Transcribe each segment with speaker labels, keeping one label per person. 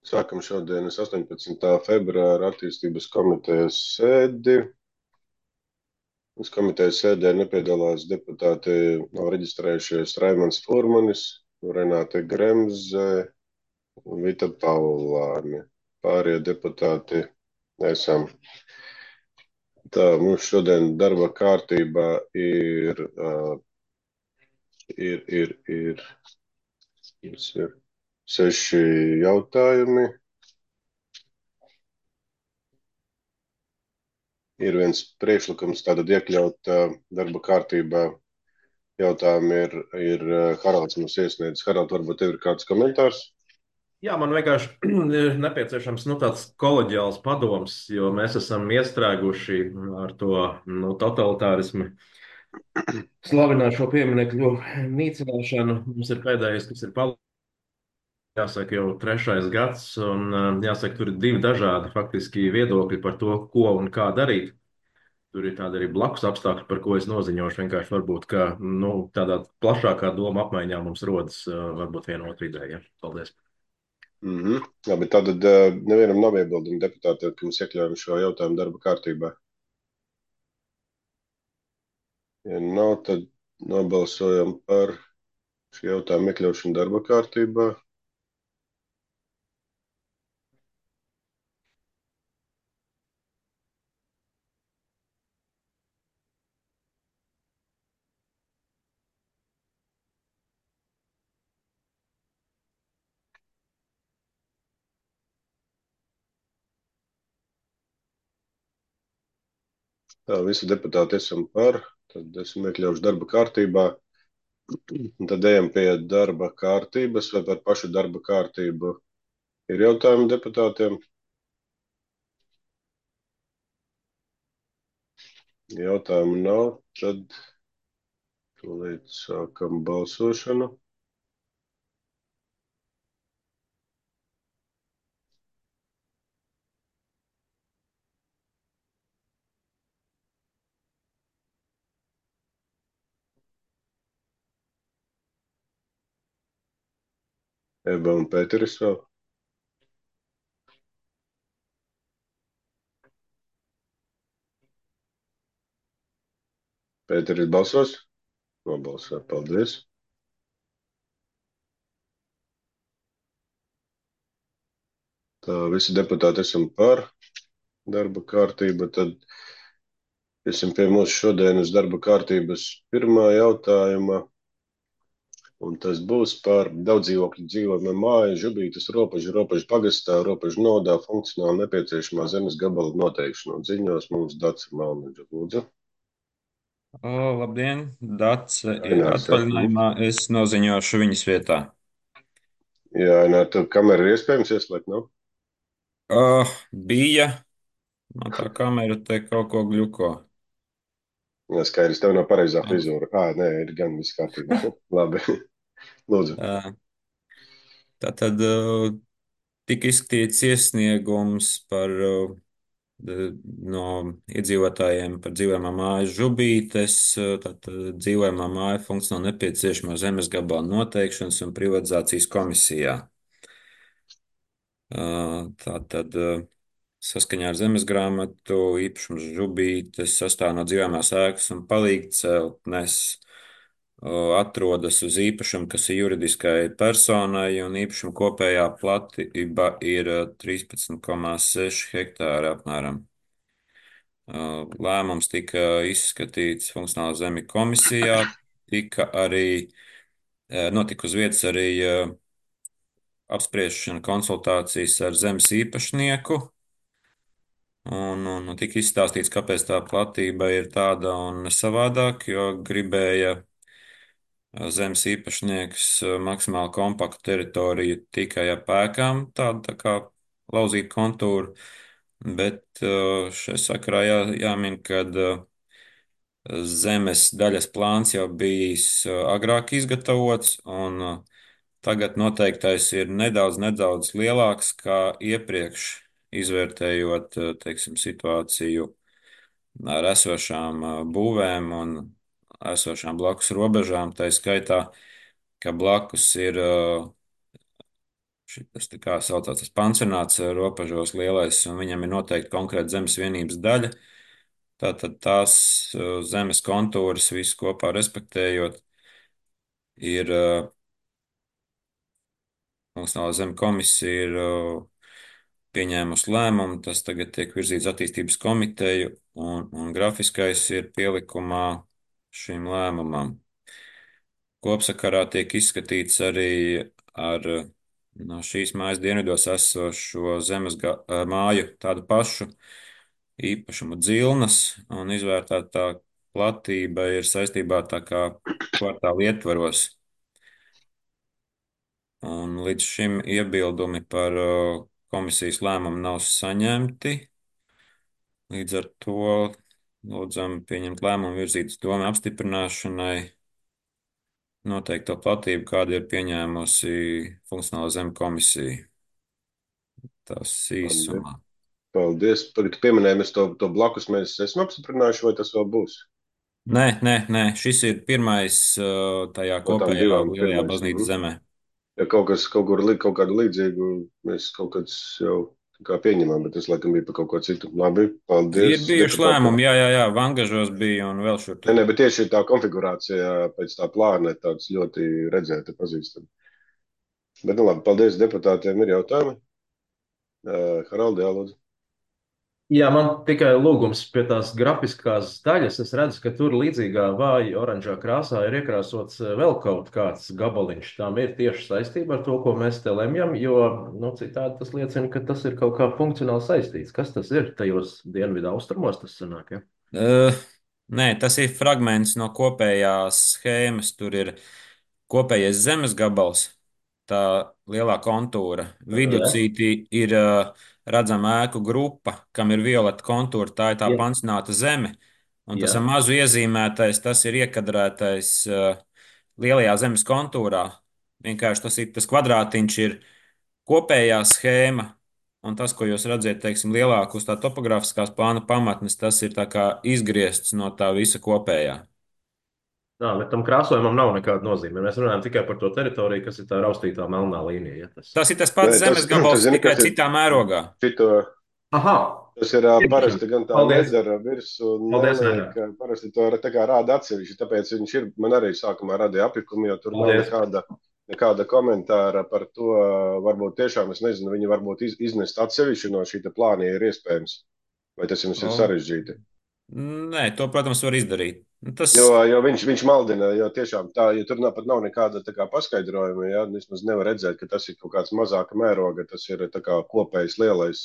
Speaker 1: Sākam šodienas 18. februāra attīstības komitejas sēdi. Uz komitejas sēdē nepiedalās deputāti nav reģistrējušies Raimonds Furmanis, Renāte Gremze un Vita Paulāne. Pārējie deputāti esam. Tā, mums šodien darba kārtībā ir 6 jautājumi. Ir viens priekšlikums tātad iekļaut darba kārtībā jautājumu ir Haralds mums iesniedz. Harald, varbūt tev ir kāds komentārs?
Speaker 2: Jā, man vienkārši ir nepieciešams tāds kolēģiāls padoms, jo mēs esam iestrēguši ar to totalitārismu, slavināt šo pieminekļu nīcināšanu. Mums ir pēdējais, kas ir palicis, jāsaka, jau trešais gads, un jāsaka, tur ir divi dažādi faktiski viedokļi par to, ko un kā darīt. Tur ir tādi arī blakus apstākļi, par ko es noziņošu. Vienkārši varbūt, ka tādā plašākā doma apmaiņā mums rodas varbūt viena otra ideja. Paldies!
Speaker 1: Labi, tātad nevienam nav iebildumu deputātiem, ka mēs iekļaujam šo jautājumu darba kārtībā. Ja nav, tad nobalsojam par šī jautājuma iekļaušanu darba kārtībā. Tā, visi deputāti esam par, tad esam iekļaujuši darba kārtībā. Un tad ejam pie darba kārtības vai par pašu darba kārtību. Ir jautājumi deputātiem? Jautājumu nav, tad tūlīt sākam balsošanu. Eba un Pēteris vēl. Pēteris balsos? Nobalso, paldies. Tā, visi deputāti esam par darba kārtību, tad esam pie mūsu šodienas darba kārtības pirmā jautājuma, un tas būs par daudzdzīvokļu dzīvojamo māju, Žubītes robežu pagastā, robežu nodā funkcionāli nepieciešamā zemes gabala noteikšanu. Un ziņos mums Dace Malniņa, lūdzu.
Speaker 3: Labdien, Dace ir
Speaker 1: Ainārs, ja?
Speaker 3: atvaļinājumā. Es noziņošu viņas vietā.
Speaker 1: Jā, Ainār, tev kamera ir iespējams ieslēgt, nav?
Speaker 3: Bija. Man tā kamera te kaut ko gļuko.
Speaker 1: Jā, skaidrs, tev nav pareizā frizūra. Nē, ir gan viss kārtībā. Labi, lūdzu.
Speaker 3: Uh, Tātad tika izskatīts iesniegums no iedzīvotājiem par dzīvojamā māja Žubītes. Tātad dzīvojamā māja funkcionāli nepieciešamo zemes gabala noteikšanas un privatizācijas komisijā. Tātad saskaņā ar zemes grāmatu īpašums Žubītes sastāv no dzīvojamās ēkas un palīgceltnes, atrodas uz īpašumu, kas ir juridiskai personai, un īpašuma kopējā platība ir 13,6 hektāri apmēram. Lēmums tika izskatīts funkcionāla zemju komisijā, notika uz vietas arī apspriešana, konsultācijas ar zemes īpašnieku. Un tika izstāstīts, kāpēc tā platība ir tāda un savādāk, jo gribēja zemes īpašnieks maksimāli kompaktu teritoriju tikai ap ēkām, tādu tā kā lauzīt kontūru, bet šai sakarā jāmin, ka zemes daļas plāns jau bijis agrāk izgatavots, un tagad noteiktais ir nedaudz lielāks kā iepriekš, izvērtējot, teiksim, situāciju ar esošām būvēm un esošām blakus robežām. Tā skaitā, ka blakus ir šitas tā kā saucās tas pansionāts robežos lielais, un viņam ir noteikti konkrēta zemes vienības daļa. Tātad tās zemes kontūras visu kopā respektējot, ir Nacionālā zeme komisija ir pieņēmusi lēmumu, tas tagad tiek virzīts attīstības komiteju, un grafiskais ir pielikumā šim lēmumam. Kopsakarā tiek izskatīts arī ar no šīs mājas dienvidos esošo māju tādu pašu īpašumu dzilnas, un izvērtētā platība ir saistībā tā kā kvartāla ietvaros. Un līdz šim iebildumi par komisijas lēmumu nav saņemti. Līdz ar to lūdzam pieņemt lēmumu virzīt uz domu apstiprināšanai noteikto platību, kādu ir pieņēmusi funkcionāla zeme komisija. Tas
Speaker 1: Paldies.
Speaker 3: īsumā.
Speaker 1: Paldies. Tagad pieminēja, mēs to blakus mēs esam apstiprinājuši, vai tas vēl būs?
Speaker 3: Nē, šis ir pirmais tajā
Speaker 1: No tām
Speaker 3: kopējā
Speaker 1: divām
Speaker 3: lielajā
Speaker 1: pirmais.
Speaker 3: baznīcas zemē.
Speaker 1: Ja kaut kur kaut kādu līdzīgu mēs kaut kāds jau tā kā pieņemam, bet tas laikam bija par kaut ko citu. Labi,
Speaker 3: Ir
Speaker 1: paldies
Speaker 3: bijuši
Speaker 1: deputātiem.
Speaker 3: lēmumi, jā, Vangažos bija un vēl šur tur.
Speaker 1: Nē, bet tieši tā konfigurācija pēc tā plāna ir tāds ļoti redzēta, pazīstama. Bet, nu labi, paldies deputātiem. Ir jautājumi? Haraldi, jālūdzu.
Speaker 2: Jā, man tikai lūgums pie tās grafiskās daļas. Es redzu, ka tur līdzīgā vāja oranžā krāsā ir iekrāsots vēl kaut kāds gabaliņš. Tām ir tieši saistība ar to, ko mēs te lemjam, jo nu, citādi tas liecina, ka tas ir kaut kā funkcionāli saistīts. Kas tas ir tajos dienvidu austrumos, tas sanāk, ja?
Speaker 3: Nē, tas ir fragments no kopējās schēmas. Tur ir kopējais zemes gabals, tā lielā kontūra.
Speaker 2: Jā,
Speaker 3: Viducītī ir redzama ēku grupa, kam ir violeta kontūra, tā ir tā
Speaker 2: jā,
Speaker 3: pansionāta zeme. Un tas
Speaker 2: jā.
Speaker 3: ar mazu iezīmētais, tas ir iekadrētais lielajā zemes kontūrā. Vienkārši tas kvadrātiņš ir kopējā schēma. Un tas, ko jūs redzat, teiksim, lielāk uz tā topogrāfiskās plāna pamatnes, tas ir tā kā izgriezts no tā visa kopējā.
Speaker 2: Jā, bet tam krāsojumam nav nekāda nozīme. Mēs runājam tikai par to teritoriju, kas ir tā raustītā melnā līnija. Ja, tas...
Speaker 3: Tas ir tas
Speaker 1: Nē,
Speaker 3: pats zemes
Speaker 1: tas
Speaker 3: gabals,
Speaker 1: zini,
Speaker 3: tikai
Speaker 1: kas ir
Speaker 3: citā mērogā.
Speaker 1: šito.
Speaker 2: Aha,
Speaker 1: Tas ir parasti gan tā
Speaker 2: paldies.
Speaker 1: nedara virsū un
Speaker 2: Paldies,
Speaker 1: neliek,
Speaker 2: Vairāk.
Speaker 1: parasti to tā kā rāda atsevišķi, tāpēc viņš ir, man arī sākumā radīja apjukumu, jo tur nav
Speaker 2: Paldies.
Speaker 1: nekāda komentāra par to, varbūt tiešām, es nezinu, viņi varbūt iznest atsevišķi no šīta plāna, ja ir iespējams, vai tas jums ir sarežģīti.
Speaker 3: Nē, to, protams, var izdarīt. Tas
Speaker 1: Jo viņš maldina, jo tiešām tā, ja tur pat nav nekāda tā kā paskaidrojuma, ja, vismaz nevar redzēt, ka tas ir kaut kāds mazāka mēroga, tas ir tā kā kopējs lielais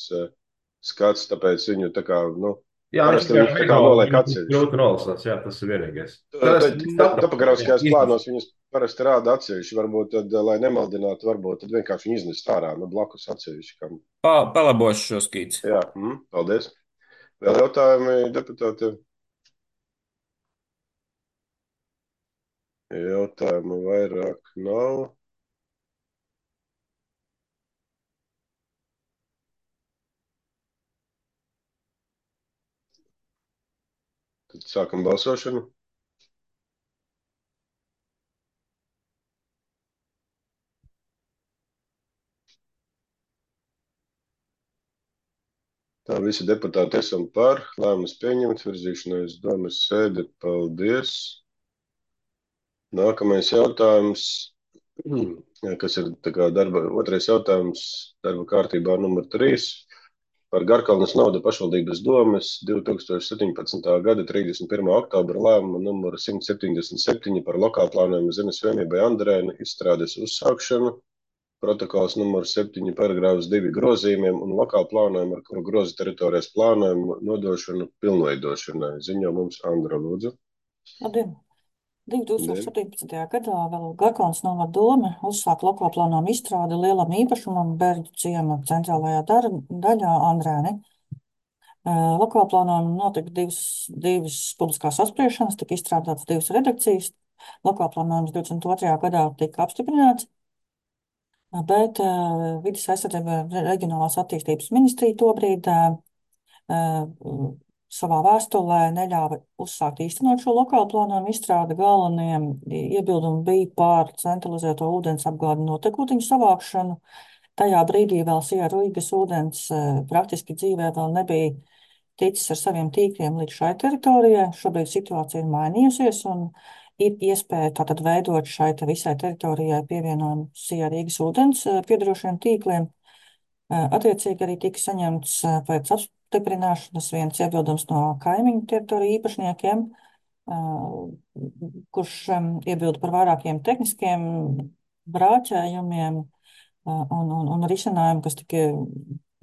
Speaker 1: skats, tāpēc viņu tā kā, nu,
Speaker 2: Jā, viņš
Speaker 1: parasti viņus tā kā noliek atsevišķi.
Speaker 2: grūti nolasās, jā, tas ir vienīgais. Tad es saprotu.
Speaker 1: Topogrāfiskajās
Speaker 2: Jā,
Speaker 1: plānos viņus parasti rāda atsevišķi, varbūt tad, lai nemaldinātu, varbūt tad vienkārši viņu iznest ārā, nu, blakus atsevišķi. Kam.
Speaker 3: palabošu šo skīci.
Speaker 1: Jā, paldies. Vēl jautājumi deputātiem? Jautājumu vairāk nav. Tad sākam balsošanu. Tā visi deputāti esam par. Lēmums pieņemts, virzīšanai uz domas sēdi. Paldies. Nākamais jautājums, kas ir tā kā otrais jautājums darba kārtībā numur 3 par Garkalnes naudu pašvaldības domes 2017. gada 31. oktobra lēmumu numuru 177 par lokālplānojumu zemes vienībai Andrēna izstrādes uzsākšanu. Protokols numur 7 paragrāfs 2 grozījumiem un lokālu plānojumu, ar kuru groza teritorijas plānojumu nodošanu pilnveidošanai. Ziņo mums Andra, lūdzu.
Speaker 4: Labdien! 2017. gadā vēl Garkalnes novada dome uzsāka lokālu plānojumu izstrādi lielam īpašumam Berģu ciema centrālajā daļā Andrēni. Lokālu plānojumu notika divas publiskās apspriešanas, tika izstrādātas divas redakcijas. Lokālu plānojums 22. gadā tika apstiprināts, bet Vides aizsardzība reģionālās attīstības ministrija tobrīd savā vēstulē neļāva uzsākt īstenot šo lokālu plānojumu izstrādi. Galvenie iebildumi bija par centralizēto ūdens apgādi notekūtiņu savākšanu, Tajā brīdī vēl Sija Rīgas ūdens praktiski dzīvē vēl nebija ticis ar saviem tīkliem līdz šai teritorijai. Šobrīd situācija ir mainījusies un ir iespēja tātad veidot šai visai teritorijai pievienojumu Sija Rīgas ūdens piedarošiem tīkliem. Attiecīgi arī tika saņemts pēc apstiprināšanas viens iebildums no kaimiņu teritoriju īpašniekiem, kurš iebilda par vairākiem tehniskiem brāķējumiem un risinājumu, kas tika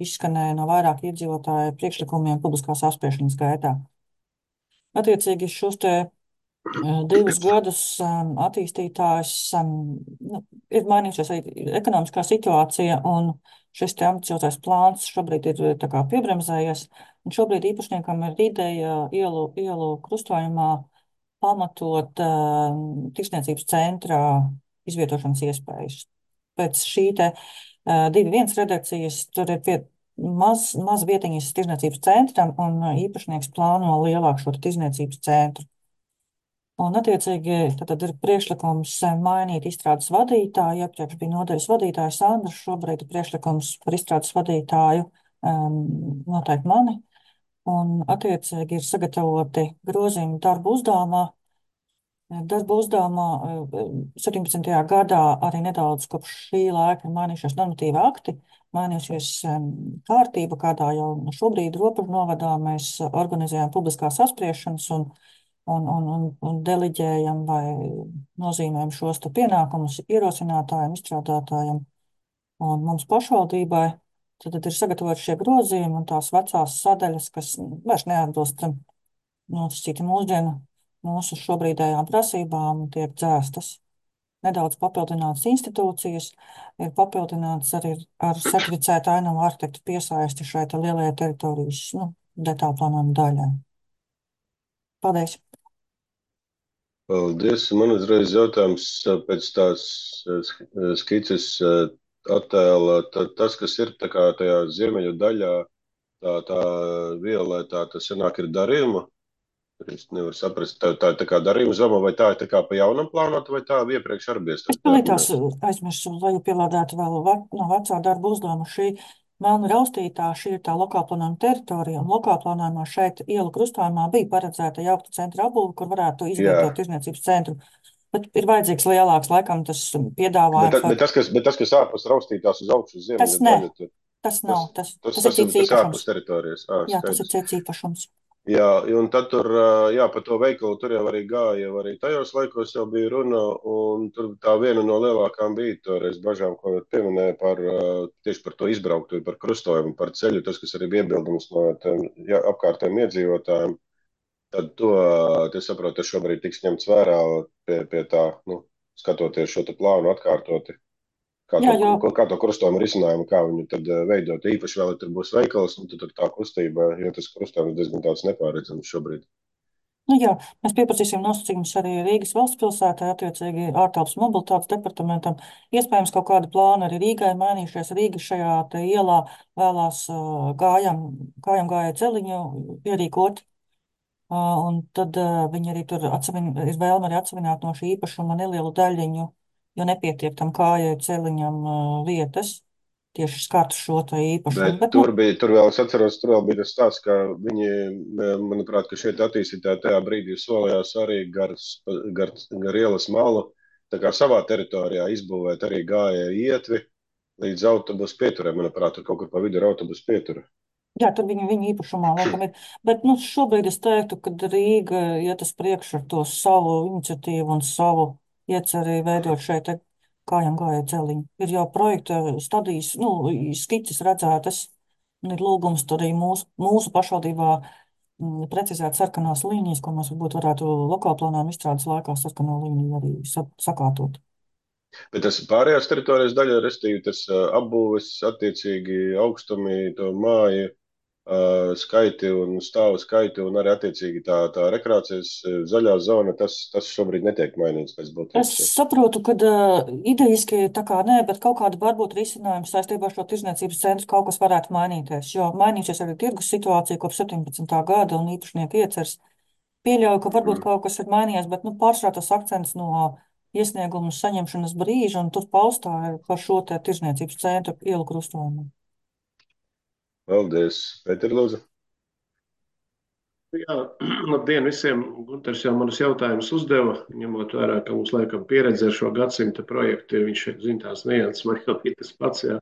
Speaker 4: izskanēja no vairāku iedzīvotāju priekšlikumiem publiskās apspriešanas gaitā. Attiecīgi šos te 2 gadus attīstītājs ir mainījusies arī ekonomiskā situācija, un šis te ambiciozais plāns šobrīd ir tā kā piebremzējies, un šobrīd īpašniekam ir ideja ielu krustojumā pamatot tirsniecības centra izvietošanas iespējas. Pēc šī te 2.1 redakcijas tur ir maz vietiņas tirsniecības centram, un īpašnieks plāno lielāku šo tirsniecības centru. Un, attiecīgi, tad ir priekšlikums mainīt izstrādes vadītāju. Iepriekš bija nodaļas vadītājs Andrs, šobrīd ir priekšlikums par izstrādes vadītāju noteikti mani. Un, attiecīgi, ir sagatavoti grozījumi darba uzdevumā. Darba uzdevumā 17. gadā arī nedaudz kopš šī laika ir mainījušies normatīvi akti, mainījušies kārtība, kādā jau šobrīd Robežu novadā mēs organizējam publiskās apspriešanas un deleģējam vai nozīmējam šos te pienākumus ierosinātājiem, izstrādātājiem un mums pašvaldībai. Tad ir sagatavoti šie grozījumi un tās vecās sadaļas, kas vairs neatbilst mūsu šobrīdējām prasībām, tiek dzēstas. Nedaudz papildinātas institūcijas, ir papildināts arī ar certificētu ainavu arhitektu piesaisti šai te lielajai teritorijas detālu plānojuma daļai. Paldies!
Speaker 1: Paldies. Man uzreiz jautājums pēc tās skices attēla. Tas, kas ir tā kā tajā ziemeļu daļā, tā violetā, tas sanāk ir darījuma. Es nevaru saprast, tā ir tā kā darījuma zoma, vai tā ir tā kā pa jaunam plānota, vai tā iepriekš arī bija
Speaker 4: Es palītās aizmirsu, lai pielādētu vēl no vecā darba uzdevuma šī melnu raustītā, šī ir tā lokālplānojuma teritorija, un lokālplānojumā šeit ielu krustojumā bija paredzēta jaukta centra apbūve, kur varētu izvietot tirsniecības centru. Bet ir vajadzīgs lielāks, laikam, tas piedāvājums.
Speaker 1: Bet tas, kas ārpus raustītās uz augšu uz ziemeļu daļu,
Speaker 4: tas nav, tas ir cits
Speaker 1: īpašums.
Speaker 4: ārpus
Speaker 1: teritorijas.
Speaker 4: Jā, tas ir cits īpašums.
Speaker 1: Jā, un tad tur, par to veikalu tur jau arī gāja, jau arī tajos laikos jau bija runa, un tur tā viena no lielākām bija toreiz bažām, ko pieminēja tieši par to izbrauktu, par krustojumu, par ceļu, tas, kas arī bija iebildums no apkārtējiem iedzīvotājiem. Tad to saprotu, tas šobrīd tiks ņemts vērā pie tā, skatoties šo te plānu atkārtoti. Kā to krustojumu risinājumu, kā viņu tad veidot. Īpaši vēl, ja tur būs veikals, tad tā kustība, jo tas krustojums diezgan tāds nepārredzams šobrīd.
Speaker 4: Jā, mēs pieprasīsim nosacījumus arī Rīgas valsts pilsētai, attiecīgi ārtelpas mobilitātes departamentam. Iespējams, kaut kāda plāna arī Rīgai mainījušies. Rīga šajā te ielā vēlās kājām gāja celiņu ierīkot. Un tad viņi arī tur ir vēlme arī atsevināt no šī īpašuma nelielu daļiņu, jo nepietiek tam kājai celiņam vietas, tieši skatu šo tā īpašumu.
Speaker 1: Bet tur vēl, es atceros, tur vēl bija tas stāsts, ka viņi, manuprāt, ka šeit attīstītāji tajā brīdī solījās arī gar ielas malu, tā kā savā teritorijā izbūvēt arī gājēju ietvi līdz autobusu pieturē, manuprāt, tur kaut kur pa vidu ir autobusu pietura.
Speaker 4: Jā, tur viņa īpašumā laikam ir. Bet šobrīd es teiktu, ka Rīga iet uz priekšu ar to savu iniciatīvu un savu ieceri veidot šeit kājām gāja celiņu. Ir jau projekta stadijas, skices redzētas, un ir lūgums tur arī mūsu pašvaldībā precizēt sarkanās līnijas, ko mēs varbūt varētu lokālplānojuma izstrādes laikā sarkano līniju arī sakārtot.
Speaker 1: Bet tas pārējās teritorijas daļa, restīvi tas apbūves, attiecīgi augstumi, to māju, skaiti un stāvu skaiti un arī attiecīgi tā rekreācijas zaļā zona, tas šobrīd netiek mainīts pēc būtības.
Speaker 4: Es saprotu, ka idejiski tā kā nē, bet kaut kāda varbūt risinājums saistībā ar šo tirsniecības centru kaut kas varētu mainīties, jo mainīsies arī tirgus situācija kopš 17. gada un īpašnieku iecers. Pieļauju, ka varbūt kaut kas ir mainījies, bet pārsvarā tas akcents no iesniegumu saņemšanas brīža, un tur paustā ir par šo te tirzniecības centru ielu krustojumu.
Speaker 1: Paldies. Pēter, lūdzu.
Speaker 5: Jā, labdien visiem. Gunters jau manus jautājumus uzdeva, ņemot vērā, ka mums laikam pieredze ar šo gadsimta projektu ir, viņš zina tās nianses, man jau ir tas pats, jā,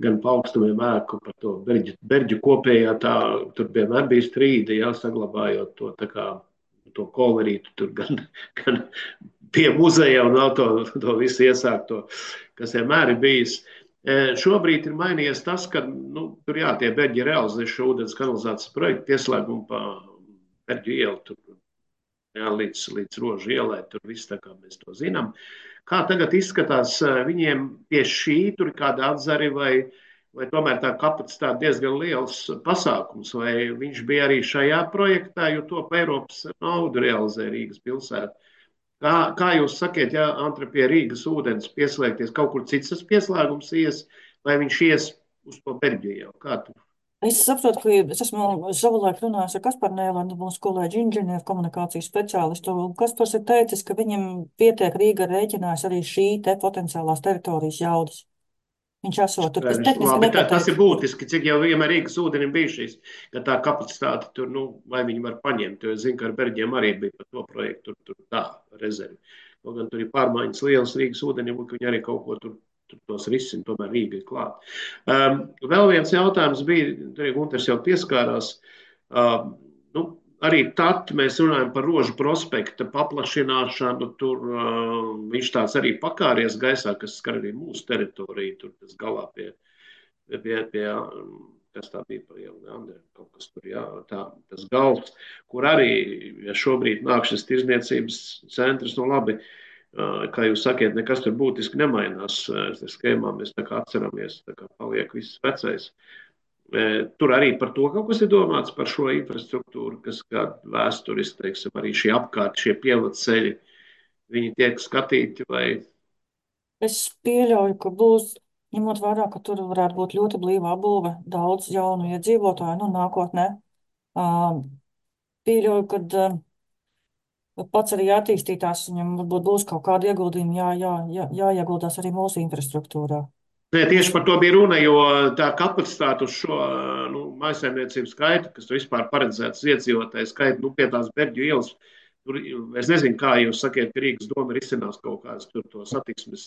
Speaker 5: gan pa augstumiem ēku par to berģu kopējā, tā, tur vienmēr bija strīdi, jā, saglabājot to tā kā, to kolorītu, tur gan pie muzeja un vēl to visu iesākto, kas vienmēr ir bijis. Šobrīd ir mainījies tas, ka tur jā, tie beļģi realizē šo ūdens kanalizācijas projektu pieslēgumu pa Berģu ielu, tur, jā, līdz Rožu ielai, tur viss tā kā mēs to zinām. Kā tagad izskatās viņiem pie šī, tur ir kāda atzari vai tomēr tā kapacitāte diezgan liels pasākums, vai viņš bija arī šajā projektā, jo to pa Eiropas naudu realizē Rīgas pilsēta. Kā jūs sakiet, ja Antra pie Rīgas ūdens pieslēgties, kaut kur cits tas pieslēgums ies, vai viņš ies uz to Berģiju jau? Kā tu?
Speaker 4: Es saprotu, ka es esmu savulaik runājis ar Kasparu Nēlandu, mūsu kolēģi inženieru komunikācijas speciālistu. Kaspars ir teicis, ka viņam pietiek Rīga rēķinās arī šī te potenciālās teritorijas jaudas. Viņš esot tur, kas tehniski nepateikts.
Speaker 5: Tas ir būtiski, cik jau vienmēr Rīgas ūdenim bija šīs, ka tā kapacitāte tur, vai viņi var paņemt, jo es zinu, ka ar Berģiem arī bija par to projektu, tur tā rezervi. Kaut gan tur ir pārmaiņas lielas Rīgas ūdenim, ka viņi arī kaut ko tur tos risina, tomēr Rīga ir klāt. Vēl viens jautājums bija, tur Gunters jau pieskārās, arī tad mēs runājam par Rožu prospekta paplašināšanu. Tur viņš tāds arī pakāries gaisā, kas skar arī mūsu teritoriju. Tur tas galā pie kas tā bija par ielu, kaut kas tur, jā, tas gals, kur arī šobrīd nāk šis tirzniecības centrs, labi, kā jūs sakiet, nekas tur būtiski nemainās. Skēmā mēs tā kā atceramies, tā kā paliek viss vecais. Tur arī par to kaut kas ir domāts, par šo infrastruktūru, kas kāda vēsturiski, teiksim, arī šie apkārt, šie pievedceļi, viņi tiek skatīti vai?
Speaker 4: Es pieļauju, ka būs, ņemot vērā, ka tur varētu būt ļoti blīvā būve, daudz jaunu iedzīvotāju, nākotnē. Pieļauju, ka pats arī attīstītās, viņam varbūt būs kaut kādi ieguldījumi, jāieguldās arī mūsu infrastruktūrā.
Speaker 5: Nē, tieši par to bija runa, jo tā kapacitāte uz šo mājsaimniecību skaitu, kas vispār paredzēts iedzīvotāju skaitu, pie tās Berģu ielas, tur, es nezinu, kā jūs sakiet, ka Rīgas doma risinās kaut kādas tur to satiksmes.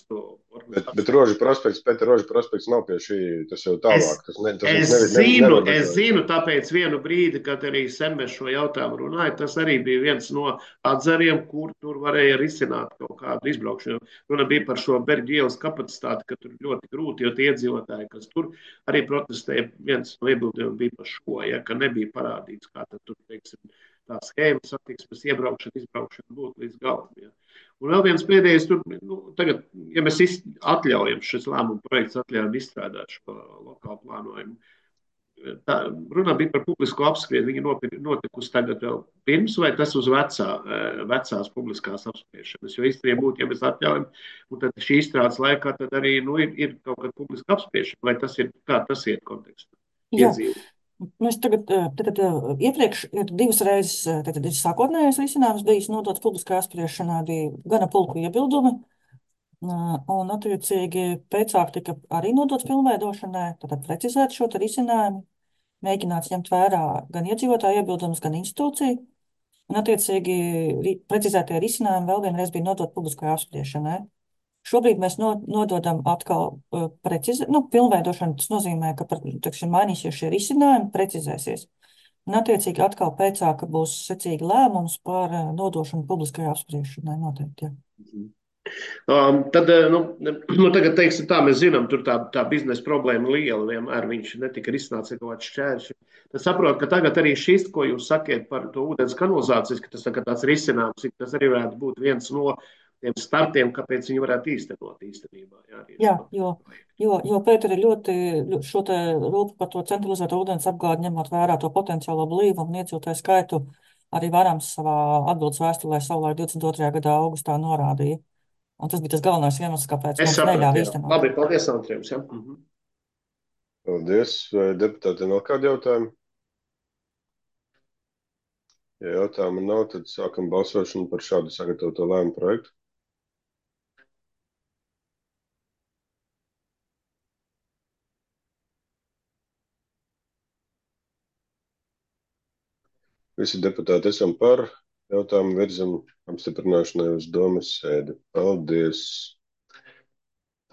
Speaker 1: Bet Rožu prospekts, Pēter, Rožu prospekts nav pie šī, tas jau tālāk.
Speaker 5: Es zinu, tāpēc vienu brīdi, kad arī sen mēs šo jautājumu runāja, tas arī bija viens no atzariem, kur tur varēja risināt kaut kādu izbraukšanu. Runa bija par šo Berģu ielas kapacitāti, ka tur ļoti grūti, jo tie iedzīvotāji, kas tur arī protestēja, viens no iebildumiem bija par šo, ja, ka nebija parādīts, kā tad tur, teiksim, tā schēma satiksmes iebraukšana, izbraukšana būtu līdz galam. Ja. Un vēl viens pēdējais, tur, tagad, ja mēs atļaujam šis lēmumu projekts, atļaujam izstrādāt šo lokālu plānojumu, tā runa bija par publisko apspriedi, viņa notikusi tagad vēl pirms, vai tas uz vecās publiskās apspriešanas, jo īstenībā būtu, ja mēs atļaujam, un tad šī izstrādes laikā tad arī, ir kaut kāda publiska apspriešana, vai tas ir, kā tas iet kontekstā? Iedzīvot.
Speaker 4: Mēs tagad iepriekš ir divas reizes, tad ir sākotnējais risinājums bijis nodots publiskā apspriešanā, bija gana pulku iebildumi, un attiecīgi pēcāk tika arī nodots pilnveidošanai, tad precizēt šo risinājumu, mēģināts ņemt vērā gan iedzīvotāju iebildumus, gan institūciju, un attiecīgi precizētie risinājumi vēl vienreiz bija nodot publiskajā apspriešanai. Šobrīd mēs nododam atkal pilnveidošanu. Tas nozīmē, ka mainīsies šie risinājumi, precizēsies. Un attiecīgi atkal pēcāk būs secīgi lēmums par nodošanu publiskajā apspriešanai noteikti.
Speaker 5: Tad, tagad, teiksim tā, mēs zinām, tur tā biznesa problēma liela, vienmēr viņš netika risināts ar kaut kāds šķēršļi. Tad saprot, ka tagad arī šis, ko jūs sakiet par to ūdens kanalizācijas, ka tas tāds risinājums, tas arī varētu būt viens no tiem startiem, kāpēc viņi varētu īstenot īstenībā.
Speaker 4: Jā, jo Pēter ir ļoti šo te rūpu par to centralizēto ūdens apgādi, ņemot vērā to potenciālo blīvumu un iedzīvotāju skaitu, arī Varams savā atbildes vēstulē savulaik 22. gadā augustā norādīja. Un tas bija tas galvenais iemesls, kāpēc mums neļāva īstenot.
Speaker 5: Labi, paldies, Andrejums. Ja?
Speaker 1: Paldies. Vai deputātiem vēl kādi jautājumi? Ja jautājumu nav, tad sākam balsošanu par šādu sagatavoto lēmumu projektu. Visi deputāti esam par. Jautājumu virzam apstiprināšanai uz domas sēdi. Paldies.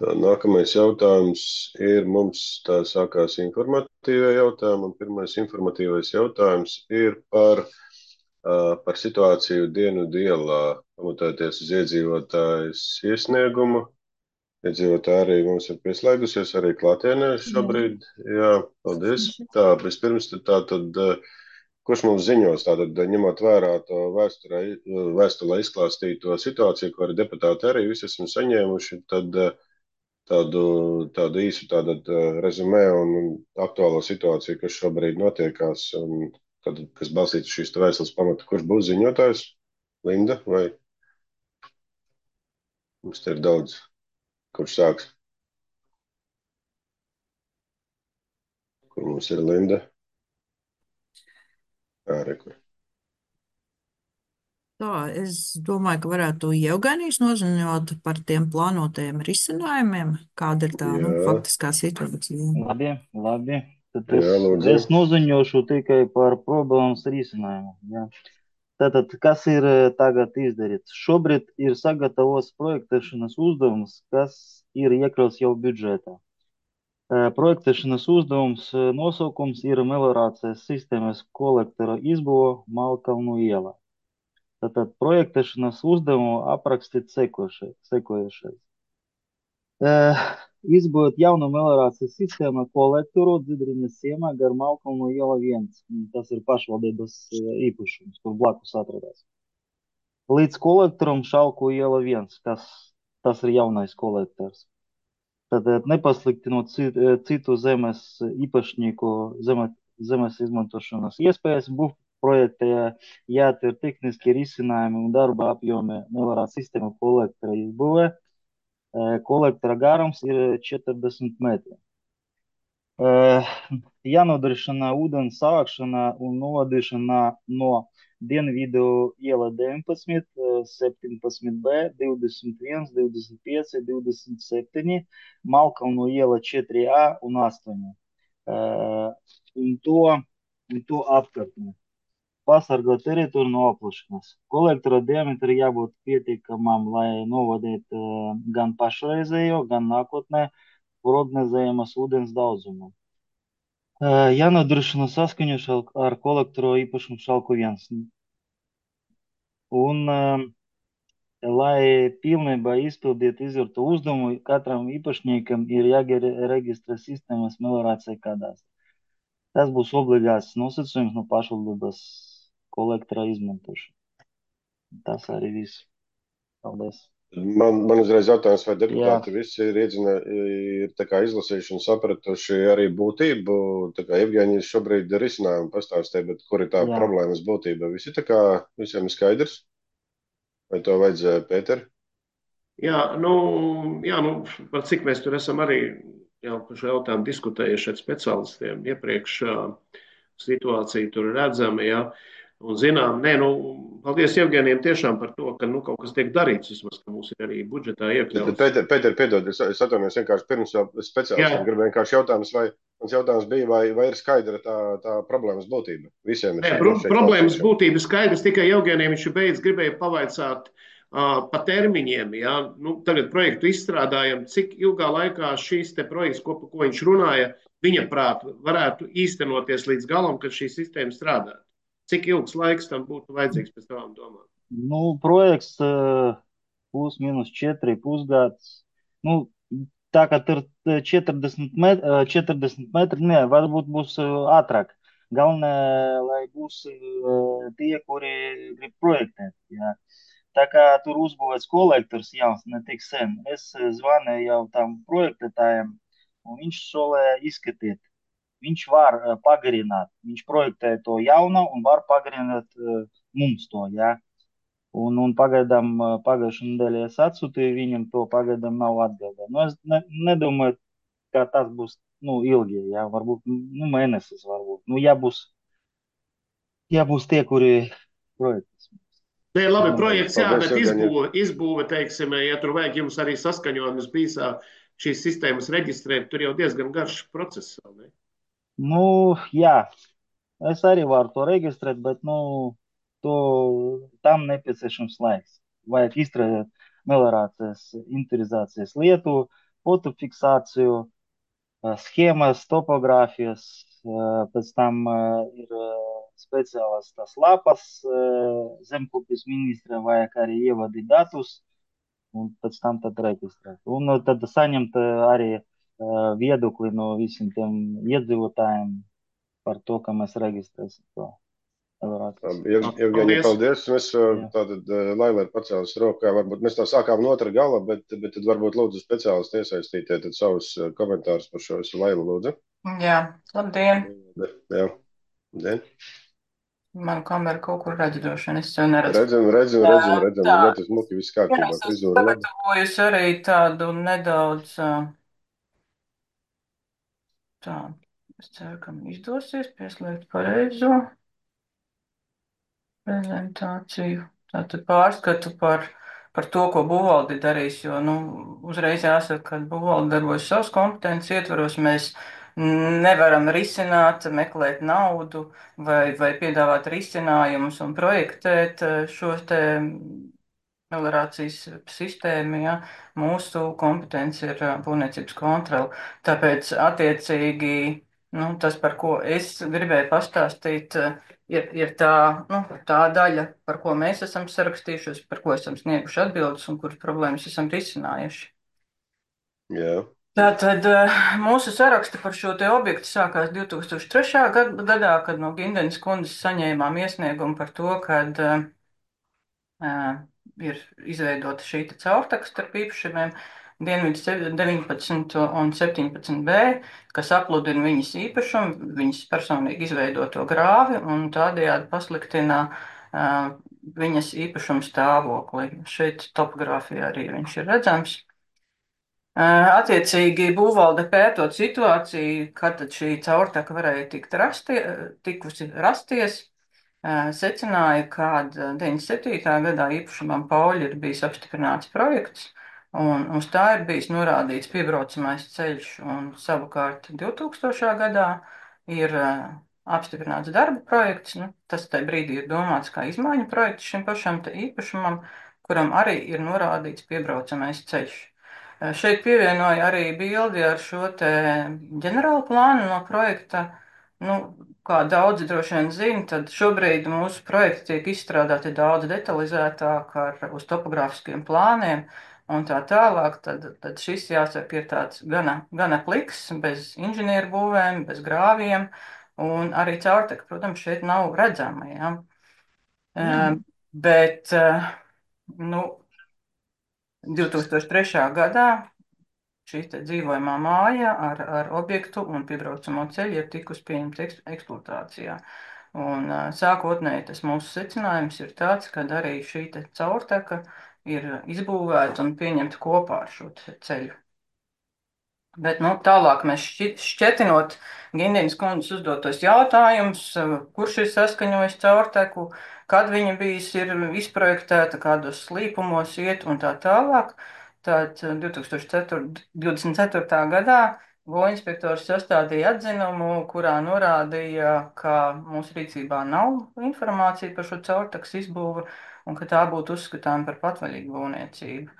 Speaker 1: Tā, nākamais jautājums ir mums tā sākās informatīvie jautājumi, un pirmais informatīvais jautājums ir par situāciju Dienvidu ielā, pamatoties uz iedzīvotājs iesniegumu. Iedzīvotāji arī mums ir pieslēgusies, arī klātienē šobrīd. Jā, paldies. Tā, vispirms tad, kurš mums ziņos, tātad ņemot vērā to vēstulē izklāstīto situāciju, ko arī deputāti arī visi esam saņēmuši, tad tādu īsu rezumē un aktuālo situāciju, kas šobrīd notiekās, un tad, kas balstīts šīs vēstules pamata, kurš būs ziņotājs? Linda vai? Mums te ir daudz. Kurš sāks? Kur mums ir Linda? Rekur.
Speaker 4: Tā, es domāju, ka varētu Jevgenijs noziņot par tiem plānotajiem risinājumiem, kāda ir tā, faktiskā situācija.
Speaker 6: Labi. Tad
Speaker 1: Jā, lūdzu.
Speaker 6: es noziņošu tikai par problēmas risinājumu. Jā. Tātad, kas ir tagad izdarīts? Šobrīd ir sagatavots projektēšanas uzdevums, kas ir iekļauts jau budžetā. Projektēšanas uzdevums nosaukums ir meliorācijas sistēmas kolektora izbūve Malkalnu ielā. Tātad projektēšanas uzdevumu aprakstīt sekojošais. Izbūvēt jaunu meliorācijas sistēmu kolektoru Dzidriņas ciemā gar Malkalnu iela 1. Tas ir pašvaldības īpašums, kur blakus atrodas. Līdz kolektoram Šalku iela 1, tas ir jaunais kolektors. Tad nepasliktinot citu zemes īpašnieku zemes izmantošanas iespējas, projektē jāatver tehniski risinājumi un darba apjomi meliorācijas sistēmu kolektora izbūvē. Kolektora garums ir 40 metri. Jānodrošina ūdens savākšana un novadīšana no Dienvidu iela 19, 17B, 21, 25, 27, Malkalnu iela 4A un 8. Un to apkārtnē. Pasargot teritoriju no aplašanas. Kolektora diametri jābūt pietiekamam, lai novadītu gan pašreizējo, gan nākotnē prognozējamas ūdens daudzumu. Jānodrošina saskaņošana ar kolektoru īpašumu Šalku 1. Un, lai pilnībā izpildītu izvirto uzdevumu, katram īpašniekam ir jāreģistrē sistēmas meliorācija kadastra. Tas būs obligāts nosacījums no pašvaldības kolektora izmantošana. Tas arī viss. Paldies.
Speaker 1: Man uzreiz jautājums, vai deputāti visi ir tā kā izlasījuši un sapratuši arī būtību, tā kā Evgenijs šobrīd risinājumu pastāstīja, bet kur ir tā problēmas būtība? Visi tā kā visiem ir skaidrs? Vai to vajadzēja, Pēter?
Speaker 5: Jā, par cik mēs tur esam arī jau par šo jautājumu diskutējuši ar speciālistiem iepriekš, situācija tur redzama, jā. Un zinām, paldies Evgenijam tiešām par to, ka kaut kas tiek darīts, vismaz, ka mums ir arī budžetā iekļauts.
Speaker 1: Pēter, piedod, es atvainojos vienkārši pirms jau speciālistiem gribēju vienkārši jautājums, mans jautājums bija, vai ir skaidra tā problēmas būtība? Visiem ir
Speaker 5: problēmas būtība skaidrs, tikai Evgenijam viņš beidz gribēja pavaicāt pa termiņiem, jā. Tagad projektu izstrādājam, cik ilgā laikā šīs te projekts, ko viņš runāja, viņa prāt varētu īstenoties līdz galam, kad šī sistēma strādātu. Cik ilgs laiks tam būtu vajadzīgs pēc tavām domām?
Speaker 6: Projekts plus-minus 4 pusgads. Tā kā tur 40 metri, varbūt būs ātrāk. Galvenais, lai būs tie, kuri grib projektēt. Jā. Tā kā tur uzbūvēts kolektors jauns, ne tik sen. Es zvanīju jau tam projektētājiem, un viņš solēja izskatīt. Viņš var pagarināt, viņš projektē to jaunu un var pagarināt mums to, jā. Un pagaidām pagājušajā nedēļā es atsūtīju viņam to, pagaidām nav atbildē. Es nedomāju, ka tas būs, ilgi, jā, varbūt, mēnesis varbūt. Jābūs tie, kuri projektēs.
Speaker 5: Labi, projekts, jā, bet izbūve, teiksim, ja tur vajag jums arī saskaņojumus bīsā šīs sistēmas reģistrēt, tur jau diezgan garš process, ne?
Speaker 6: Jā. Es arī varu to reģistrēt, bet, nu, to, tam nepieciešams laiks. Vajag izstrādāt melorācijas, interizācijas lietu, fotofiksāciju, schēmas, topogrāfijas, pēc tam ir speciālas tās lapas, zemkopības ministra vajag arī ievadīt datus, un pēc tam tad reģistrēt. Un tad saņemt arī viedokli no visiem tiem iedzīvotājiem par to, ka mēs reģistrēsim to melorācijas.
Speaker 1: Evgenija,
Speaker 5: Paldies!
Speaker 1: paldies. Mēs
Speaker 6: Jā.
Speaker 1: tātad Laila ir pacēlis rokā. Varbūt mēs tā sākām no otra gala, bet tad varbūt lūdzu speciālisti iesaistītie tad savus komentārus par šo visu. Laila, lūdzu.
Speaker 7: Jā, labdien!
Speaker 1: Jā. Dien.
Speaker 7: Manu kameru kaut kur redzu droši vien, es sev neredzu.
Speaker 1: Redzam.
Speaker 7: Tā,
Speaker 1: Ļoti smuki, viss
Speaker 7: jā,
Speaker 1: kārtībā.
Speaker 7: es esmu
Speaker 1: Frizūra labi.
Speaker 7: sagatavojusi arī tādu nedaudz, tā, es ceru, ka man izdosies pieslēgt pareizo prezentāciju. Tātad pārskatu par to, ko Buvaldi darīs, jo, nu, uzreiz jāsaka, ka Buvaldi darbojas savas kompetences ietvaros, mēs nevaram risināt, meklēt naudu vai piedāvāt risinājumus un projektēt šo te melorācijas sistēmu, ja. Mūsu kompetence ir būvniecības kontrole. Tāpēc, attiecīgi, nu, tas, par ko es gribēju pastāstīt, ir tā, nu, tā daļa, par ko mēs esam sarakstījušies, par ko esam snieguši atbildes un kuras problēmas esam risinājuši.
Speaker 1: Jā.
Speaker 7: Tātad mūsu saraksti par šo te objektu sākās 2003. gadā, kad no Gindenes kundzes saņēmām iesniegumu par to, kad ir izveidota šī caurtaka starp īpašumiem Dienvidu 19 un 17B, kas apludina viņas īpašumu, viņas personīgi izveidoto grāvi un tādējādi pasliktina viņas īpašumu stāvokli. Šeit topogrāfijā arī viņš ir redzams. Attiecīgi būvvalde pētot situāciju, kad tad šī caurtaka varēja tikusi rasties, secināja, ka 97. gadā īpašumam Pauļi ir bijis apstiprināts projekts, un uz tā ir bijis norādīts piebraucamais ceļš, un savukārt 2000. gadā ir apstiprināts darba projekts, nu, tas tajā brīdī ir domāts kā izmaiņu projekts šim pašam te īpašumam, kuram arī ir norādīts piebraucamais ceļš. Šeit pievienoja arī bildi ar šo te ģenerālu plānu no projekta. Nu, kā daudzi droši vien zina, tad šobrīd mūsu projekti tiek izstrādāti daudz detalizētāk uz topogrāfiskiem plāniem un tā tālāk. Tad šis, jāsaka, ir tāds gana pliks, bez inženieru būvēm, bez grāviem, un arī caurteka, protams, šeit nav redzama. Ja? Bet, nu, 2003. gadā šī dzīvojamā māja ar objektu un piebraucamo ceļu ir tikusi pieņemta eksploatācijā. Un sākotnēji tas mūsu secinājums ir tāds, ka arī šī caurteka ir izbūvēta un pieņemta kopā ar šo ceļu. Bet, nu, tālāk mēs šķetinot Gindenes kundzes uzdotos jautājumus, kurš ir saskaņojis caurteku, kad viņa bijis ir izprojektēta, kādos slīpumos iet un tā tālāk. Tad 2024. gadā Goinspektors sastādīja atzinumu, kurā norādīja, ka mūsu rīcībā nav informācija par šo caurtekas izbūvi un ka tā būtu uzskatām par patvaļīgu būvniecību.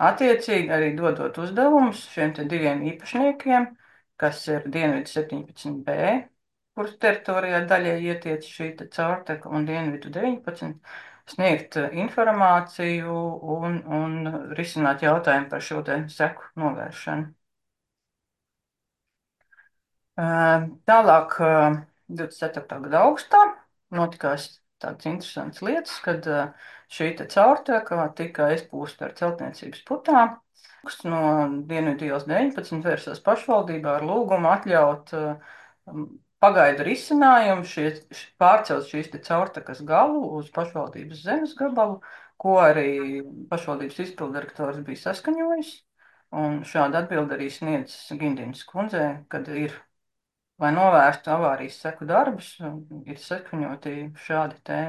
Speaker 7: Attiecīgi arī dodot uzdevumus šiem te diviem īpašniekiem, kas ir Dienvidu 17B, kuras teritorijā daļai ietiec šī caurteka, un Dienvidu 19, sniegt informāciju un risināt jautājumu par šo te seku novēršanu. Tālāk 24. gada augustā notikās tādas interesantas lietas, kad šī caurteka tika izpūsta ar celtniecības putām. No Dienvidu ielas 19 vērsās pašvaldībā ar lūgumu atļaut pagaidu risinājumu pārcelt šīs caurtekas galu uz pašvaldības zemes gabalu, ko arī pašvaldības izpildirektors bija saskaņojis. Un šādu atbildi arī sniedz Gindenes kundzei, kad ir, lai novērstu avārijas seku darbus, ir saskaņoti šādi te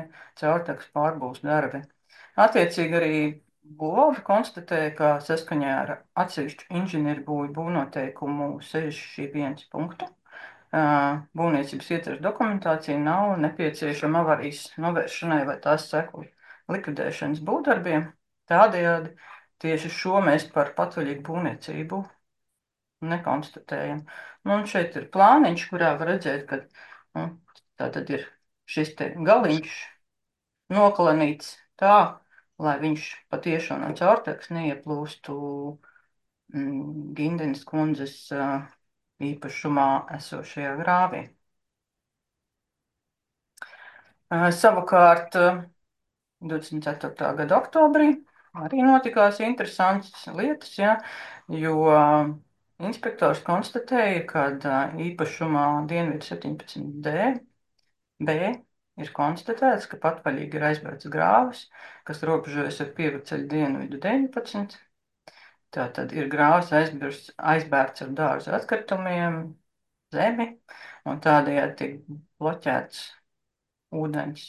Speaker 7: caurtekas pārbūves darbi. Attiecīgi arī būvvalde konstatēja, ka saskaņā ar atsevišķu inženieru būvnoteikumu 61 punktu būvniecības ietveres dokumentācija nav nepieciešama avarijas novēršanai vai tās seku likvidēšanas būvdarbiem. Tādējādi tieši šo mēs par patvaļīgu būvniecību nekonstatējam. Nu, un šeit ir plāniņš, kurā var redzēt, ka nu, tā tad ir šis te galiņš noklanīts tā, lai viņš patiešām no caurteks neieplūstu Gindenes kundzes īpašumā esošajā grāvī. Savukārt 24. gada oktobrī arī notikās interesantas lietas, ja, jo inspektors konstatēja, ka īpašumā Dienvidu 17D B ir konstatēts, ka patvaļīgi ir aizbērts grāvis, kas robežojas ar Pievedceļu Dienvidu 19. Tātad ir grāvis aizbērts ar dārza atkritumiem, zemi, un tādējādi tiek bloķēts ūdens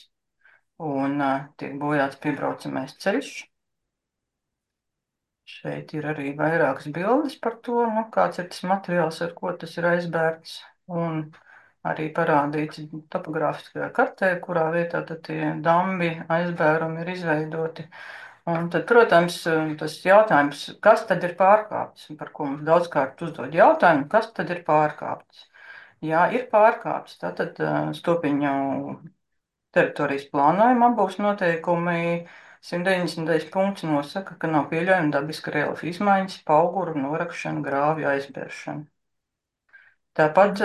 Speaker 7: un tiek bojāts piebraucamais ceļš. Šeit ir arī vairākas bildes par to, nu, kāds ir tas materiāls, ar ko tas ir aizbērts, un arī parādīts topogrāfiskajā kartē, kurā vietā tad tie dambi aizbērumi ir izveidoti. Un tad, protams, tas jautājums, kas tad ir pārkāpts, par ko mums daudzkārt uzdod jautājumu, kas tad ir pārkāpts? Jā, ir pārkāpts, tātad Stopiņu teritorijas plānojumā būs noteikumi 190. punkts nosaka, ka nav pieļaujama dabiska reliefa izmaiņas, pauguru norakšana, grāvju aizbēršana. Tāpat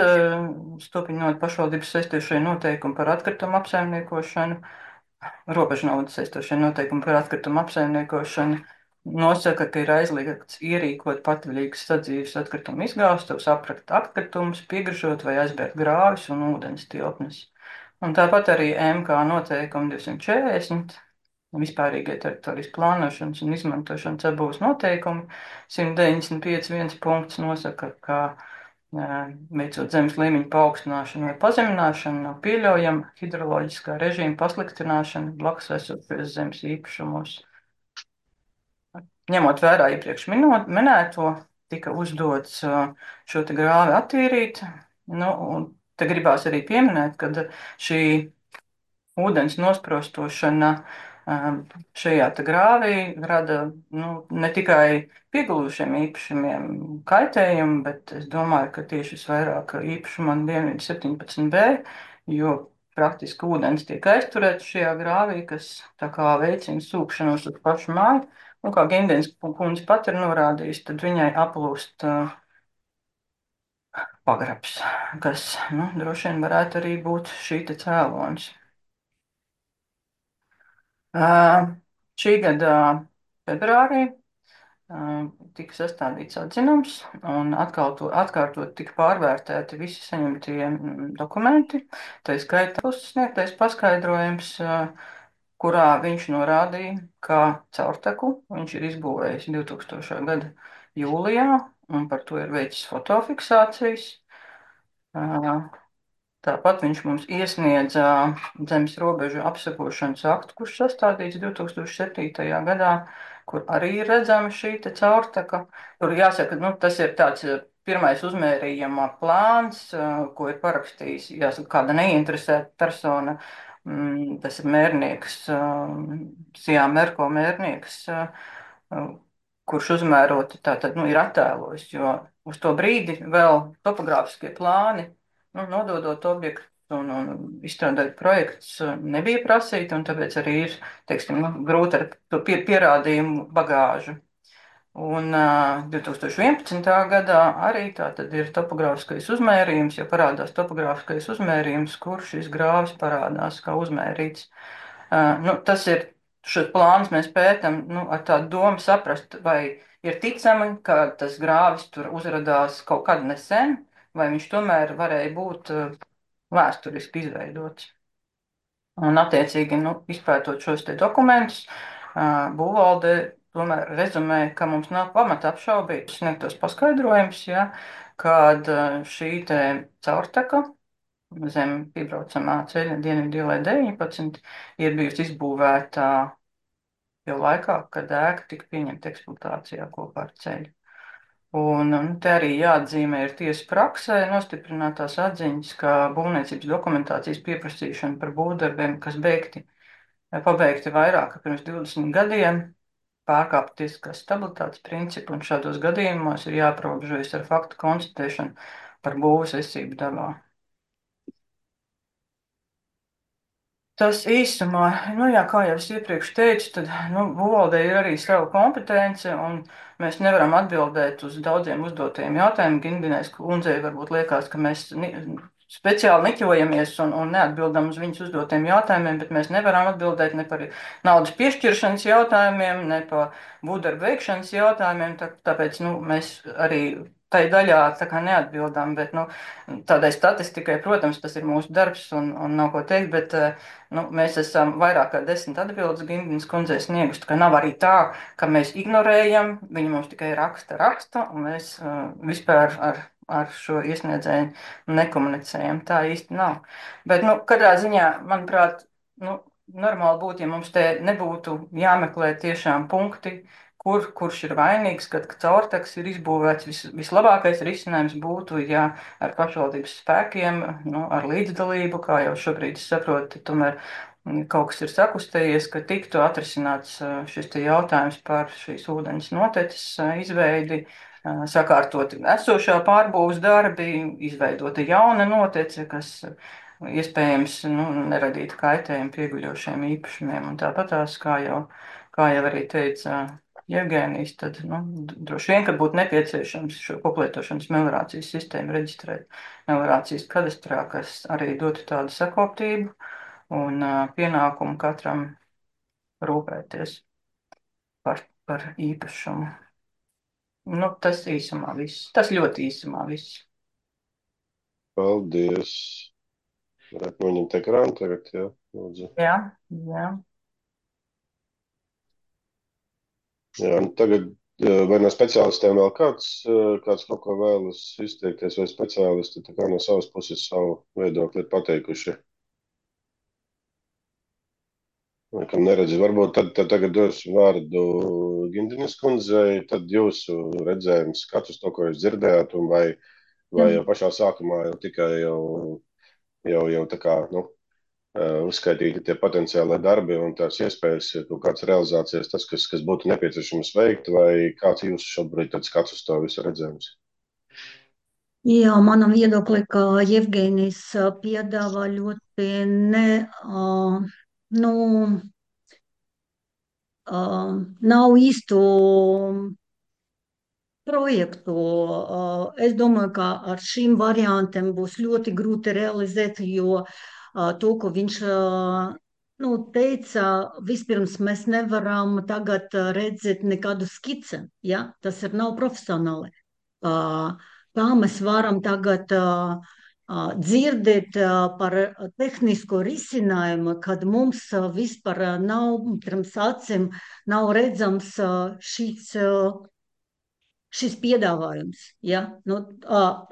Speaker 7: Stopiņu pašvaldības saistošie noteikumi par atkritumu apsaimniekošanu, robežnaudas saistošie noteikumi par atkritumu apsaimniekošanu nosaka, ka ir aizliegts ierīkot patvaļīgas sadzīves atkritumu izgāstus, aprakt atkritumus, piegražot vai aizbērt grāvis un ūdens tilpnes. Un tāpat arī MK noteikumi 240, vispārīgie teritorijas plānošanas un izmantošanas apbūves noteikumi, 195.1 punkts nosaka, ka veicot zemes līmeņa paaugstināšanu vai pazemināšanu, nav pieļaujama hidroloģiskā režīma pasliktināšana blakus esošajos zemes īpašumos. Ņemot vērā iepriekš minēto, tika uzdots šo te grāvi attīrīt, nu, un te gribās arī pieminēt, ka šī ūdens nosprostošana šajā te grāvī rada ne tikai piegulušiem īpašumiem kaitējumu, bet es domāju, ka tieši visvairāk īpašumam Dienvidu 17B, jo praktiski ūdens tiek aizturēts šajā grāvī, kas tā kā veicina sūkšanos uz pašu māju. Un kā Gindenes kundze pat ir norādījusi, tad viņai aplūst pagrabs, kas droši vien varētu arī būt šī te cēlonis. Šī gada februārī tika sastādīts atzinums un atkārtot tika pārvērtēti visi saņemtie dokumenti. Tā skaitā sniegtais paskaidrojums, kurā viņš norādīja, ka caurteku viņš ir izbūvējis 2000. gada jūlijā un par to ir veicis fotofiksācijas. Tāpat viņš mums iesniedza zemes robežu apsekošanas aktu, kurš sastādīts 2007. gadā, kur arī ir redzama šī te caurteka. Tur jāsaka, tas ir tāds pirmais uzmērījuma plāns, ko ir parakstījis, jāsaka, kāda neinteresēta persona. Tas ir mērnieks, Sijā Merko mērnieks, kurš uzmēroti tātad, ir attēlojis, jo uz to brīdi vēl topogrāfiskie plāni, nododot objektu un izstrādāt projekts nebija prasīti, un tāpēc arī ir, teiksim, grūti ar to pierādījumu bagāžu. Un 2011. gadā arī tātad ir topogrāfiskais uzmērījums, jo parādās topogrāfiskais uzmērījums, kur šis grāvis parādās kā uzmērīts. Tas ir, šos plānus mēs pētam ar tādu domu saprast, vai ir ticami, ka tas grāvis tur uzradās kaut kad nesen, vai viņš tomēr varēja būt vēsturiski izveidots. Un attiecīgi, izpētot šos te dokumentus, būvvalde tomēr rezumē, ka mums nav pamata apšaubīt sniegtos paskaidrojumus, ja, kad šī te caurteka zem piebraucamā ceļa Dienvidu ielai 19 ir bijusi izbūvēta jau laikā, kad ēka tika pieņemta eksploatācijā kopā ar ceļu. Un te arī jāatzīmē ir tiesa praksē nostiprinātās atziņas, ka būvniecības dokumentācijas pieprasīšana par būvdarbiem, kas pabeigti vairāk kā pirms 20 gadiem, pārkāpj tiesiskās stabilitātes principu, un šādos gadījumos ir jāaprobežojas ar faktu konstatēšanu par būvas esību dabā. Tas īsumā, jā, kā jau es iepriekš teicu, tad būvvaldei ir arī sava kompetence, un mēs nevaram atbildēt uz daudziem uzdotajiem jautājumiem. Ginbinēs kundzei varbūt liekas, ka mēs speciāli niķojamies un neatbildam uz viņas uzdotiem jautājumiem, bet mēs nevaram atbildēt ne par naudas piešķiršanas jautājumiem, ne par būvdarbu veikšanas jautājumiem, tāpēc mēs arī tai daļā tā kā neatbildam, bet tādai statistikai, protams, tas ir mūsu darbs un nav ko teikt, bet mēs esam vairāk kā 10 atbildes Gindinas kundzei snieguši, ka nav arī tā, ka mēs ignorējam, viņi mums tikai raksta, un mēs vispār ar šo iesniedzēju nekomunicējam. Tā īsti nav. Bet, katrā ziņā, manuprāt, normāli būtu, ja mums te nebūtu jāmeklē tiešām punkti, kurš ir vainīgs, kad caurteks ir izbūvēts. Vislabākais risinājums būtu, ja ar pašvaldības spēkiem, ar līdzdalību, kā jau šobrīd es saprotu, tomēr kaut kas ir sakustējies, ka tiktu atrisināts šis te jautājums par šīs ūdens noteces izveidi, sakārtot esošā pārbūves darbi, izveidota jauna notece, kas iespējams neradītu kaitējumu pieguļošiem īpašumiem. Un tāpatās, kā jau arī teica Jevgēnijs, tad droši vien, ka būtu nepieciešams šo koplietošanas meliorācijas sistēmu reģistrēt meliorācijas kadastrā, kas arī dotu tādu sakoptību un pienākumu katram rūpēties par īpašumu. Tas īsumā viss. Tas ļoti īsumā viss.
Speaker 1: Paldies. Varētu noņemt ekrānu tagad, jā, lūdzu.
Speaker 7: Jā.
Speaker 1: Jā, tagad vai no speciālistiem vēl kāds kaut ko vēlas izteikties, vai speciālisti tā kā no savas puses savu viedokli ir pateikuši? Kam neredzi, varbūt tad tagad došu vārdu Gindinas kundzei, tad jūsu redzējums, skats uz to, ko jūs dzirdējāt, un vai jau pašā sākumā jau tikai jau tā kā, uzskaitīti tie potenciālai darbi un tās iespējas, kaut kādas realizācijas, tas, kas būtu nepieciešams veikt, vai kāds jūsu šobrīd tāds skats uz to visu redzējums?
Speaker 8: Jā, manam viedokli, ka Jevgēnijs piedāvā ļoti nav īstu projektu. Es domāju, ka ar šīm variantiem būs ļoti grūti realizēt, jo to, ko viņš teica, vispirms mēs nevaram tagad redzēt nekādu skici, ja? Tas nav profesionāli. Kā mēs varam tagad dzirdēt par tehnisko risinājumu, kad mums vispār nav pirms acīm nav redzams šis piedāvājums. Ja?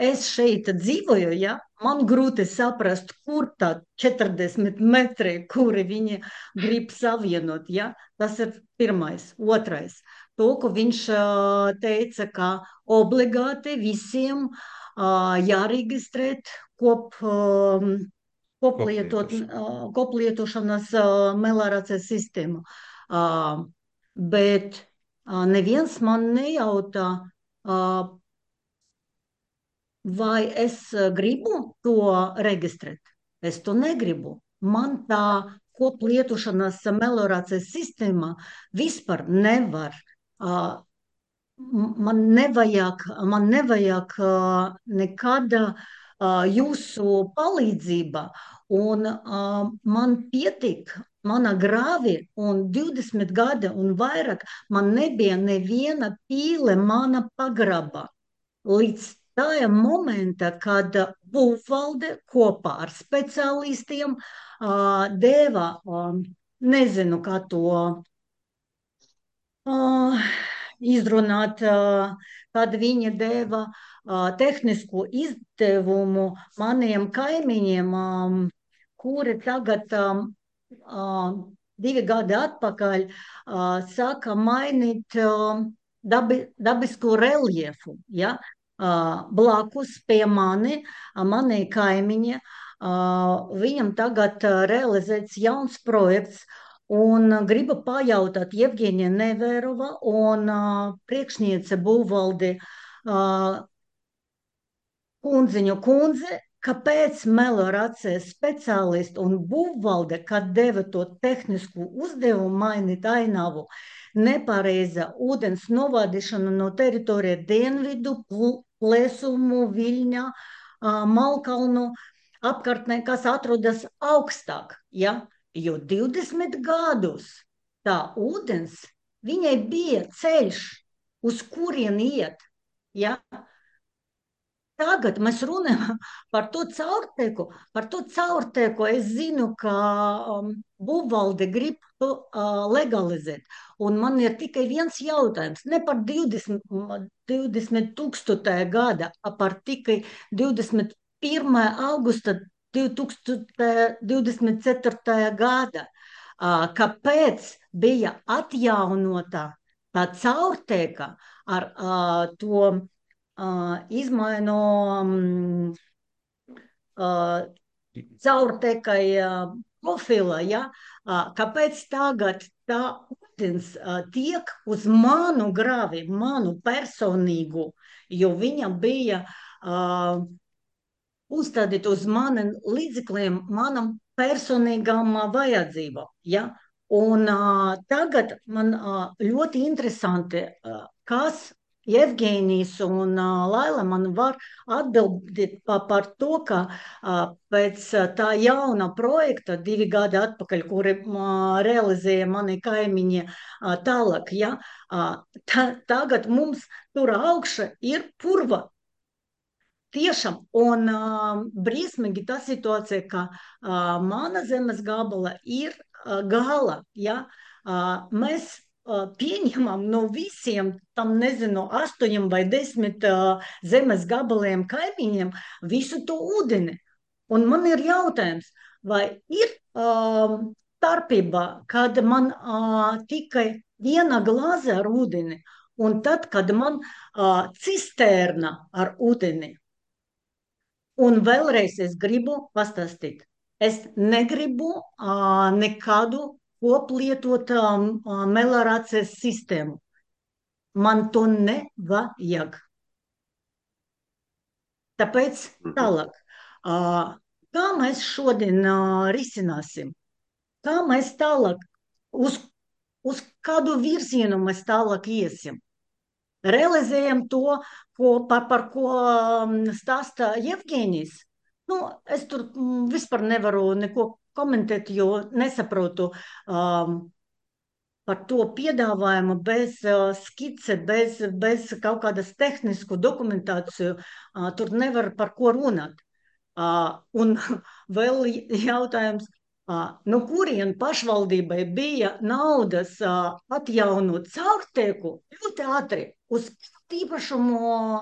Speaker 8: Es šeit dzīvoju, ja? Man grūti saprast, kur tā 40 metri, kuri viņi grib savienot. Ja? Tas ir pirmais. Otrais. To, ko viņš teica, ka obligāti visiem jāreģistrēt koplietošanas meliorācijas sistēmu. Bet neviens man nejautā, vai es gribu to reģistrēt. Es to negribu. Man tā koplietošanas meliorācijas sistēma vispār nevar. Man nevajag nekad jūsu palīdzība, un man pietiek mana grāvi, un 20 gadi un vairāk man nebija neviena pīle mana pagraba. Līdz tajam momenta, kad būvvalde kopā ar speciālistiem deva, nezinu, kā to izrunāt, kad viņi deva tehnisku izdevumu maniem kaimiņiem, kuri tagad 2 gadi atpakaļ sāka mainīt dabisku reliefu, ja, blakus pie manī kaimiņa. Viņam tagad realizēts jauns projekts, un gribu pajautāt Jevģīnija Nevērova un priekšniece būvvaldi Kundziņu kundze, kāpēc melorācijas speciālisti un būvvalde, kad deva to tehnisku uzdevumu mainīt ainavu, nepareiza ūdens novadīšana no teritorija dienvidu, Plēsumu, Viļņa, Malkalnu apkārtnē, kas atrodas augstāk, ja? Jo 20 gadus tā ūdens, viņai bija ceļš, uz kurien iet, ja? Tagad mēs runājam par to caurteku. Es zinu, ka būvvalde grib to legalizēt. Un man ir tikai viens jautājums. Ne par 20 000. gada, par tikai 21. augusta 2024. gada. Kāpēc bija atjaunota tā caurteka ar to izmainu caurtekai profila, ja? Kāpēc tagad tā ūdens tiek uz manu gravi, manu personīgu, jo viņa bija uzstādīt uz mani līdzekļiem, manam personīgām vajadzībām, ja? Un tagad man ļoti interesanti, kas Jevģīnijs un Laila man var atbildēt par to, ka pēc tā jauna projekta 2 gadi atpakaļ, kuri realizēja mani kaimiņi tālāk, ja, tagad mums tur augša ir purva. Tiešām, un briesmīgi tā situācija, ka mana zemes gabala ir gala, ja, mēs pieņemam no visiem, tam nezinu, 8 vai 10 zemes gabaliem kaimiņiem visu to ūdeni. Un man ir jautājums, vai ir starpība, kad man tikai viena glāze ar ūdeni, un tad, kad man cisterna ar ūdeni. Un vēlreiz es gribu pastāstīt, es negribu nekādu koplietot melorācijas sistēmu. Man to nevajag. Tāpēc tālāk. Kā mēs šodien risināsim? Kā mēs tālāk, uz kādu virzienu mēs tālāk iesim? Realizējam to, par ko stāsta Jevģīnijs. Nu, es tur vispār nevaru neko komentēt, jo nesaprotu par to piedāvājumu bez skice, bez kaut kādas tehnisku dokumentāciju. Tur nevar par ko runāt. Un vēl jautājums, no kurien pašvaldībai bija naudas atjaunot caurteku ļoti ātri uz īpašumu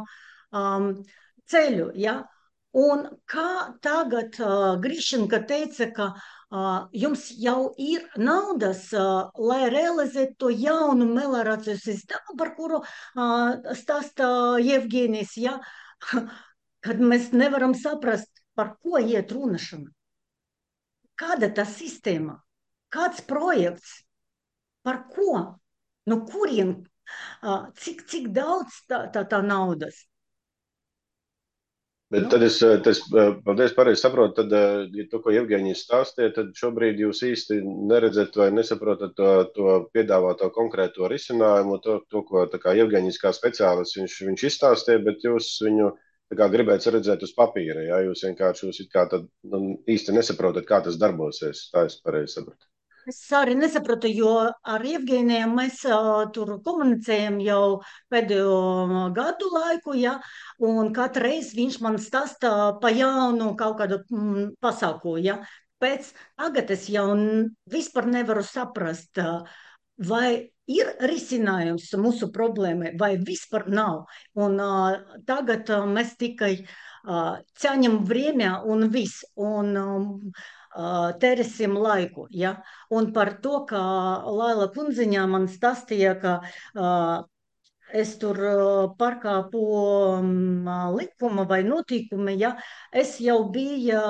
Speaker 8: ceļu, ja? Un kā tagad Grišenka teica, ka jums jau ir naudas, lai realizētu to jaunu melorācijas sistēmu, par kuru stāsta Jevģīnijs, ja? Kad mēs nevaram saprast, par ko iet runašana. Kāda tā sistēma? Kāds projekts? Par ko? No kurien? Cik daudz tā naudas?
Speaker 1: Bet tad es paldies, pareizi saprotu, tad, ja to, ko Jevģīnijs stāstīja, tad šobrīd jūs īsti neredzat vai nesaprotat to piedāvāto konkrēto risinājumu, to ko tā kā Jevģīnijs kā speciālists viņš izstāstīja, bet jūs viņu tā kā gribētu redzēt uz papīra, ja? Jūs vienkārši it kā tad īsti nesaprotat, kā tas darbosies, tā es pareizi sapratu.
Speaker 8: Es arī nesapratu, jo ar Jevģīniju mēs tur komunicējam jau pēdējo gadu laiku, ja, un katru reizi viņš man stāsta pa jaunu kaut kādu pasāku, ja. Pēc tagad es jau vispār nevaru saprast, vai ir risinājums mūsu problēmai, vai vispār nav. Un tagad mēs tikai ķaņam vremja un viss, un tērēsim laiku, ja? Un par to, ka Laila kundziņā man stāstīja, ka es tur pārkāpu likuma vai notīkumi, ja es jau biju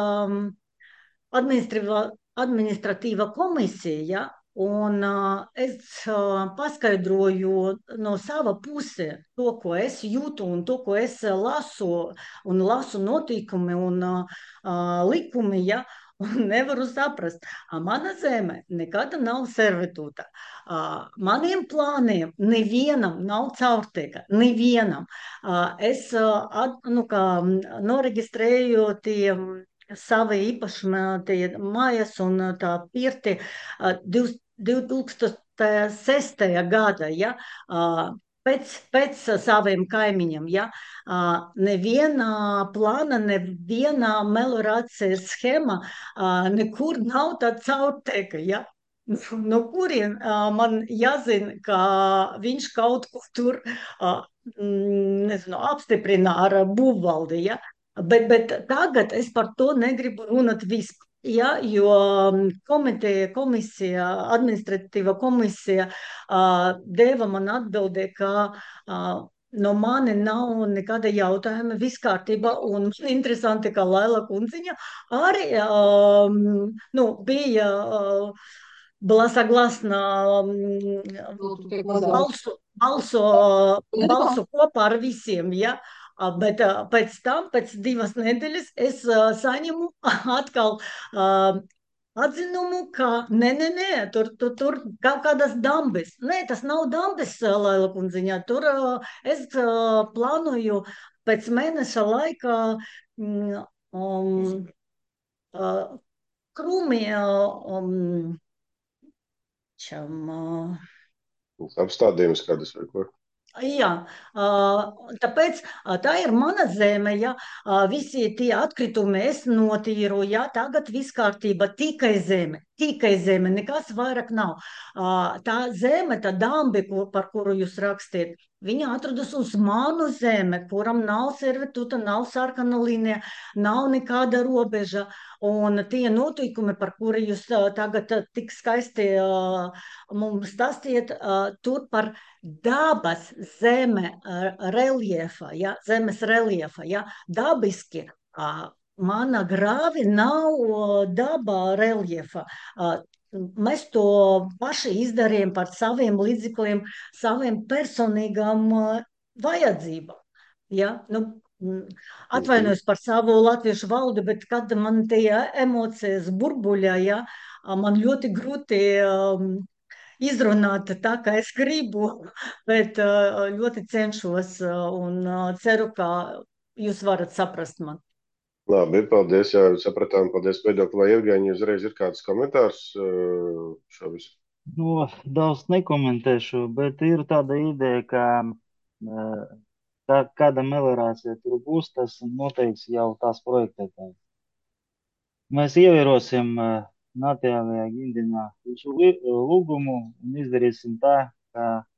Speaker 8: administratīva komisija, ja, un es paskaidroju no sava puse to, ko es jūtu un to, ko es lasu notīkumi un likumi, ja, un nevaru saprast. Mana zeme nekad nav servitūta. Maniem plāniem nevienam nav caurteka, nevienam. Es noreģistrēju tie savi īpašuma tie mājas un tā pirti 2006. gada, ja, pēc saviem kaimiņiem, ja, neviena plāna, neviena melorācijas schēma, nekur nav tā caurteka, ja. No kurien man jāzina, ka viņš kaut ko tur, nezinu, apstiprina ar būvvaldi, ja. Bet tagad es par to negribu runāt vispār. Ja, jo administratīva komisija deva man atbildē, ka no mani nav nekāda jautājuma, viss kārtībā, un interesanti, ka Laila kundziņa arī bija согласна balsu kopā ar visiem, ja? Bet pēc tam, pēc 2 nedēļas, es saņemu atkal atzinumu, ka nē, tur kaut kādas dambes. Nē, tas nav dambes, Laila kundziņā. Tur es plānoju pēc mēneša laika krūmi
Speaker 1: Apstādījums kādas vai ko?
Speaker 8: Jā, tāpēc tā ir mana zeme, ja, visi tie atkritumi es notīru, ja, tagad viss kārtība, tikai zeme, nekas vairāk nav. Tā zeme, tā dambi, par kuru jūs rakstiet, viņa atrodas uz manu zeme, kuram nav servitūta, nav sarkana līnija, nav nekāda robeža, un tie notikumi, par kuri jūs tagad tik skaisti mums stāstiet, tur par dabas zeme reliefa, ja, zemes reliefa, ja, dabiski mana grāvi nav daba reliefa. Mēs to paši izdarījām par saviem līdzekļiem, saviem personīgām vajadzībām. Ja? Atvainojos par savu latviešu valodu, bet kad man tie emocijas burbuļā, ja, man ļoti grūti izrunāt tā, kā es gribu, bet ļoti cenšos un ceru, ka jūs varat saprast man.
Speaker 1: Labi, paldies, jā, sapratām, paldies Viedokli. Vai Evgeņi uzreiz ir kāds komentārs šo visu?
Speaker 6: Daudz nekomentēšu, bet ir tāda ideja, ka kāda melorācija tur būs, tas noteiks jau tās projektētāji. Mēs ievērosim Natālijā Gindinā jūsu lūgumu un izdarīsim tā, ka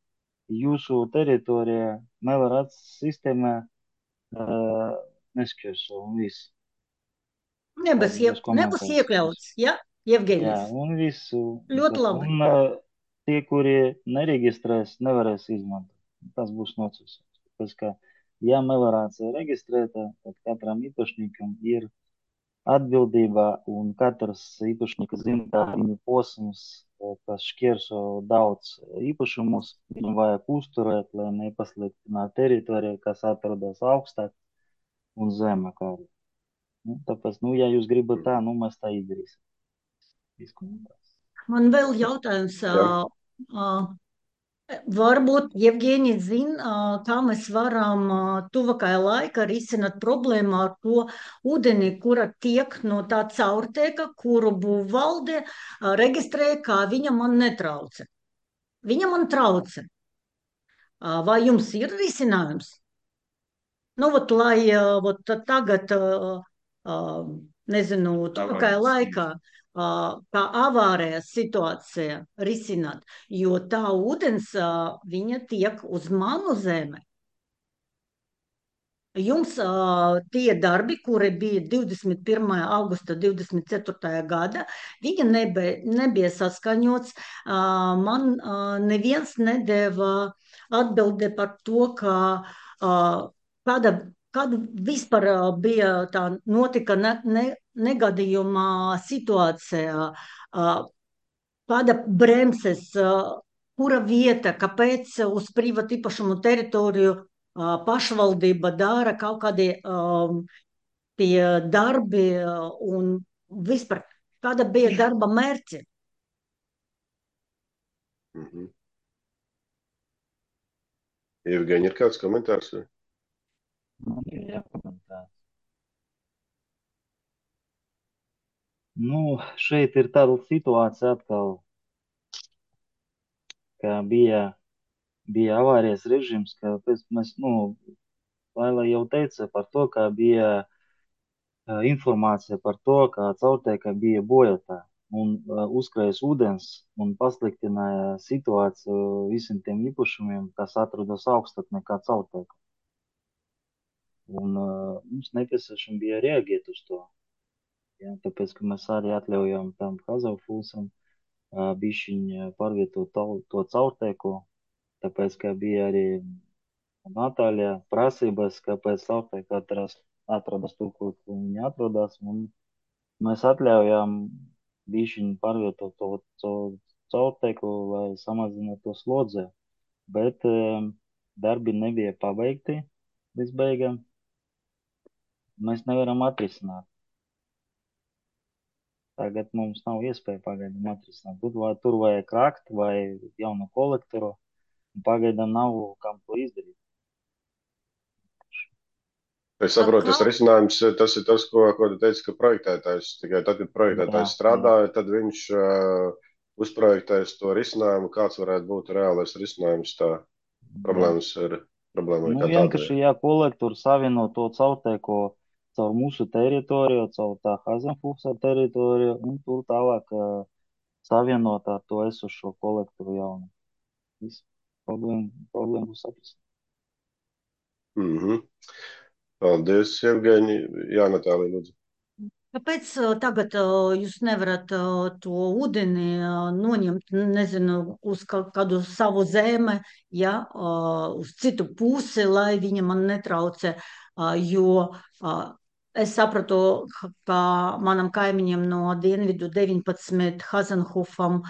Speaker 6: jūsu teritorijā melorācijas sistēmā nešķērso un viss.
Speaker 8: Nebūs iekļauts, ja, Jevgeņis?
Speaker 6: Jā, un visu.
Speaker 8: Ļoti labi.
Speaker 6: Un tie, kuri nereģistrēs, nevarēs izmantot. Tas būs nocīsums. Tāpēc, ka, ja melorācija ir reģistrēta, tad katram īpašniekam ir atbildība, un katrs īpašnieks zina, ka viņa posms, kas šķērso daudz īpašumus, viņam vajag uzturēt, lai nepasliktinātu teritoriju, kas atrodas augstāk un zemāk arī. Tāpēc, ja jūs gribat tā, mēs tā izdarīsim.
Speaker 8: Man vēl jautājums. Varbūt Jevgeņi zina, kā mēs varam tuvākajā laikā risināt problēmu ar to ūdeni, kura tiek no tā caurteka, kuru būvvalde reģistrēja, kā viņa man netrauca. Viņa man trauca. Vai jums ir risinājums? Lai tagad, nezinu, tuvākajā laikā tā avārijas situācija risināt, jo tā ūdens, viņa tiek uz manu zemi. Jums tie darbi, kuri bija 21. augusta 24. gada, viņi nebija saskaņots. Man neviens nedēva atbildi par to, kāda vispār bija tā notika negadījuma situācija, kāda bremses, kura vieta, kāpēc uz privātu īpašumu teritoriju pašvaldība dara kaut kādi tie darbi un vispār kāda bija darba mērķi.
Speaker 1: Jevgeņi, ir kāds komentārs?
Speaker 6: Man ir jākomentē. Nu, šeit ir tāda situācija atkal, ka bija avārijas režīms, ka mēs, Laila jau teica par to, ka bija informācija par to, ka caurteka bija bojāta un uzkrājas ūdens un pasliktināja situāciju visiem tiem īpašumiem, kas atrodas augstāk nekā caurteka. Un mums nepieciešams bija reaģēt uz to. Ja, tāpēc, ka mēs arī atļaujam tam Hazafulsam bišķiņ pārvietot to caurteku, tāpēc, ka bija arī Natāļa prasības, kāpēc caurteka atrodas tur, kur viņi atrodas, un mēs atļaujam bišķiņ pārvietot to caurteku, lai samazinātu to slodzi, bet darbi nebija pabeigti līdz beigām. Mēs nevaram atrisināt. Tagad mums nav iespēja pagaidām atrisināt. Tur vajag krakt vai jaunu kolektoru, un pagaidām nav kam to izdarīt.
Speaker 1: Es saprotu, tas risinājums, tas ir tas, ko tu teici, ka projektētājs, tikai tad, kad projektētājs strādāja, tad viņš uzprojektēs to risinājumu, kāds varētu būt reālais risinājums tā problēmas ir problēma.
Speaker 6: Vienkārši, ja kolektori savieno to caurteku caur mūsu teritoriju, caur tā Hazenfūsa teritoriju, un tur tālāk savienot ar to esošo kolektoru jaunu. Viss problēma būs atrisināt.
Speaker 1: Paldies, Jevgeņi. Jā, Natālija, lūdzu.
Speaker 8: Kāpēc tagad jūs nevarat to ūdeni noņemt, nezinu, uz kādu savu zemi, ja, uz citu pusi, lai viņa man netraucē, jo es sapratu, ka manam kaimiņam no dienvidu 19 Hazenhofam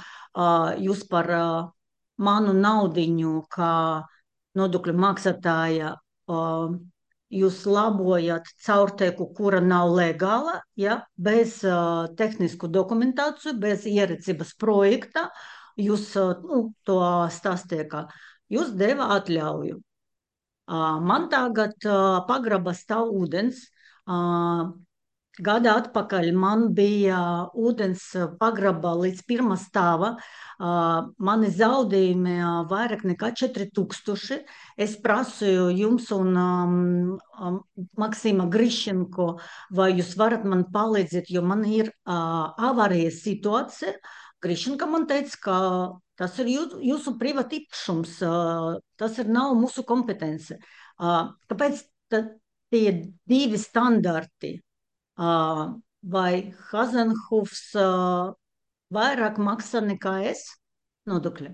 Speaker 8: jūs par manu naudiņu, kā nodokļu maksātāja, jūs labojat caurteku, kura nav legāla, ja, bez tehnisku dokumentāciju, bez ierīcības projekta. Jūs to stāstīja, ka jūs deva atļauju. Man tagad pagraba stāv ūdens. Gada atpakaļ man bija ūdens pagraba līdz pirmā stāva. Mani zaudējumi vairāk nekā 4000. Es prasīju jums un Maksima Grišenko, vai jūs varat man palīdzēt, jo man ir avārijas situācija. Grišenka man teica, ka tas ir jūsu privāti īpašums, tas nav mūsu kompetence. Kāpēc tie divi standarti? Vai Hazenhofs vairāk maksā nekā es nodokļi?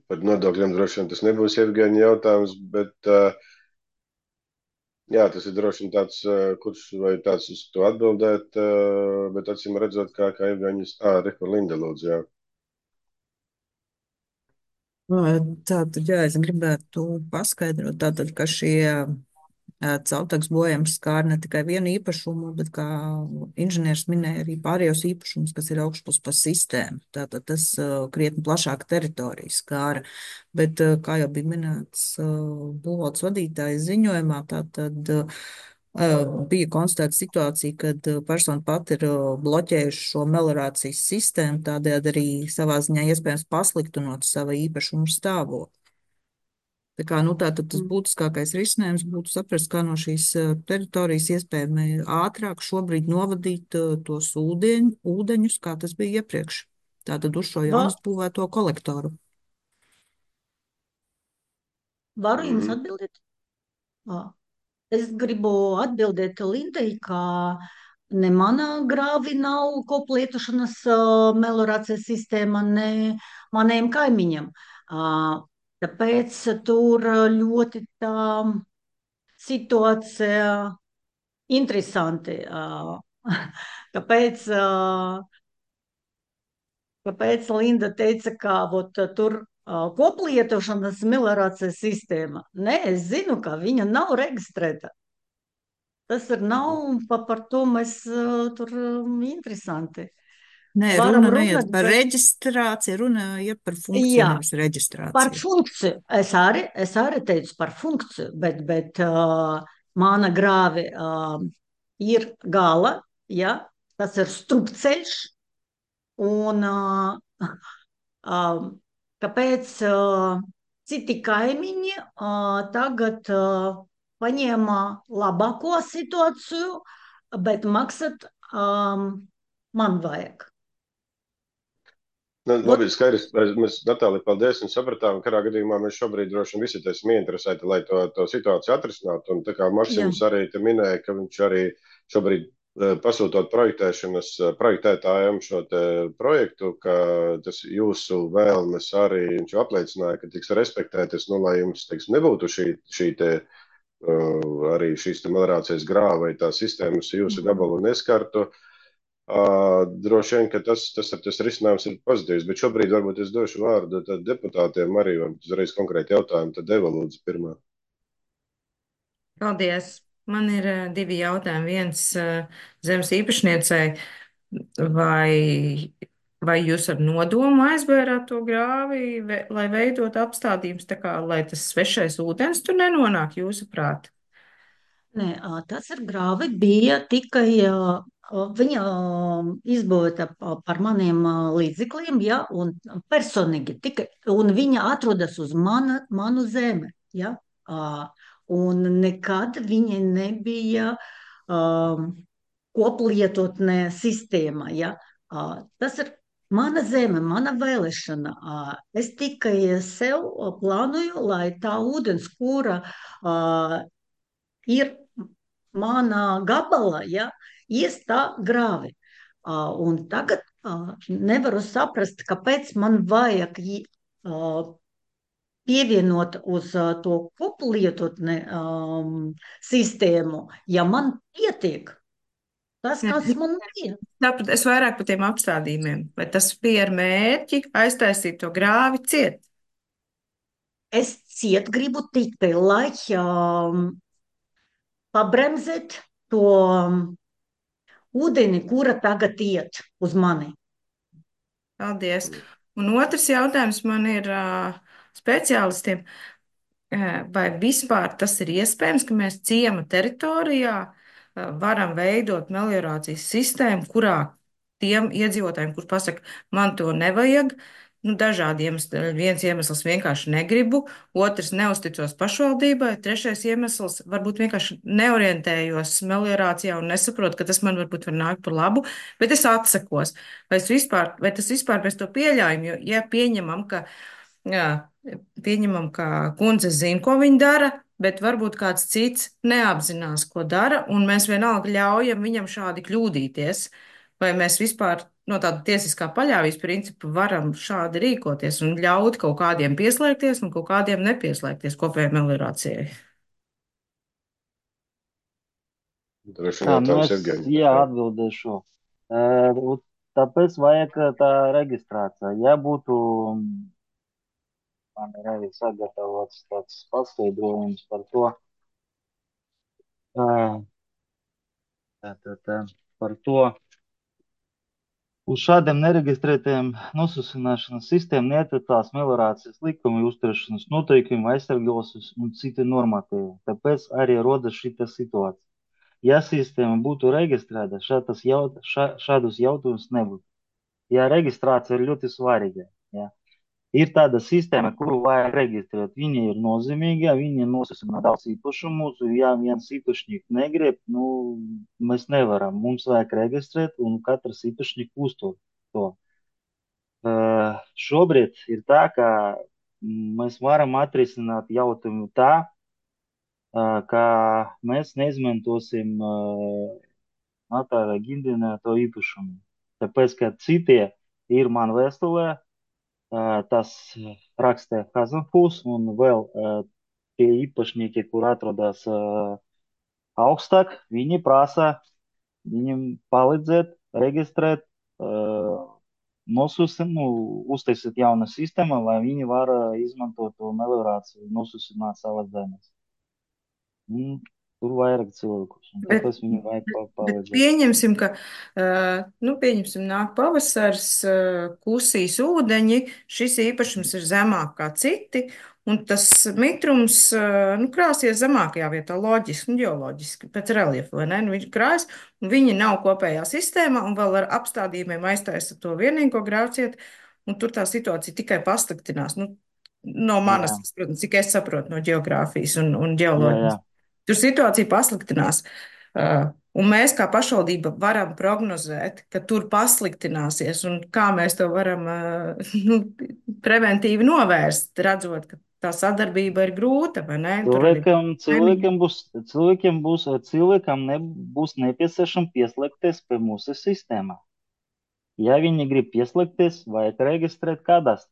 Speaker 1: Par nodokļiem droši vien tas nebūs Jevgeņa jautājums, bet jā, tas ir droši vien tāds, kurš vai tāds uz to atbildēt, bet acīm redzot, kā Jevgeņas, Riko Linda lūdzu, jā.
Speaker 9: Tātad, jā, es gribētu paskaidrot, tātad, ka šie caurtekas bojājums skār ne tikai vienu īpašumu, bet, kā inženieris minēja, arī pārējos īpašumus, kas ir augšpus pa sistēmu. Tātad tas krietni plašāka teritorija skāra. Bet, kā jau bija minēts būvvaldes vadītājas ziņojumā, tātad bija konstatēta situācija, kad persona pati ir bloķējuši šo meliorācijas sistēmu, tādējādi arī savā ziņā iespējams pasliktinot savu īpašumu stāvokli. Tā kā, tātad tas būtiskākais risinājums būtu saprast, kā no šīs teritorijas iespējami ātrāk šobrīd novadīt tos ūdeņus, kā tas bija iepriekš. Tātad uz šo jaunas būvēto kolektoru.
Speaker 8: Varu jums
Speaker 1: Mhm.
Speaker 8: atbildēt? Ā. Es gribu atbildēt Lindai, ka ne manā grāvī nav koplietošanas meliorācijas sistēma, ne maniem kaimiņiem. Tāpēc tur ļoti tā situācija interesanti. Kāpēc, kāpēc Linda teica, ka tur koplietošanas meliorācijas sistēma? Nē, es zinu, ka viņa nav reģistrēta. Tas ir nav par to mēs tur interesanti.
Speaker 9: Nē,
Speaker 8: Varam
Speaker 9: runa neiet
Speaker 8: runāt,
Speaker 9: par
Speaker 8: bet
Speaker 9: reģistrāciju, runa iet par funkciju,
Speaker 8: jā,
Speaker 9: nevis
Speaker 8: par
Speaker 9: reģistrāciju.
Speaker 8: funkciju. Es arī teicu par funkciju, bet mana grāve ir gala, ja, tas ir strupceļš, un kāpēc citi kaimiņi tagad paņēma labāko situāciju, bet maksāt man vajag.
Speaker 1: Nu,
Speaker 8: Vot,
Speaker 1: labi, skaidrs. Mēs, Natālija, paldies un sapratām, ka kādā gadījumā mēs šobrīd droši vien visi esam ieinteresēti, lai to situāciju atrisinātu. Un tā kā
Speaker 8: jā,
Speaker 1: Maksims arī te minēja, ka viņš arī šobrīd pasūtot projektētājiem šo te projektu, ka tas jūsu vēlmes arī viņš apliecināja, ka tiks respektētas, nu, lai jums, teiksim, nebūtu šī te arī šīs te meliorācijas grāva vai tā sistēmas jūsu gabalu neskartu. Droši vien, ka tas risinājums ir pozitīvs, bet šobrīd varbūt es došu vārdu deputātiem arī, varbūt uzreiz konkrēti jautājumi, tad Eva lūdzu pirmā.
Speaker 10: Paldies! Man ir divi jautājumi. Viens zemes īpašniecei, vai jūs ar nodomu aizbērāt to grāvi, lai veidot apstādījums, tā kā, lai tas svešais ūdens tur nenonāk, jūsuprāt?
Speaker 8: nē, tas ar grāvi bija tikai viņa izbūvēta par maniem līdzekļiem, ja, un personīgi tikai, un viņa atrodas uz manu zemi, ja, un nekad viņa nebija koplietotnē sistēma, ja. Tas ir mana zeme, mana vēlēšana. Es tikai sev plānoju, lai tā ūdens, kura ir mana gabala, ja, ies tā grāvi. Un tagad nevaru saprast, kāpēc man vajag pievienot uz to koplietotne sistēmu, ja man pietiek tas,
Speaker 10: Jā.
Speaker 8: kas man bija.
Speaker 10: Tāpēc es vairāk par tiem apstādījumiem. Vai tas bija ar mērķi aiztaisīt to grāvi ciet?
Speaker 8: Es ciet gribu tikai, lai pabremzēt to ūdeni, kura tagad iet uz mani.
Speaker 10: Paldies. Un otrs jautājums man ir speciālistiem. Vai vispār tas ir iespējams, ka mēs ciema teritorijā varam veidot meliorācijas sistēmu, kurā tiem iedzīvotājiem, kur pasaka, man to nevajag, nu, dažādi iemesli. Viens iemesls vienkārši negribu, otrs neusticos pašvaldībai, trešais iemesls varbūt vienkārši neorientējos meliorācijā un nesaprotu, ka tas man varbūt var nākt par labu, bet es atsakos. Vai tas vispār mēs to pieļaujam, jo, ja pieņemam, ka jā, pieņemam, ka kundze zina, ko viņa dara, bet varbūt kāds cits neapzinās, ko dara, un mēs vienalga ļaujam viņam šādi kļūdīties. Vai mēs vispār no tāda tiesiskā paļāvības principa varam šādi rīkoties un ļaut kaut kādiem pieslēgties un kaut kādiem nepieslēgties kopējai meliorācijai?
Speaker 1: Droši vien
Speaker 6: Tā,
Speaker 1: jautājums
Speaker 6: es,
Speaker 1: Evgeņam.
Speaker 6: jā, atbildēšu. Tāpēc vajag tā reģistrācija. Ja būtu man ir arī sagatavots tāds paskaidrojums par to, par to, uz šādiem nereģistrētiem nosūsināšanas sistēmām neatiecās meliorācijas likumi, uzturēšanas noteikumi, aizsargos un citi normatīvi. Tāpēc arī rodas šī situācija. Ja sistēma būtu reģistrēta, šādus jautājumus nebūtu. Ja reģistrācija ir ļoti svarīga. Ja. Ir tāda sistēma, kuru vajag reģistrēt. Viņa ir nozīmīga, viņa nosacina daudz īpašumus. Ja viens īpašnieks negrib, nu, mēs nevaram. Mums vajag reģistrēt, un katrs īpašnieks uztur to. Šobrīd ir tā, ka mēs varam atrisināt jautājumu tā, ka mēs neizmantosim notārā ģindenēto īpašumu. Tāpēc, ka citie ir man vēstulē, tas rakstē Kazanfūs un vēl tie īpašnieki, kur atrodas augstāk, viņi prasa viņam palīdzēt, reģistrēt, uztaisīt jaunu sistēmu, lai viņi var izmantot to meliorāciju, nosusināt savas zemes. Tur vairāk cilvēkus, un
Speaker 10: Bet,
Speaker 6: tāpēc viņi vajag
Speaker 10: bet
Speaker 6: palīdzēt.
Speaker 10: pieņemsim, ka, pieņemsim, nāk pavasars, klusīs ūdeņi, šis īpašums ir zemāk kā citi, un tas mitrums, krāsies zemākajā vietā, loģiski, ģeoloģiski, pēc reliefa, vai ne? Nu, viņš krājas, un viņi nav kopējā sistēmā, un vēl ar apstādījumiem aiztaisa to vienīgo grāvcietu, un tur tā situācija tikai pasliktinās. Nu, no manas,
Speaker 6: Jā,
Speaker 10: protams, cik es saprotu no geogrāfijas un
Speaker 6: jā,
Speaker 10: ģeoloģijas.
Speaker 6: jā.
Speaker 10: Tur situācija pasliktinās. Un mēs kā pašvaldība varam prognozēt, ka tur pasliktināsies, un kā mēs to varam preventīvi novērst, redzot, ka tā sadarbība ir grūta, vai ne? Tur arī
Speaker 6: Cilvēkam nebūs nepieciešams pieslēgties pie mūsu sistēmā. Ja viņi grib pieslēgties, vajag reģistrēt kādās.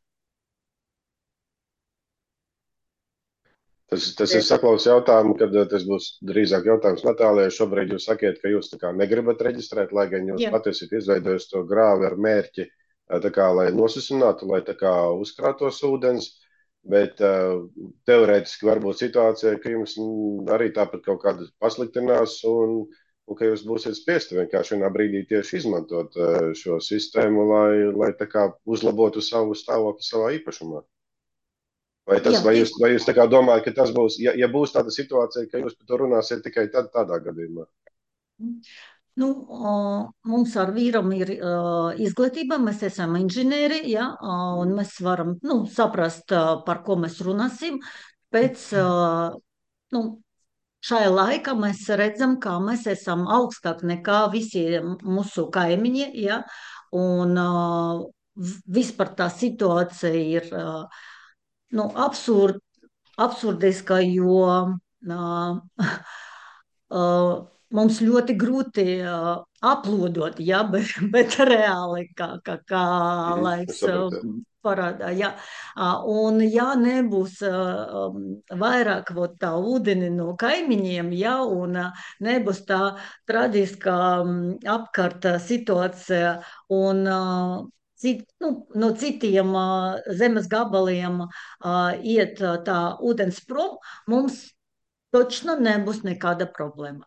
Speaker 1: Tas ir saklaus jautājumu, kad tas būs drīzāk jautājums Natālijai. Šobrīd jūs sakiet, ka jūs tā kā negribat reģistrēt, lai gan jūs
Speaker 8: Jā.
Speaker 1: pati esat izveidojis to grāvi ar mērķi, tā kā, lai nosusinātu, lai tā kā uzkrātos ūdens. Bet teorētiski var būt situācija, ka jums arī tāpat kaut kāda pasliktinās un ka jūs būsiet spiesti vienkārši vienā brīdī tieši izmantot šo sistēmu, lai tā kā uzlabotu savu stāvokli savā īpašumā. Vai jūs tā kā domājat, ka tas būs, ja būs tāda situācija, ka jūs par to runāsiet tikai tādā gadījumā?
Speaker 8: Nu, mums ar vīram ir izglītība, mēs esam inženieri, ja, un mēs varam saprast, par ko mēs runāsim. Pēc šajā laikā mēs redzam, ka mēs esam augstāk nekā visi mūsu kaimiņi, ja, un vispār tā situācija ir absurdiska, jo mums ļoti grūti aplūdot, ja, bet reāli, kā laiks parādā. Ja. Un ja nebūs vairāk tā ūdeni no kaimiņiem, ja, un nebūs tā traģiskā apkārt situācija un no citiem zemes gabaliem iet tā ūdens prom, mums točno nebūs nekāda problēma.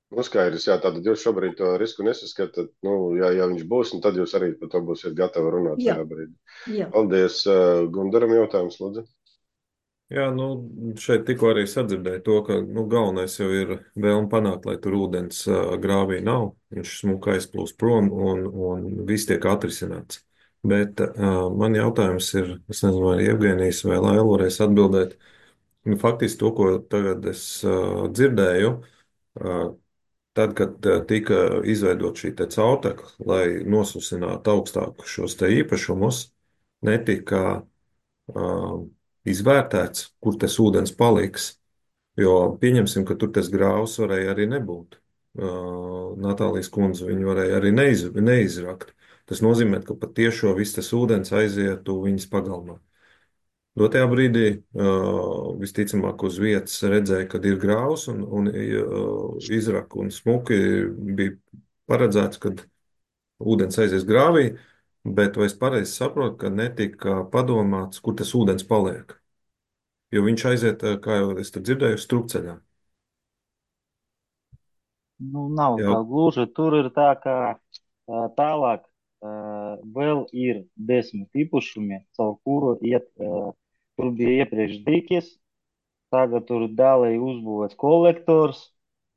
Speaker 1: Skaidrs, jā, tātad jūs šobrīd to risku nesaskatāt. Ja viņš būs, tad jūs arī par to būsiet gatavi runāt tajā brīdī.
Speaker 8: Jā.
Speaker 1: Paldies. Gundaram jautājums, lūdzu.
Speaker 2: Jā, šeit tikko arī sadzirdēju to, ka galvenais jau ir vēlme panākt, lai tur ūdens grāvī nav. Viņš smuka aizplūst prom un viss tiek atrisināts. Bet man jautājums ir, es nezinu, vai Jevgenijs vai Laila varēs atbildēt. Faktiski to, ko tagad es dzirdēju, tad, kad tika izveidot šī caurtekla, lai nosusinātu augstāku šos te īpašumus, netika izvērtēts, kur tas ūdens paliks. Jo pieņemsim, ka tur tas grāvs varēja arī nebūt. Natālijas kundze viņu varēja arī neizrakt. Tas nozīmē, ka pat tiešo viss tas ūdens aizietu viņas pagalmā. Dotajā brīdī visticamāk uz vietas redzēja, kad ir grāvs un izraka un smuki bija paredzēts, kad ūdens aizies grāvī, bet vai es pareizi saprotu, ka netika padomāts, kur tas ūdens paliek? Jo viņš aiziet, kā jau es te dzirdēju, strupceļā.
Speaker 6: Nav tā gluži. Tur ir tā, ka tālāk vēl ir 10 īpašumi, caur kuru iet. Tur bija iepriekš dīķis, tagad tur dēlēja uzbūvēts kolektors,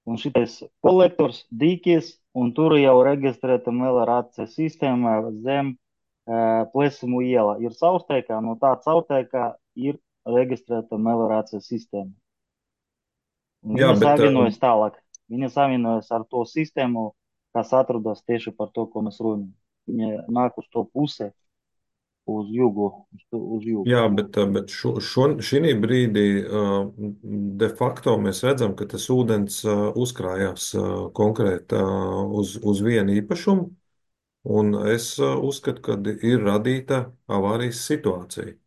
Speaker 6: un šitais kolektors, dīķis, un tur jau reģistrēta meliorācijas sistēma zem Plesimu iela. Ir caurteikā, no tā caurteikā ir reģistrēta meliorācijas sistēma. Viņa savienojas tālāk. Viņa savienojas ar to sistēmu, kas atrodas tieši par to, ko mēs runājam. Viņa nāk uz to pusē. uz jugu, uz jugu.
Speaker 2: Jā, bet šī brīdī de facto mēs redzam, ka tas ūdens uzkrājās konkrēti uz vienu īpašumu, un es uzskatu, ka ir radīta avārijas situācija.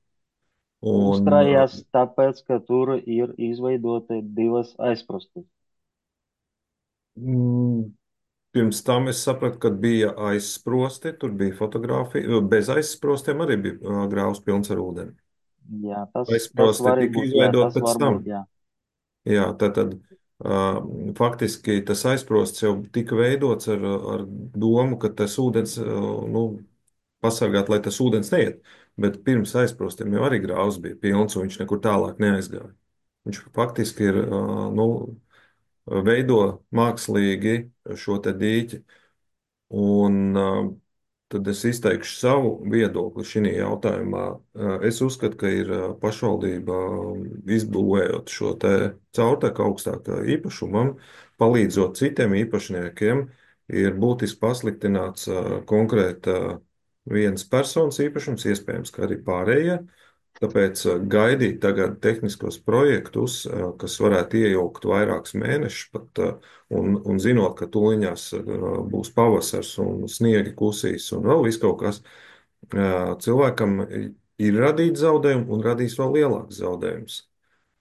Speaker 2: Un,
Speaker 6: Uzkrājās tāpēc, ka tur ir izveidoti divas aizprastes.
Speaker 2: mm, pirms tam es sapratu, ka bija aizsprosti, tur bija fotografija. Bez aizsprostiem arī bija grāvs pilns ar ūdeni.
Speaker 6: Jā, tas
Speaker 2: Aizsprosti
Speaker 6: var
Speaker 2: tika
Speaker 6: būt, jā,
Speaker 2: izveidot
Speaker 6: tas
Speaker 2: pēc
Speaker 6: var
Speaker 2: tam.
Speaker 6: būt, jā.
Speaker 2: Jā, tad faktiski tas aizsprosts jau tika veidots ar domu, ka tas ūdens, nu, pasargāt, lai tas ūdens neiet. Bet pirms aizsprostiem jau arī grāvs bija pilns, un viņš nekur tālāk neaizgāja. Viņš faktiski ir, nu, veido mākslīgi šo te dīķi. Un tad es izteikšu savu viedokli šajā jautājumā. Es uzskatu, ka ir pašvaldība izbūvējot šo te caurteku augstākā īpašumam, palīdzot citiem īpašniekiem, ir būtiski pasliktināts konkrēta vienas personas īpašums, iespējams, ka arī pārējie. Tāpēc gaidīt tagad tehniskos projektus, kas varētu iejaukt vairākus mēnešus pat, un zinot, ka tuliņās būs pavasars un sniegi kusīs un vēl viss kaut kas, cilvēkam ir radīts zaudējumi un radīs vēl lielāks zaudējums.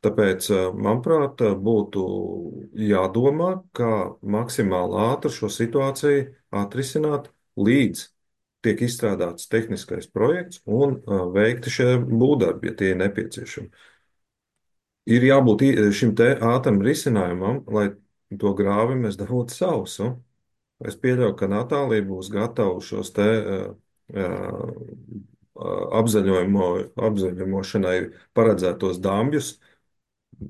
Speaker 2: Tāpēc, manuprāt, būtu jādomā, kā maksimāli ātri šo situāciju atrisināt, līdz tiek izstrādāts tehniskais projekts un veikti šie būvdarbi, ja tie ir nepieciešami. Ir jābūt šim te ātram risinājumam, lai to grāvi mēs dabūtu sausu. Es pieļauju, ka Natālija būs gatava šos te apzaļošanai paredzētos dambjus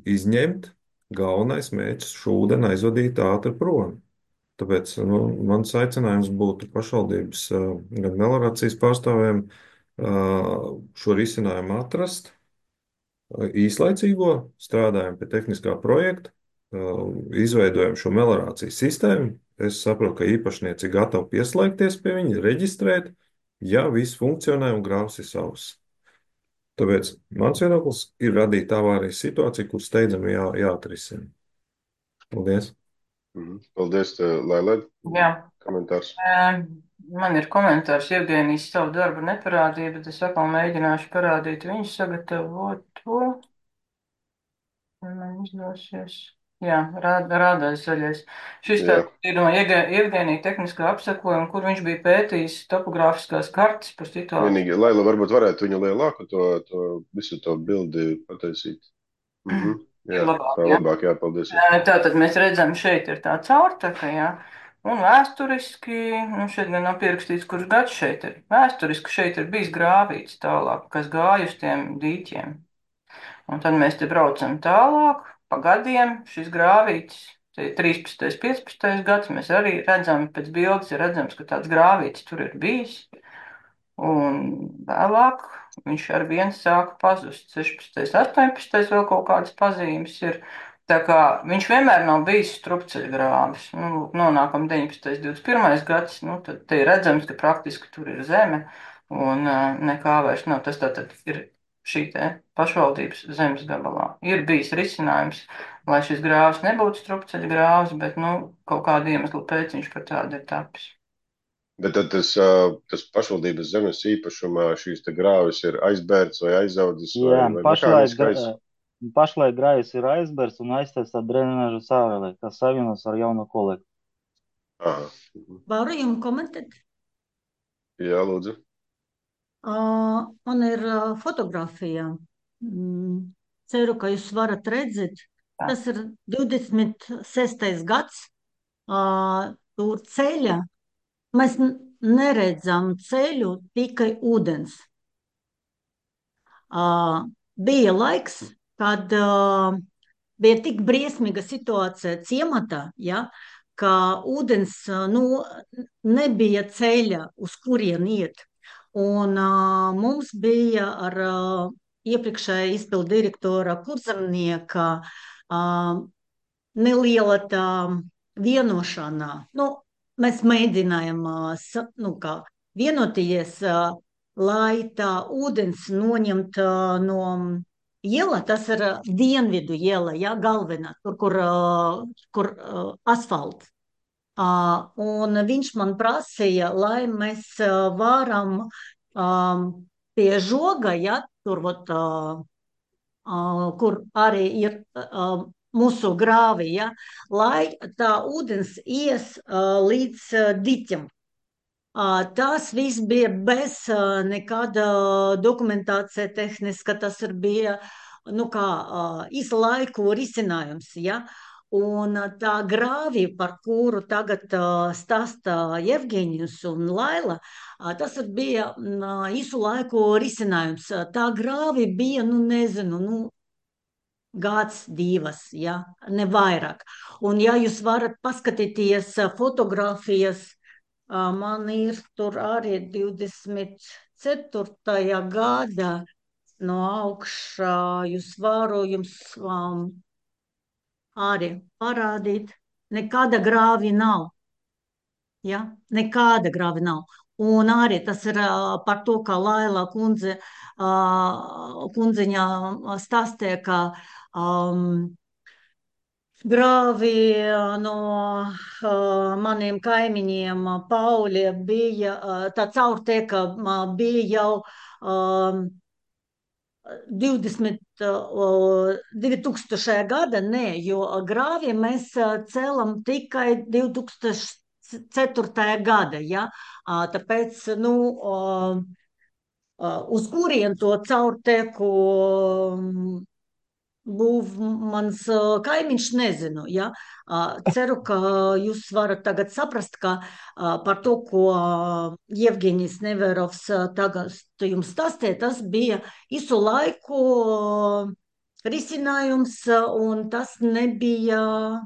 Speaker 2: izņemt. Galvenais mērķis šo ūdeni aizvadīt ātri prom. Tāpēc nu, mans aicinājums būtu pašvaldības gan meliorācijas pārstāvjiem šo risinājumu atrast, īslaicīgo, strādājam pie tehniskā projekta, izveidojam šo meliorācijas sistēmu. Es saprotu, ka īpašnieci ir gatavi pieslēgties pie viņa, reģistrēt, ja viss funkcionē un grāvs ir savs. Tāpēc mans viedoklis ir radīt avārijas situāciju, kur steidzami jāatrisina. Paldies!
Speaker 1: Paldies, Lailai.
Speaker 7: Jā.
Speaker 1: Komentārs.
Speaker 7: Man ir komentārs. Jevgenijs savu darbu neparādīja, bet es atkal mēģināšu parādīt viņu sagatavoto. Man izdosies. Jā, rādās zaļais. Šis
Speaker 1: Jā.
Speaker 7: ir no Jevgenija tehniskā apsakojuma, kur viņš bija pētījis topogrāfiskās kartes par situāciju.
Speaker 1: Vienīgi, Laila, varbūt varētu viņu lielāku to visu to bildi pataisīt. Jā,
Speaker 7: Labāk,
Speaker 1: tā
Speaker 7: jā.
Speaker 1: labāk, jā, paldies.
Speaker 7: Tātad mēs redzam, šeit ir tā caurtaka, jā. Un vēsturiski, nu šeit gan nav pierakstīts, kurš gads šeit ir. Vēsturiski šeit ir bijis grāvīts tālāk, kas gāja uz tiem dīķiem. Un tad mēs te braucam tālāk, pa gadiem šis grāvīts, te ir 13. 15. gads, mēs arī redzam, pēc bildes ir redzams, ka tāds grāvīts tur ir bijis. Un vēlāk viņš ar vienu sāka pazust. 16. 18. vēl kaut kādas pazīmes ir. Tā kā viņš vienmēr nav bijis strupceļgrāvis. Nu, nonākam 19. 21. gads, nu, tad te ir redzams, ka praktiski tur ir zeme un nekā vairs nav. Tas tātad ir šī te pašvaldības zemes gabalā. Ir bijis risinājums, lai šis grāvis nebūtu strupceļgrāvis, bet, nu, kaut kādu iemeslu pēc viņš par tādu ir tapis.
Speaker 1: Bet tad tas pašvaldības zemes īpašumā šīs te grāvis ir aizbērts vai aizaudzis
Speaker 6: Jā,
Speaker 1: vai mehāniskais?
Speaker 6: pašlaik grāvis ir aizbērts un aiztaisīta drenāža sāvelē, kas savienojas ar jauno kolekciju.
Speaker 1: Aha.
Speaker 8: Varu jums komentēt?
Speaker 1: Jā, lūdzu.
Speaker 8: Man ir fotografija. Ceru, ka jūs varat redzēt. Tas ir 26. gads. Tur ceļa. Mēs neredzam ceļu, tikai ūdens. Bija laiks, kad bija tik briesmīga situācija ciematā, ja, ka ūdens nebija ceļa, uz kurien iet. Un mums bija ar iepriekšējā izpildu direktora Kurzemnieka neliela tā vienošanā. Mēs mēģinājām vienoties, lai tā ūdens noņemt no iela, tas ir dienvidu iela, ja, galvenā, kur asfalts. Un viņš man prasīja, lai mēs varam pie žoga, ja, tur, kur arī ir mūsu grāvi, ja, lai tā ūdens ies līdz diķam. Tas viss bija bez nekāda dokumentācija tehniska, tas ir bija, īsa laiku risinājums, ja. Un tā grāvi, par kuru tagad stāsta Jevgeņijus un Laila, tas bija īsu laiku risinājums. Tā grāvi bija, gads, divas, ja, ne vairāk. Un ja jūs varat paskatīties fotogrāfijas, man ir tur arī 24. gada no augšā, jūs varu jums arī parādīt. Nekāda grāvi nav. Ja? Nekāda grāvi nav. Un arī tas ir par to, kā Laila kundziņa stāstīja, ka grāvi no maniem kaimiņiem Pauļie bija, tā caurteka bija jau 2000. gada, nē, jo grāvi mēs cēlam tikai 2004. gada, ja, tāpēc, uz kurien to caurteku būv mans kaimiņš, nezinu, ja. Ceru, ka jūs varat tagad saprast, ka par to, ko Jevgeņijs Neverovs tagad jums stāstīja, tas bija visu laiku risinājums, un tas nebija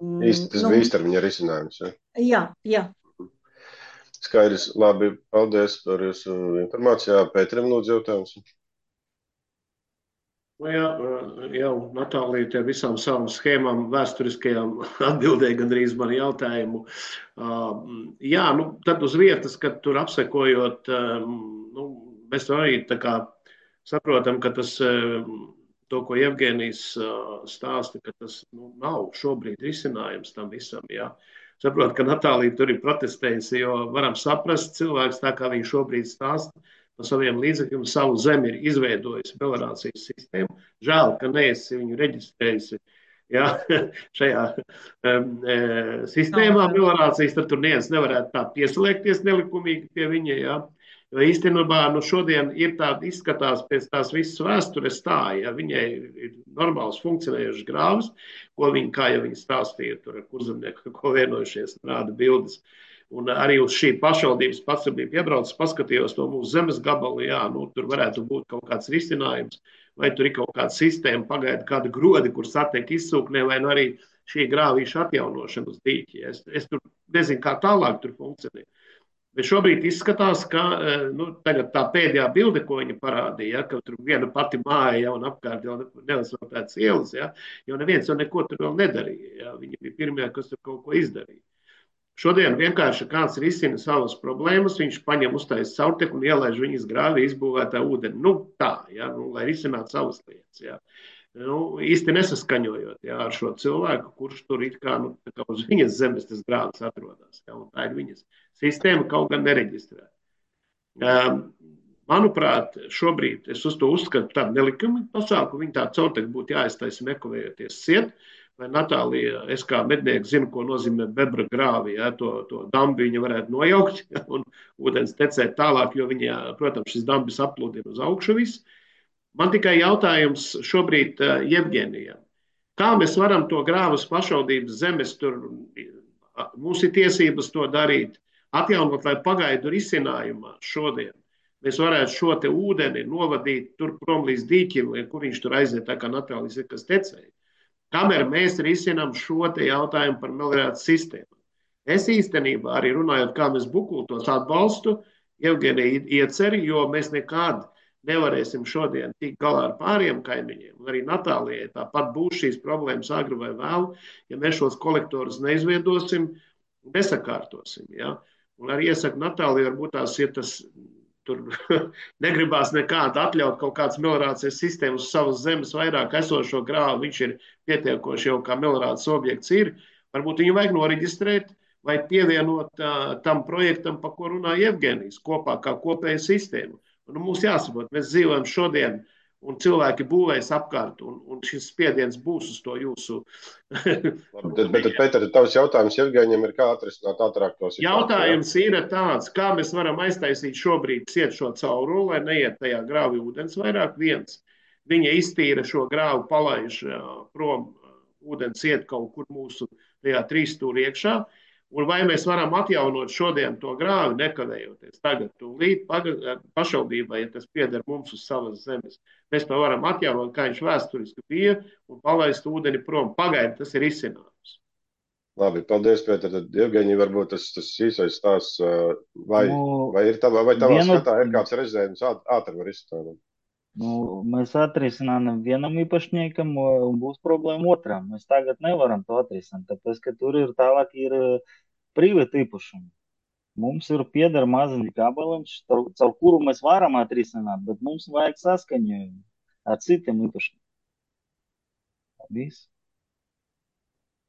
Speaker 1: Īsti tas bija īstermiņa risinājums, ja?
Speaker 8: Jā.
Speaker 1: Skaidrs, labi, paldies par jūsu informācijā. Pēterim lūdzu jautājums.
Speaker 5: Jau Natālija ar visām savām schēmām, vēsturiskajām atbildēja gandrīz mani jautājumu. Tad uz vietas, kad tur apsekojot, mēs arī tā kā saprotam, ka tas, to, ko Jevgeņijs stāsta, ka tas nav šobrīd risinājums tam visam, jā. Saprot, ka Natālija tur ir protestējusi, jo varam saprast cilvēks tā, kā viņš šobrīd stāsta, no saviem līdzekļiem savu zemi ir izveidojusi melorācijas sistēmu. Žēl, ka neesi viņu reģistrējusi, ja, šajā sistēmā melorācijas, tad tur neviens nevarētu tā pieslēgties nelikumīgi pie viņa, ja. Jo īstenībā šodien ir tāda izskatās pēc tās visas vēstures tā, ja viņai ir normāls funkcionējušas grāvas, ko viņa, kā jau viņa stāstīja, tur ar kurzemnieku, ko vienojušies, rāda bildes. Un arī uz šī pašvaldības patstabību iebraucis, paskatījos to mūsu zemes gabalu, tur varētu būt kaut kāds risinājums, vai tur ir kaut kāda sistēma, pagaida kāda grodi, kur satiek izsūknē, vai arī šī grāvīša atjaunošana uz dīķi. Es tur nezinu, kā tālāk tur funkcionē. Bet šobrīd izskatās, ka tagad tā pēdējā bilde, ko viņa parādīja, ka tur viena pati māja jau un apkārt jau neasfaltētas ielas, jo neviens jau neko tur vēl nedarīja. Viņi bija pirmie, kas tur kaut ko izdarīja. Šodien vienkārši kāds risina savas problēmas, viņš paņem uztais caurteku un ielaiž viņas grāvī izbūvētā ūdeni. Lai risinātu savas lietas. Ja. Īsti nesaskaņojot ar šo cilvēku, kurš tur it kā, kā uz viņas zemes tas grāvis atrodas. Ja, un tā ir viņas sistēma, kaut gan nereģistrēta. Manuprāt, šobrīd es uz to uzskatu tādu nelikumīgu pasākumu, viņa tā caurteku būtu jāiztaisa nekavējoties ciet. Vai Natālija, es kā mednieks zinu, ko nozīmē bebra grāvi, to dambi viņa varētu nojaukt un ūdens tecēt tālāk, jo viņa, protams, šis dambis aplūdina uz augšu viss. Man tikai jautājums šobrīd Jevgeņijam. Kā mēs varam to grāvas pašvaldības zemes, tur mums ir tiesības to darīt, atjaunot, lai pagaidu risinājumā šodien. Mēs varētu šo te ūdeni novadīt tur prom līdz dīķim, kur viņš tur aiziet, tā kā Natālijas ir, kas tecēja. Kamēr mēs risinām šo te jautājumu par melorācijas sistēmu. Es īstenībā arī runājot, kā mēs bukultos atbalstu Jevgeņija ieceri, jo mēs nekad nevarēsim šodien tikt galā ar pāriem kaimiņiem. Arī Natālijai tāpat būs šīs problēmas agri vai vēlu, ja mēs šos kolektorus neizveidosim, nesakārtosim. Ja? Un arī iesaku Natāliju, varbūt tās, ja tas tur negribās nekādu atļaut kaut kādas meliorācijas sistēmas uz savas zemes vairāk esošo grāvu, viņš ir pietiekoši jau kā meliorācijas objekts ir, varbūt viņu vajag noreģistrēt vai pievienot tam projektam, pa ko runā Jevgenijs, kopā kā kopēja sistēma. Un mums jāsaprot, mēs dzīvojam šodien, un cilvēki būvēs apkārt, un šis spiediens būs uz to jūsu.
Speaker 1: Bet, Pēter, tavs jautājums Jevgeņiem ir, kā atrisināt ātrāk to situāciju?
Speaker 5: Jautājums ir tāds, kā mēs varam aiztaisīt šobrīd ciet šo cauruli, lai neiet tajā grāvī ūdens vairāk. Viens, viņa iztīra šo grāvu, palaiž prom, ūdens iet kaut kur mūsu tajā trīsstūri iekšā. Un vai mēs varam atjaunot šodien to grāvi, nekavējoties tagad tūlīt pašvaldībai, ja tas pieder mums uz savas zemes. Mēs to varam atjaunot, kā viņš vēsturiski bija, un palaist ūdeni prom. Pagaidi, tas ir izcinājums.
Speaker 1: Labi, paldies, Pēter. Tad, Jevgeņi, varbūt tas īsais stāsts, vai ir tavā skatā ir kāds rezerves ātri var izstrādāt?
Speaker 6: Mēs atrisinām vienam īpašniekam, un būs problēma otram. Mēs tagad nevaram to atrisināt, tāpēc, ka tur ir tālāk ir privāti īpašumi. Mums ir pieder maziņš gabaliņš, caur kuru mēs varam atrisināt, bet mums vajag saskaņojumu ar citiem īpašniekiem. Viss.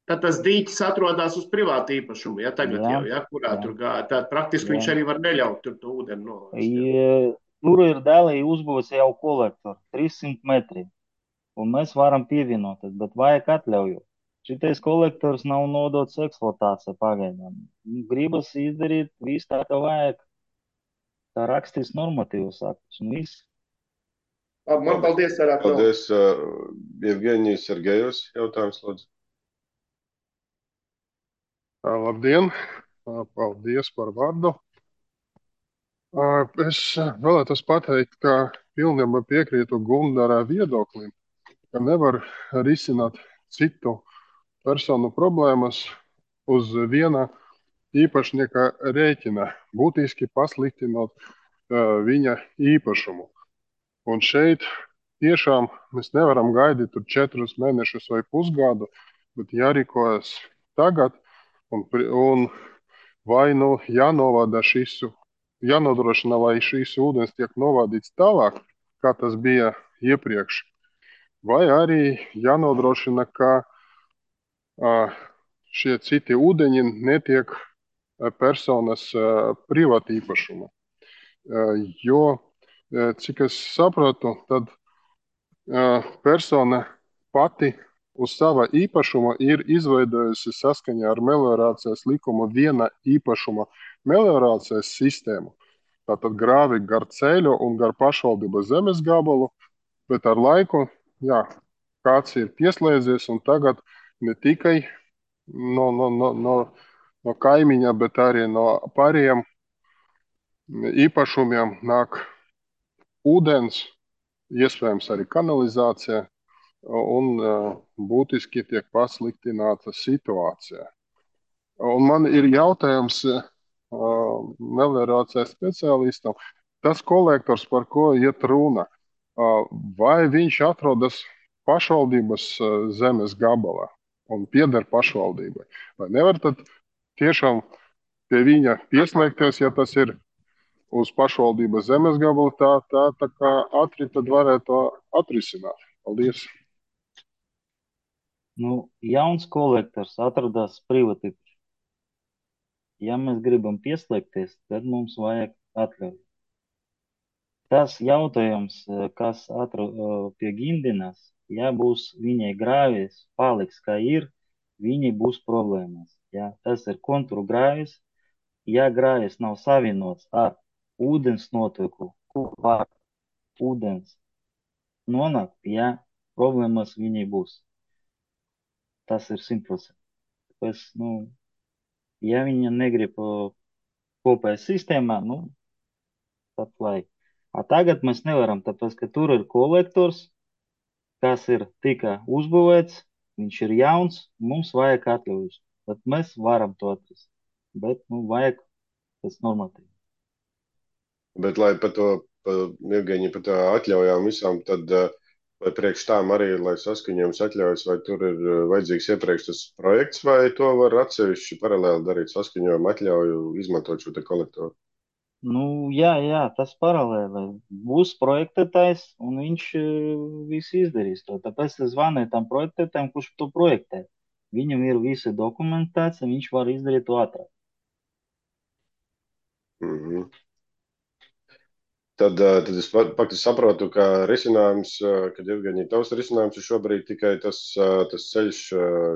Speaker 5: Tad tas dīķis atrodas uz privātu īpašumu, ja tagad jau, ja, kurā tur gāja. Tad praktiski viņš arī var neļaut tur to ūdeni nolaist.
Speaker 6: Tur ir daļai uzbūvēts jau kolektori, 300 metri, un mēs varam pievienoties, bet vajag atļauju. Šitais kolektors nav nodots eksploatācijai pagaidām. Gribas izdarīt visu tā, kā vajag, kā rakstīs normatīvus aktus, un viss.
Speaker 5: Man paldies, Arāk.
Speaker 1: Paldies, Jevgeņijs Sergejus, jautājums, lūdzu.
Speaker 11: Labdien, paldies par vārdu. Es vēlētos pateikt, ka pilnībā piekrītu Gundara viedoklim, ka nevar risināt citu personu problēmas uz viena īpašnieka rēķina, būtiski pasliktinot viņa īpašumu. Un šeit tiešām mēs nevaram gaidīt tur 4 mēnešus vai pusgadu, bet jārīkojas tagad un vai nu jānodrošina, lai šīs ūdens tiek novadīts tālāk, kā tas bija iepriekš, vai arī jānodrošina, ka šie citi ūdeņi netiek personas privāti īpašuma. Jo, cik es sapratu, tad persona pati uz sava īpašuma ir izveidojusi saskaņā ar meliorācijas likumu viena īpašuma meliorācijas sistēmu. Tātad grāvi gar ceļu un gar pašvaldības zemes gabalu, bet ar laiku, kāds ir pieslēdzies un tagad ne tikai no kaimiņa, bet arī no pārējiem īpašumiem nāk ūdens, iespējams arī kanalizācija, un būtiski tiek pasliktināta situācija. Un man ir jautājums meliorācijas speciālistam, tas kolektors, par ko iet runa, vai viņš atrodas pašvaldības zemes gabalā un pieder pašvaldībai? Vai nevar tad tiešām pie viņa pieslēgties, ja tas ir uz pašvaldības zemes gabalu, tā kā ātri tad varētu atrisināt? Paldies!
Speaker 6: Jauns kolektors atrodas privāti. Ja mēs gribam pieslēgties, tad mums vajag atļauju. Tas jautājums, kas pie Gindinas, ja būs viņai grāvis, paliks kā ir, viņai būs problēmas. Ja? Tas ir kontūru grāvis, ja grāvis nav savienots ar ūdens noteku, kur var ūdens nonākt, ja problēmas viņai būs. Tas ir 100%. Tāpēc, ja viņa negrib kopējā sistēmā, tad lai. Tagad mēs nevaram, tāpēc, ka tur ir kolektors, kas ir tikai uzbūvēts, viņš ir jauns, mums vajag atļaujas. Tad mēs varam to atrast. Bet, vajag tas normatīvi.
Speaker 1: Bet, lai par to, Jevgeņi, par to atļaujām visām, tad Vai priekš tām arī, lai saskaņojums atļaujas, vai tur ir vajadzīgs iepriekš tas projekts, vai to var atsevišķi paralēli darīt saskaņojumu atļauju, izmantot šo te kolektoru?
Speaker 6: Nu, jā, tas paralēli. Būs projektētājs, un viņš visu izdarīs to. Tāpēc es zvanīju tam projektētājam, kurš to projektē. Viņam ir visa dokumentācija, viņš var izdarīt to ātrāk.
Speaker 1: Mhm. Tad es faktiski saprotu, ka risinājums, kad Jevgeņija tavs risinājums ir šobrīd tikai tas ceļš,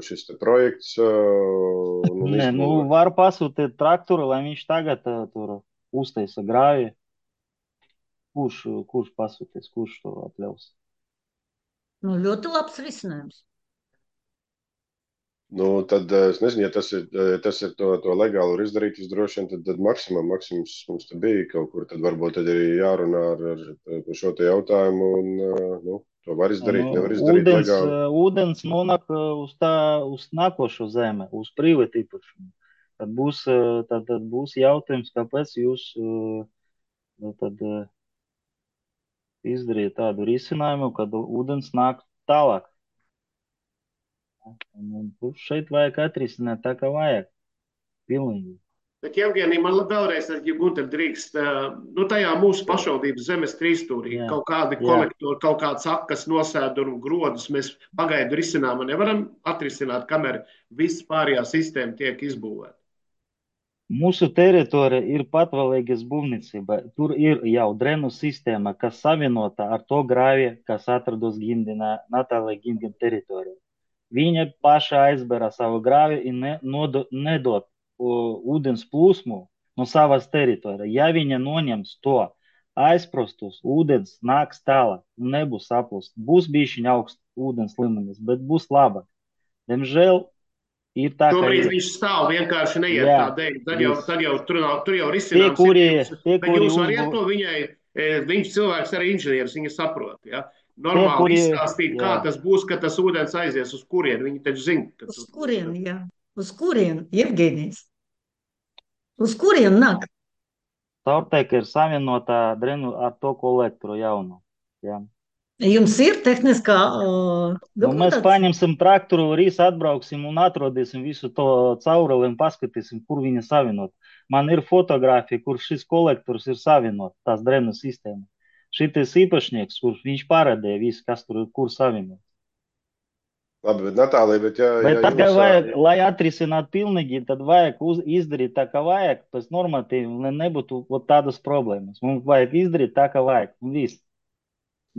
Speaker 1: šis te projekts un
Speaker 6: Nē, nu,
Speaker 1: izbūve.
Speaker 6: var pasūtīt traktoru, lai viņš tagad tur uztaisa grāvi. Kurš pasūtīs, kurš to atļaus?
Speaker 8: Nu, ļoti labs risinājums.
Speaker 1: Nu, tad es nezinu, ja tas ir to legāli var izdarīt, droši vien tad maksimums mums te bija kaut kur, tad varbūt tad arī jārunā par šo te jautājumu un, nu, to var izdarīt, nevar izdarīt legāli.
Speaker 6: Ūdens nonāk uz nākošo zemi, uz privātu īpašumu. Tad būs jautājums, kāpēc jūs tad izdarīt tādu risinājumu, kad ūdens nāk tālāk. Un šeit vajag atrisināt tā, kā vajag. Pilnīgi.
Speaker 5: Bet, Jevgenija, man vēlreiz, ja Gunter drīkst, nu tajā mūsu pašvaldības zemes trīsstūrī kaut kādi kolektori, kaut kāds akas nosēdu un grodus mēs pagaidu risinājumu nevaram atrisināt, kamēr viss pārējā sistēma tiek izbūvēta.
Speaker 6: Mūsu teritorija ir patvaļīgas būvniecība. Tur ir jau drenu sistēma, kas savienota ar to grāvi, kas atrodas Natālija Gindina teritorijā. Viņa paša aizbēra savu grāvi un nedod ūdens plūsmu no savas teritorijas. Ja viņa noņems to aizprastus, ūdens nāks tālāk un nebūs saplūst. Būs bišķiņ augsts ūdens līmenis, bet būs labāk. Diemžēl ir tā,
Speaker 5: šobrīd viņš stāv vienkārši neiet tā dēļ. Tad jau tur jau risinājums. Bet jūs variet to viņai, viņš cilvēks arī inženieris, viņa saprot, ja? Normāli izstāstīt, kā tas būs, ka tas ūdens aizies uz kurien. Viņi taču zina.
Speaker 8: Uz kurien, jā. Uz kurien, Jevgenijs? Uz kurien nāk?
Speaker 6: Caurteka ir savienotā drenu ar to kolektoru jaunu. Jā.
Speaker 8: Jums ir tehniskā
Speaker 6: mēs paņemsim traktoru, rīs atbrauksim un atrodīsim visu to cauruli un paskatīsim, kur viņa savienot. Man ir fotografija, kur šis kolektors ir savienot, tās drenu sistēma. Šitais īpašnieks, kurš viņš parādīja visu, kas tur ir, kur savienot.
Speaker 1: Labi, bet Natālija, bet
Speaker 6: tagad vajag, lai atrisinātu pilnīgi, tad vajag izdarīt tā, kā vajag, pēc normatīvi, lai nebūtu tādas problēmas. Mums vajag izdarīt tā, kā vajag, un viss.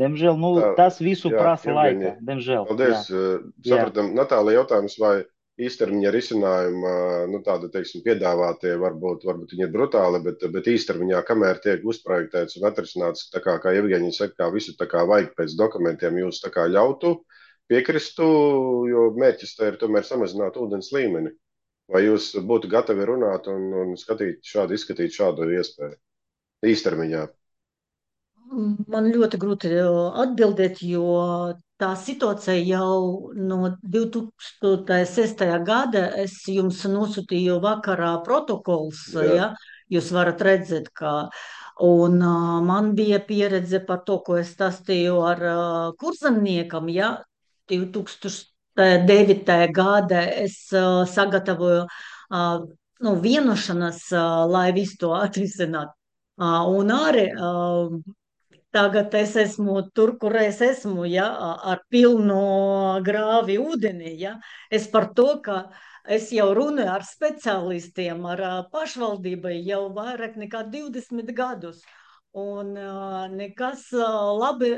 Speaker 6: Diemžēl, tas visu prasa laika, diemžēl.
Speaker 1: Paldies, sapratam. Natālija, jautājums, vai īstermiņa risinājuma, tāda, teiksim, piedāvātie varbūt viņi ir brutāli, bet īstermiņā, kamēr tiek uzprojektēts un atrisināts, tā kā Jevgeņija saka, kā visu tā kā vajag pēc dokumentiem, jūs tā kā ļautu, piekristu, jo mērķis tā ir tomēr samazināt ūdens līmeni. Vai jūs būtu gatavi runāt un izskatīt šādu iespēju īstermiņā?
Speaker 8: Man ļoti grūti atbildēt, jo tā situācija jau no 2006. gada es jums nosūtīju vakarā protokols, ja? Jūs varat redzēt, ka un man bija pieredze par to, ko es stāstīju ar kurzemniekam, ja? 2009. gada es sagatavoju vienošanas, lai visu to atrisināt. Un arī tagad es esmu tur, kur es esmu, ja, ar pilnu grāvi ūdeni. Ja. Es par to, ka es jau runāju ar speciālistiem, ar pašvaldībai jau vairāk nekā 20 gadus. Un nekas labi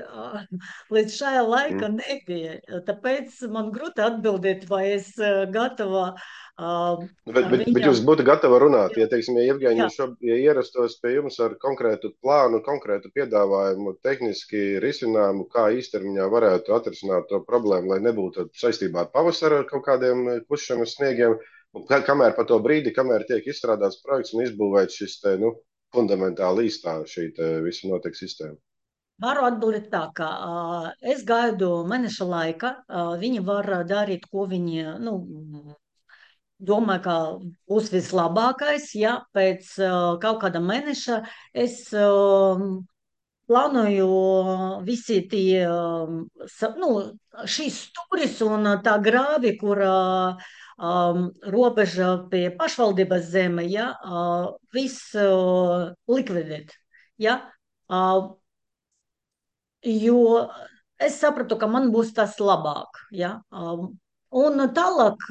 Speaker 8: līdz šajā laika nebija. Tāpēc man grūti atbildēt, vai es gatava.
Speaker 1: Bet jūs būtu gatava runāt, ja, teiksim, ja Jevgeņija ierastos pie jums ar konkrētu plānu, konkrētu piedāvājumu, tehniski risinājumu, kā īstermiņā varētu atrisināt to problēmu, lai nebūtu saistībā ar pavasaru ar kaut kādiem kušanas sniegiem, kamēr pa to brīdi, kamēr tiek izstrādāts projekts un izbūvēts šis te, fundamentāli īstā šī visa notiek sistēma.
Speaker 8: Varu atbildēt tā, ka es gaidu mēneša laika, viņi var darīt, ko viņi, domāju, ka būs vislabākais, ja pēc kaut kāda mēneša es plānoju visi tie, nu, šīs stūris un tā grāvi, kur robeža pie pašvaldības zeme, ja, viss likvidēt. Ja? Uh, jo es sapratu, ka man būs tas labāk. Ja? Un tālāk,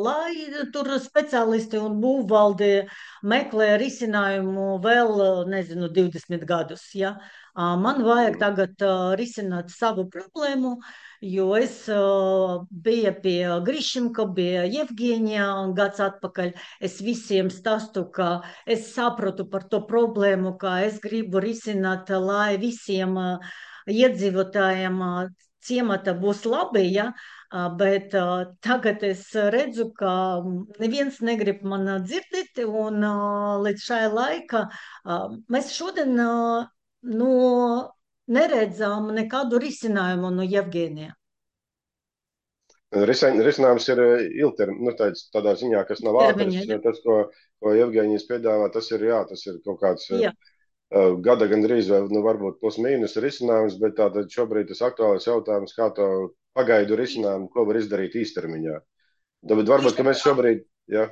Speaker 8: lai tur speciālisti un būvvalde meklē risinājumu vēl, nezinu, 20 gadus. Ja? Man vajag tagad risināt savu problēmu, jo es biju pie Grišinka, bija Jevģīņā gads atpakaļ. Es visiem stāstu, ka es saprotu par to problēmu, ka es gribu risināt, lai visiem iedzīvotājiem ciemata būs labi, ja? Bet tagad es redzu, ka neviens negrib man dzirdēt, un līdz šai laika mēs šodien nu, neredzām nekādu risinājumu no Jevģīnija.
Speaker 1: Risinājums ir ilgtermiņā, nu, tādā ziņā, kas nav ātrs.
Speaker 8: Termiņa, ja?
Speaker 1: Tas, ko Jevģīnijas piedāvā, tas ir kaut kāds
Speaker 8: Jā.
Speaker 1: gada gandrīz vai nu, varbūt plus mīnus risinājums, bet tātad šobrīd tas aktuālais jautājums, kā to pagaidu risinājumu, ko var izdarīt īstermiņā. Bet varbūt, ka mēs šobrīd, jā,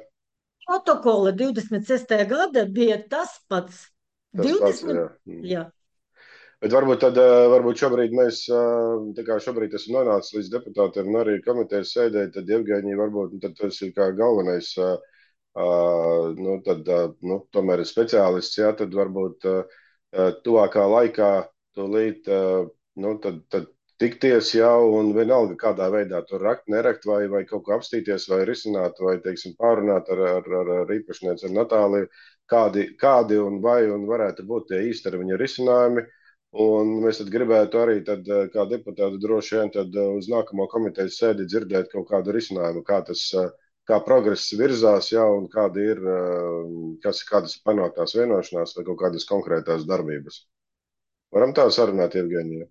Speaker 8: Protokola 26. gada bija tas pats.
Speaker 1: tas pats,
Speaker 8: 20,
Speaker 1: jā.
Speaker 8: jā.
Speaker 1: Bet varbūt šobrīd mēs, tā kā šobrīd esam nonācis līdz deputātiem un arī komitejas sēdē, tad Jevģīņi varbūt, tad tas ir kā galvenais, tomēr ir speciālists, jā, tad varbūt tuvākā laikā tūlīt, tad tikties jau un vienalga kādā veidā tur rakt, nerakt vai kaut ko apstīties vai risināt vai, teiksim, pārunāt ar īpašnieci, ar Natāliju, kādi un varētu būt tie īstermiņa risinājumi. Un mēs tad gribētu arī, tad, kā deputāti, droši vien tad uz nākamo komitejas sēdi dzirdēt kaut kādu risinājumu, kā progress virzās, jā, un kādas panāktās vienošanās vai kaut kādas konkrētās darbības. Varam tā sarunāt, Jevģīnija?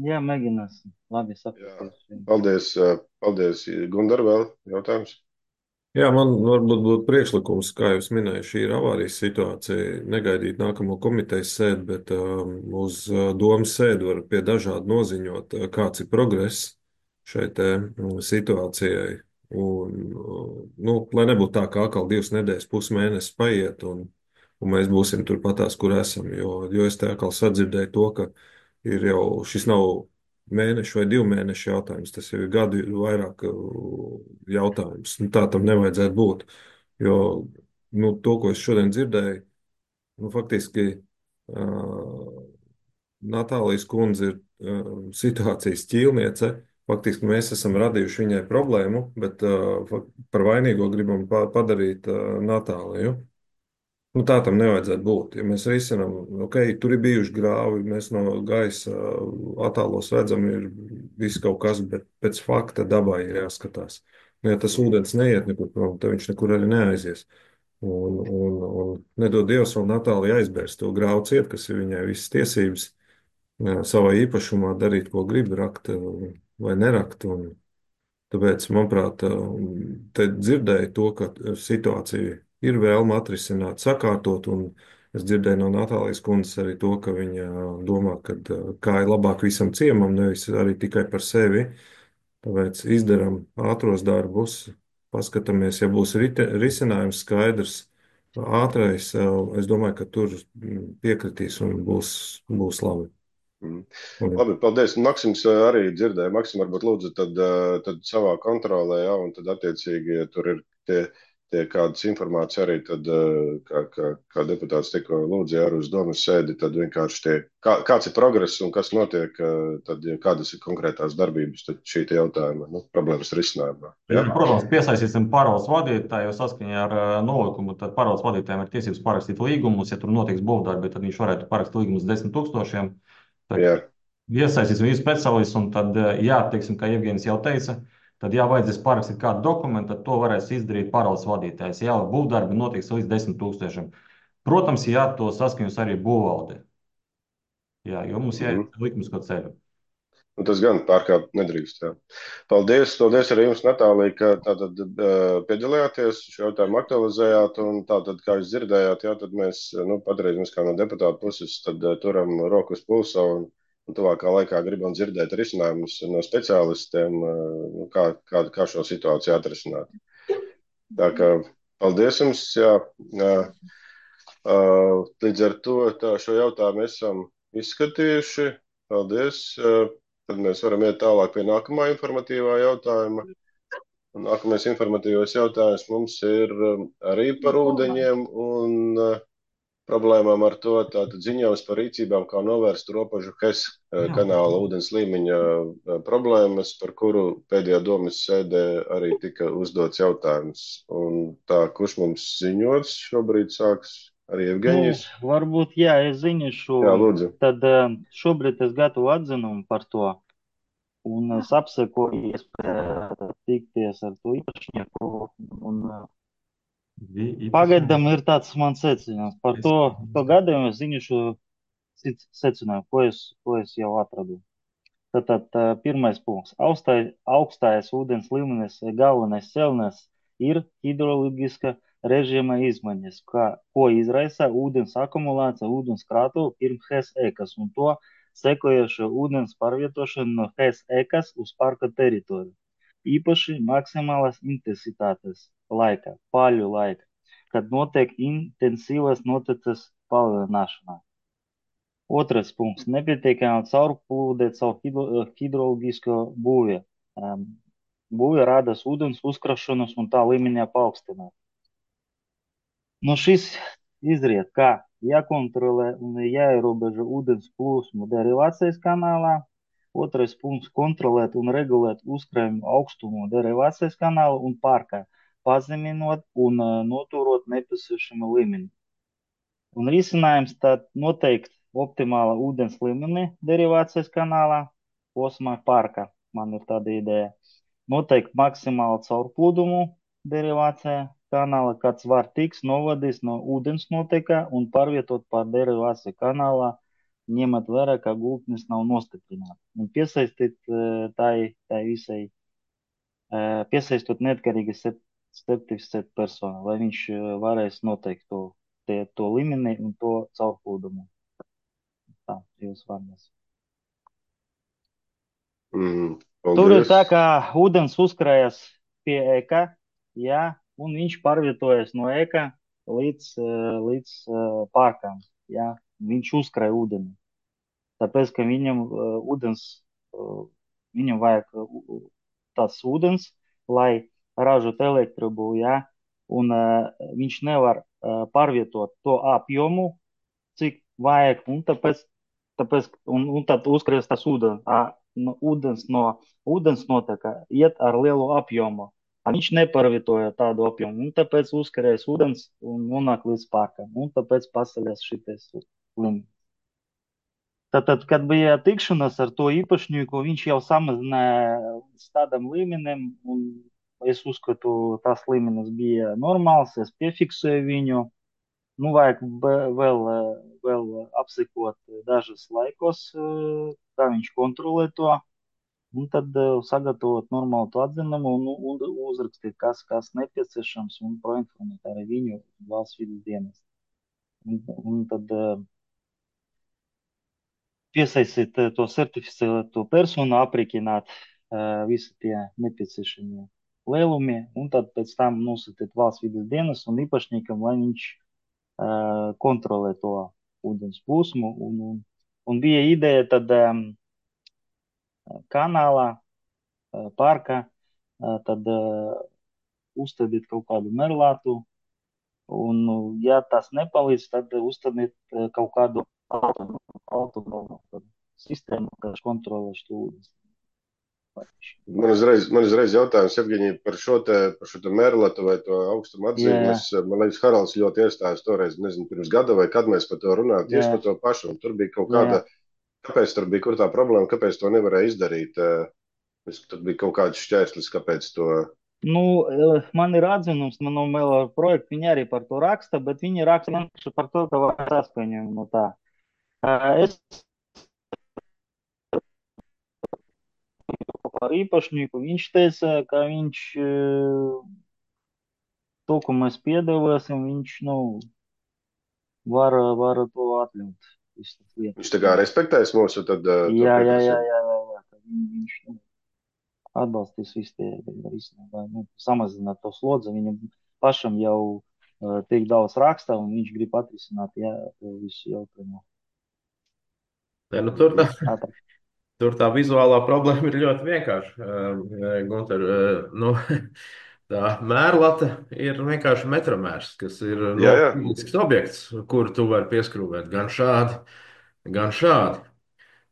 Speaker 6: Jā, mēģināsim. Labi, sapratīšu.
Speaker 1: Paldies. Gundar, vēl jautājums?
Speaker 2: Jā, man varbūt būtu priekšlikums, kā jūs minējāt, šī ir avārijas situācija. Negaidīt nākamo komitejas sēdi, bet uz domas sēdi var pie dažādi noziņot, kāds ir progress šai te situācijai. Un, lai nebūtu tā, ka atkal 2 nedēļas, pusmēnesis paiet, un mēs būsim turpatās, kur esam. Jo es te atkal sadzirdēju to, ka ir jau šis nav mēnešu vai 2 mēnešu jautājums, tas jau ir gadu vairāk jautājums. Tā tam nevajadzētu būt, jo to, ko es šodien dzirdēju, faktiski Natālijas kundze ir situācijas ķīlniece. Faktiski mēs esam radījuši viņai problēmu, bet par vainīgo gribam padarīt Natāliju. Tā tam nevajadzētu būt. Ja mēs risinām, tur ir bijuši grāvi, mēs no gaisa attālos redzam, ir viss kaut kas, bet pēc fakta dabai ir jāskatās. Ja tas ūdens neiet nekur prom, tad viņš nekur arī neaizies. Un nedod Dievs vēl Natālija aizbērs to grāvu ciet, kas ir viņai visas tiesības savā īpašumā darīt, ko grib, rakt vai nerakt. Tāpēc, manuprāt, te dzirdēju to, ka situācija ir vēlme atrisināt, sakārtot, un es dzirdēju no Natālijas kundzes arī to, ka viņa domā, ka kā ir labāk visam ciemam, nevis arī tikai par sevi. Tāpēc izdaram ātros darbus, paskatāmies, ja būs risinājums skaidrs, ātrais, es domāju, ka tur piekritīs un būs labi.
Speaker 1: Labi, paldies. Maksims arī dzirdēja. Maksim, varbūt lūdzu tad savā kontrolē, jā, un tad attiecīgi, ja tur ir tie kādas informācija arī, tad, kā deputāts tikko lūdzīja arī uz domas sēdi, tad vienkārši kāds ir progress un kas notiek, tad kādas ir konkrētās darbības, tad šī jautājuma, problēmas risinājumā.
Speaker 12: Ja? Protams, piesaistīsim pārvaldes vadītāju, jo saskaņā ar nolikumu, tad pārvaldes vadītājiem ir tiesības parakstīt līgumus, ja tur notiks būvdarbi, tad viņš varētu parakstīt līgumus 10 000. Tad iesaistīsim visu speciālistu, un tad, teiksim, kā Jevģīnis jau teica, tad, ja vajadzēs parakstīt kādu dokumentu, tad to varēs izdarīt pārvaldes vadītājs. Jā, būvdarbi notiks līdz 10 000. Protams, to saskaņos arī būvvalde. Jā, jo mums jāiet likumisko ceļu.
Speaker 1: Un tas gan pārkāpt nedrīkst. Jā. Paldies arī jums, Natālija, ka tātad piedalījāties, šo jautājumu aktualizējāt, un tātad, kā jūs dzirdējāt, jā, tad mēs, patreiz mēs kā no deputāta puses, tad turam roku uz pulsa un tuvākā laikā gribam dzirdēt risinājumus no speciālistiem, kā šo situāciju atrisināt. Tā kā paldies jums, jā. Līdz ar to šo jautājumu esam izskatījuši. Paldies. Tad mēs varam iet tālāk pie nākamā informatīvā jautājuma. Un nākamais informatīvais jautājums mums ir arī par ūdeņiem un problēmām ar to. Tātad ziņojums par rīcībām, kā novērst robežu Hes kanāla ūdens līmeņa problēmas, par kuru pēdējā domas sēdē arī tika uzdots jautājums. Un tā, kurš mums ziņos šobrīd sāks? Arī Evgeņijs?
Speaker 6: Varbūt, jā, es ziņošu.
Speaker 1: Jā, lūdzu.
Speaker 6: Tad šobrīd es gatavoju atzinumu par to. Un es apsekoju iespēju tikties ar to īpašnieku. Un pagaidām ir tāds mans secinājums. Par to gadījumu es ziņošu secinājumu, ko es jau atradu. Tātad pirmais punkts. Augstais ūdens līmenis galvenais cēlonis ir hidroloģiska režīma izmaiņas, ko izraisa ūdens akumulācija ūdens krātuvu pirms Hes ekas un to sekojošo ūdens pārvietošanu no Hes ekas uz parka teritoriju. Īpaši maksimālas intensitātes laika, paļu laika, kad notiek intensīvas noteces palielināšana. Otrais punkts. Nepietiekama caurplūde caur hidroloģisko būvi. Būve rada ūdens uzkrāšanos un tā līmeņa paaugstināt. No šīs izriet, ka jākontrolē un jāierobežo ūdens plūsmu derivācijas kanālā. Otrais punkts - kontrolēt un regulēt uzkrājumu augstumu derivācijas kanāla un parkā, pazeminot un noturot nepieciešamo līmeni. Un risinājums tad noteikt optimāla ūdens līmeni derivācijas kanālā, posmā parkā. Man ir tāda ideja. Noteikt maksimālu caurplūdumu derivācijā kanāla, kāds var tiks novadīts no ūdens notekā un pārvietot pār derivāciju kanālā, ņemot vērā, ka gultnes nav nostiprināta. Un piesaistīt tai visai, piesaistot neatkarīgi certificētu personu, lai viņš varēs noteikt to līmeni un to caurplūdumu. Tā, jūs vārdos. Tur ir tā, ka ūdens uzkrājas pie eka, jā, un viņš pārvietojas no eka līdz parkam, jā. Viņš uzkrāja ūdeni. Tāpēc, ka viņam vajag tāds ūdens, lai ražot elektrību, jā, un viņš nevar pārvietot to apjomu, cik vajag, un tāpēc tad uzkrājas tas ūdens no ūdens noteka iet ar lielu apjomu. Viņš nepārvietoja tādu apjomu, un tāpēc uzkrājas ūdens un nonāk līdz parkam, un tāpēc paceļas šitais līmenis. Tātad, kad bija tikšanās ar to īpašnieku, viņš jau samazināja līdz tādam līmenim, un es uzskatu, tas līmenis bija normāls, es piefiksēju viņu. Nu, vajag vēl apsekot dažas laikos, kā viņš kontrolē to, un tad sagatavot normālu to atzinumu un uzrakstīt, kas nepieciešams, un proinformēt arī viņu valsts vides dienestu. Un tad piesaistīt to certificēto personu, aprēķināt visi tie nepieciešamie lielumi, un tad pēc tam nosūtīt valsts vides dienestu un īpašniekam, lai viņš kontrolē to ūdens plūsmu. Un bija ideja tad kanālā, parkā, tad uzstādīt kaut kādu merlātu, un, ja tas nepalīdz, tad uzstādīt kaut kādu autonomu sistēmu, kas kontrolē šo ūdens.
Speaker 1: Man uzreiz jautājums, Evgeņija, par šo te merlatu vai to augstumu atzīmi. Man liekas, Haralds ļoti iestājas toreiz, nezinu, pirms gada vai kad mēs par to runājam, tieši par to pašu. Un tur bija kaut kāda, kāpēc tur bija kur tā problēma, kāpēc to nevarēja izdarīt? Tur bija kaut kāds šķērslis, kāpēc to...
Speaker 6: Nu, man ir atzinums, man vēl projekti, viņi arī par to raksta, bet viņi raksta par to, ka vajag saskaņojumu no tā. Es par īpašnieku. Viņš teica, ka viņš to, ko mēs piedāvāsim, viņš, nu, var to atļaut.
Speaker 1: Viņš tā kā respektēs mūsu tad to
Speaker 6: Jā,
Speaker 1: pieprasījumu.
Speaker 6: ka viņš nu, atbalstīs visu tie risinājumi, nu, samazināt to slodzi. Viņam pašam jau tik daudz raksta, un viņš grib atrisināt, to visu jautājumu.
Speaker 2: Tur tā vizuālā problēma ir ļoti vienkārša. Gunter, nu, tā mērlata ir vienkārši metromērs, kas ir publisks objekts, kuru tu vari pieskrūvēt gan šādi, gan šādi.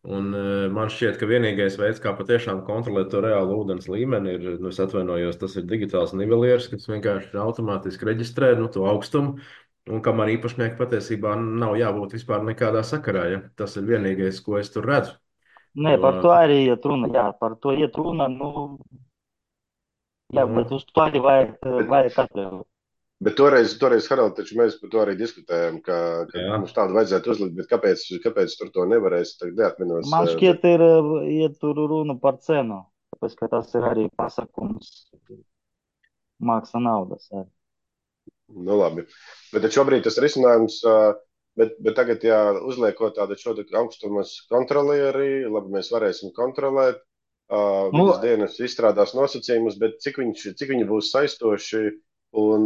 Speaker 2: Un man šķiet, ka vienīgais veids, kā patiešām kontrolēt to reālu ūdens līmeni, ir, nu, es atvainojos, tas ir digitāls nivelieris, kas vienkārši automātiski reģistrē to augstumu, un kam ar īpašnieku patiesībā nav jābūt vispār nekādā sakarā. Ja? Tas ir vienīgais, ko es tur redzu.
Speaker 6: Nē, par to arī iet runa. Jā, par to iet runa. Nu, jā, bet uz to arī vajag atļaut.
Speaker 1: Bet toreiz Harald, taču mēs par to arī diskutējām, ka mums tādu vajadzētu uzlikt, bet kāpēc tur to nevarēs, tagad neatminos.
Speaker 6: Man šķiet, iet tur runa par cenu, tāpēc, ka tas ir arī pasakums, māksla naudas. Arī.
Speaker 1: Nu labi, bet šobrīd tas risinājums, bet tagad, ja uzliekot tādu šo augstumas kontrolieri, labi, mēs varēsim kontrolēt, vidas dienas izstrādās nosacījumus, bet cik viņi būs saistoši, un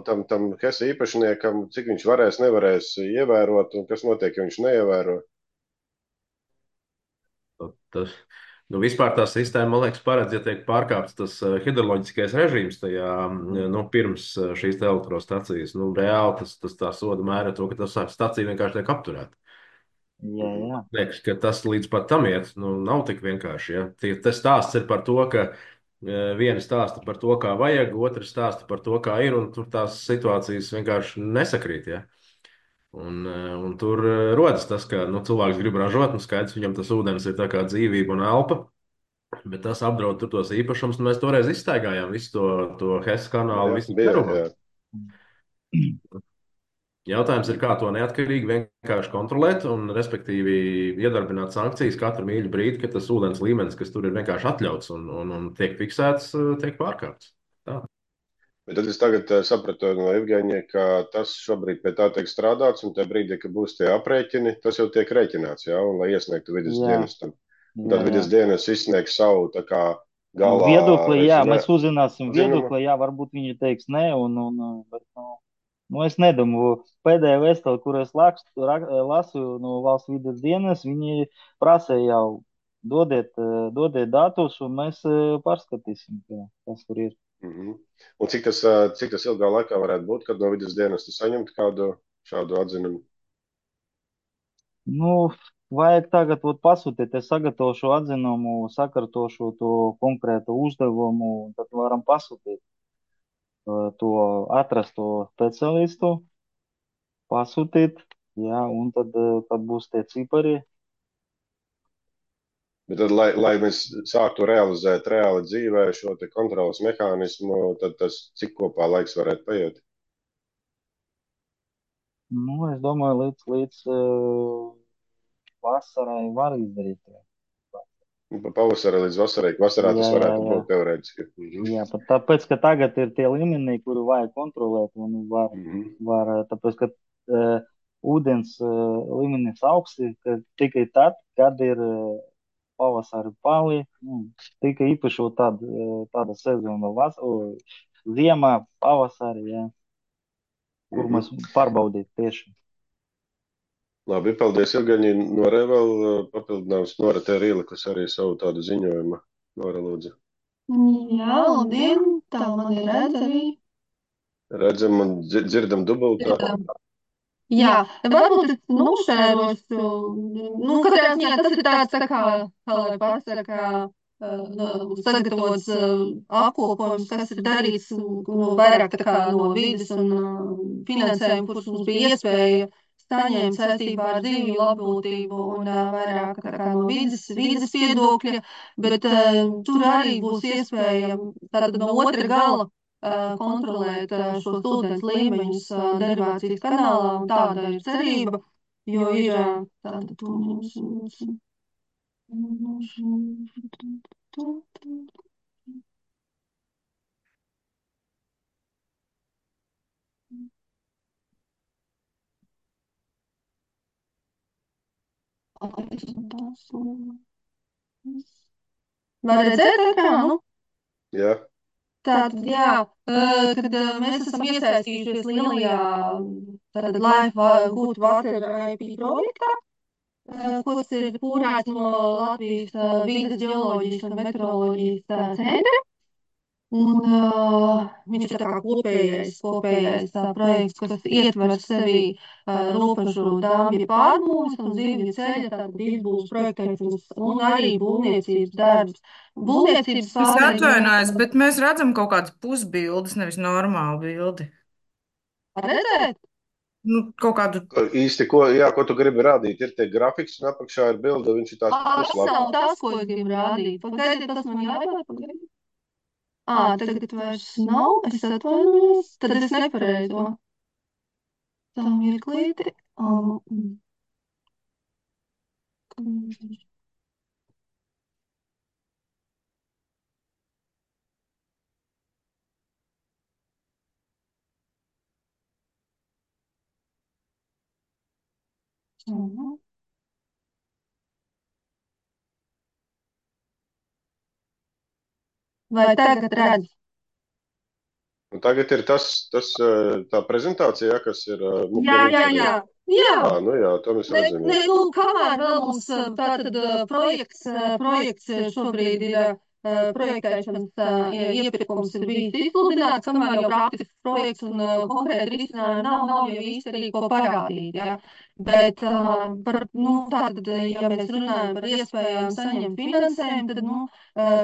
Speaker 1: tam Hesa īpašniekam, cik viņš varēs, nevarēs ievērot, un kas notiek, ja viņš neievēro?
Speaker 2: Nu, vispār tā sistēma, man liekas, paredz, ja tiek pārkāpts tas hidroloģiskais režīms tajā, nu, pirms šīs elektrostacijas. Nu, reāli tas tā soda mēra to, ka tas stacija vienkārši tiek apturēta.
Speaker 6: Jā.
Speaker 2: Liekas, ka tas līdz pat tam iet, nu, nav tik vienkārši. Ja? Tas stāsts ir par to, ka viena stāsta par to, kā vajag, otra stāsta par to, kā ir, un tur tās situācijas vienkārši nesakrīt. Ja? Un tur rodas tas, ka cilvēks grib ražot, un skaidrs, viņam tas ūdens ir tā kā dzīvība un elpa, bet tas apdraud tur tos īpašumus. Mēs toreiz izstaigājām visu to Hesa kanālu, visu Peruvu. Jautājums ir, kā to neatkarīgi vienkārši kontrolēt un, respektīvi, iedarbināt sankcijas katru mīļu brīdi, kad tas ūdens līmenis, kas tur ir vienkārši atļauts un tiek fiksēts, tiek pārkāpts. Tā.
Speaker 1: Bet tad es tagad sapratu no Evgeņa, ka tas šobrīd pie tā tiek strādāts, un tajā brīdī, kad būs tie aprēķini, tas jau tiek rēķināts, jā, un lai iesniegtu vidas dienestam. Tad vidas dienas izsniegs savu tā kā galā.
Speaker 6: Viedokli, jā, mēs uzzināsim viedokli, jā, varbūt viņi teiks nē, bet, nu, es nedomāju, pēdējā vēstule, kur es lasu no valsts vidas dienas, viņi prasa jau dodiet datus, un mēs pārskatīsim, kas tur ir.
Speaker 1: Un cik tas ilgā laikā varētu būt, kad no vidas dienas tu saņemt kādu šādu atzinumu?
Speaker 6: Nu, vajag tagad pasūtīt, es sagatavošu atzinumu, sakārtošu to konkrētu uzdevumu, un tad varam pasūtīt. To atrast to speciālistu, pasūtīt, jā, un tad būs tie cipari.
Speaker 1: Bet tad, lai mēs sāktu realizēt reāli dzīvē šo te kontrolas mehānismu, tad tas cik kopā laiks varētu paiet?
Speaker 6: Nu, es domāju, līdz vasarai var izdarīt.
Speaker 1: Pavasarā līdz vasarai, vasarā tas varētu būt teorētiski.
Speaker 6: Jā, pat tāpēc, ka tagad ir tie līmeni, kuri vajag kontrolēt, un var tāpēc, ka ūdens līmenis augsti, ka tikai tad, kad ir pavasari pali, tikai īpaši tāda sezona ziemā, pavasari, jā, kur mēs pārbaudīt tieši.
Speaker 1: Labi, paldies, Evgeņi. Nora vēl papildinājums. Nora te ir ielikusi arī savu tādu ziņojumu. Nora, lūdzu.
Speaker 13: Jā, labdien, tā man ir redz arī.
Speaker 1: Redzam un dzirdam dubultā.
Speaker 13: Jā, varbūt es nošērošu, katrā ziņā tas ir tāds, tā kā lai pasaka, sagatavots apkopojums, kas ir darīts vairāk tā kā no vides un finansējuma, kurus mums bija iespēja saņemt saistībā ar dzīvju labbūtību un vairāk tā kā no vides viedokļa, bet tur arī būs iespēja tātad no otra gala kontrolēt šos ūdens līmeņus derivācijas kanālā, un tāda ir cerība, jo ir tātad Var redzēt ekrānu?
Speaker 1: Jā.
Speaker 13: Tātad, jā, kad mēs esam iesaistījušies lielajā Life Good Water IP projektā, kas ir kūrēts no Latvijas vīdes geoloģijas un meteoroloģijas centra. Un viņš ir tā kā kopējais projekts, kas ietver sevī robežu dambja pārbūves un zivju ceļa, tātad izbūves projektēšanas un arī būvniecības darbs. Būvniecības
Speaker 10: Es
Speaker 13: fāzē
Speaker 10: atvainojos, bet mēs redzam kaut kādas pusbildes, nevis normālu bildi.
Speaker 13: var redzēt?
Speaker 10: Nu, kaut kādu.
Speaker 1: Īsti, ko tu gribi rādīt, ir tie grafiks, un apakšā ir bilde, viņš ir tās
Speaker 13: Tas
Speaker 1: puslapa.
Speaker 13: nav tas, ko es gribu rādīt. Pagaidiet, tas man jāpār, pagaidiet. Tagad vairs nav, es atvainojos, tad es nepareizo. Tā mirklīti. Vai tagad redz?
Speaker 1: Un tagad ir tā prezentācija, kas ir.
Speaker 13: Jā.
Speaker 1: Nu jā, to mēs redzam.
Speaker 13: Kamēr vēl mums tātad projekts šobrīd ir projektēšanas iepirkums ir bijis izsludināts, kamēr jau praktisks projekts un konkrēti risinājumi nav jau īsti arī ko parādīt. Ja? Bet tātad, ja mēs runājam par iespējām saņemt finansējumu, tad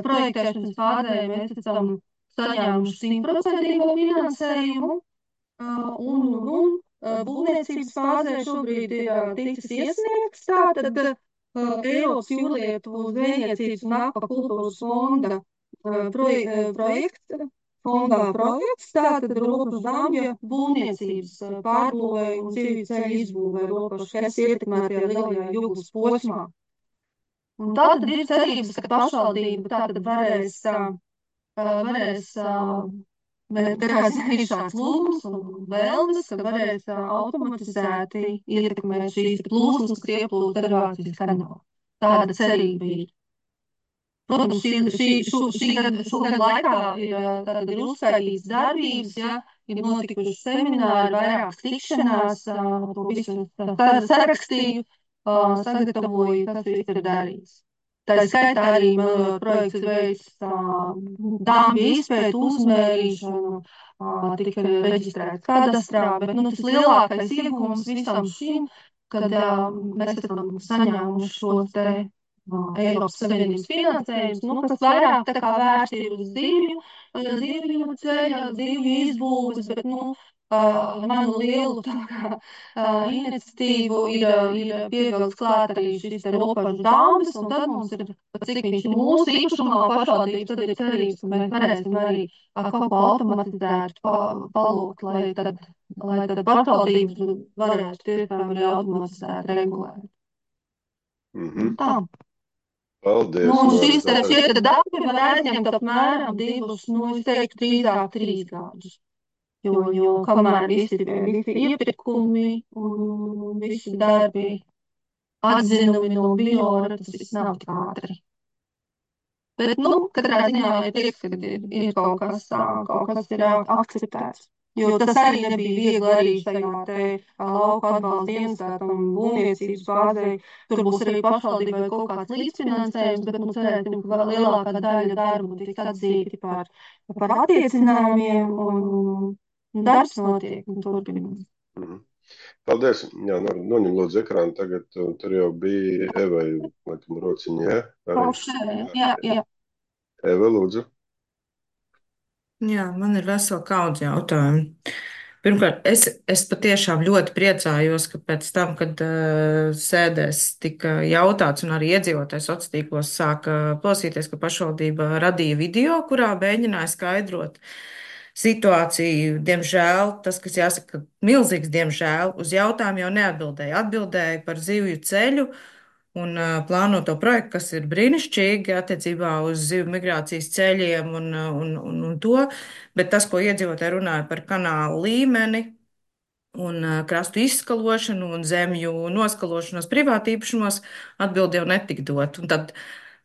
Speaker 13: projektēšanas fāzē mēs esam saņēmuši 100% finansējumu un būvniecības fāzē šobrīd ir ticis iesniegts tātad Eiropas jūrlietu zvejniecības un akvakultūras fonda projekts, tātad robežu dambja būvniecības pārbūvēja un zivju ceļu izbūvēja robežu, kas ietekmētajā lielajā jūgas posmā. Un tātad ir cerības, ka pašvaldība tātad varēs bet ir šāds lūgums un vēlmes, ka varēs automatizēti ietekmēt šīs plūsmas, kas ieplūst derivācijas kanālā. Tāda cerība ir. Protams, šogad laikā ir uzskaitīts darbības, ja, ir notikuši semināri, vairākas tikšanās, to visu sarakstīju, sagatavoju, kas viss ir darīts. Tā skaitā arī projekts ir veids dambja izpētu, uzmērīšanu, tika reģistrēts kadastrā, bet tas lielākais iegūms visam šim, kad mēs esam saņēmuši šos te Eiropas Savienības finansējumus, kas vairāk tā kā vērsti ir uz zivju ceļa, zivju izbūves, bet manu lielu tā kā iniciatīvu ir pievilkts klāt arī šis te robežu dambis, un tad mums ir, cik viņš ir mūsu īpašumā pašvaldības, tad ir cerības, ka mēs varēsim arī kaut ko automatizēt, palūgt, lai tad pašvaldības varētu tiešām arī automatizēt regulēt. Tā.
Speaker 1: Paldies.
Speaker 13: Šie darbi var aizņemt apmēram 2, es teiktu, drīzāk 3 gadus. Jo kamēr visi iepirkumi un visi darbi atzinumi no biora, tas viss nav tik ātri. Bet, katrā ziņā ir prieks, ka ir kaut kas ir akceptēts. Jo tas arī nebija viegli arī šajā te lauka atbalsta dienestētam būvniecības fāzē. Tur būs arī pašvaldībai kaut kāds līdzfinansējums, bet cerēsim, ka lielākā daļa darbu tiks atzīti par attiecinājumiem un darbs notiek un turpinās.
Speaker 1: Paldies. Jā, noņem lūdzu ekrānu tagad. Tur jau bija Evai, laikam, rociņā.
Speaker 13: Jā.
Speaker 1: Eva, lūdzu.
Speaker 10: Jā, man ir vesela kaudze jautājumu. Pirmkārt, es patiešām ļoti priecājos, ka pēc tam, kad sēdēs tika jautāts un arī iedzīvotājs sociālos tīklos sāka klausīties, ka pašvaldība radīja video, kurā mēģināja skaidrot situāciju. Diemžēl, tas, kas jāsaka, milzīgs diemžēl, uz jautājumu jau neatbildēja. Atbildēja par zivju ceļu un plāno to projektu, kas ir brīnišķīgi attiecībā uz zivju migrācijas ceļiem un to, bet tas, ko iedzīvotāji runāja par kanālu līmeni un krastu izskalošanu un zemju noskalošanos privātīpašumos, atbildi jau netika dot. Un tad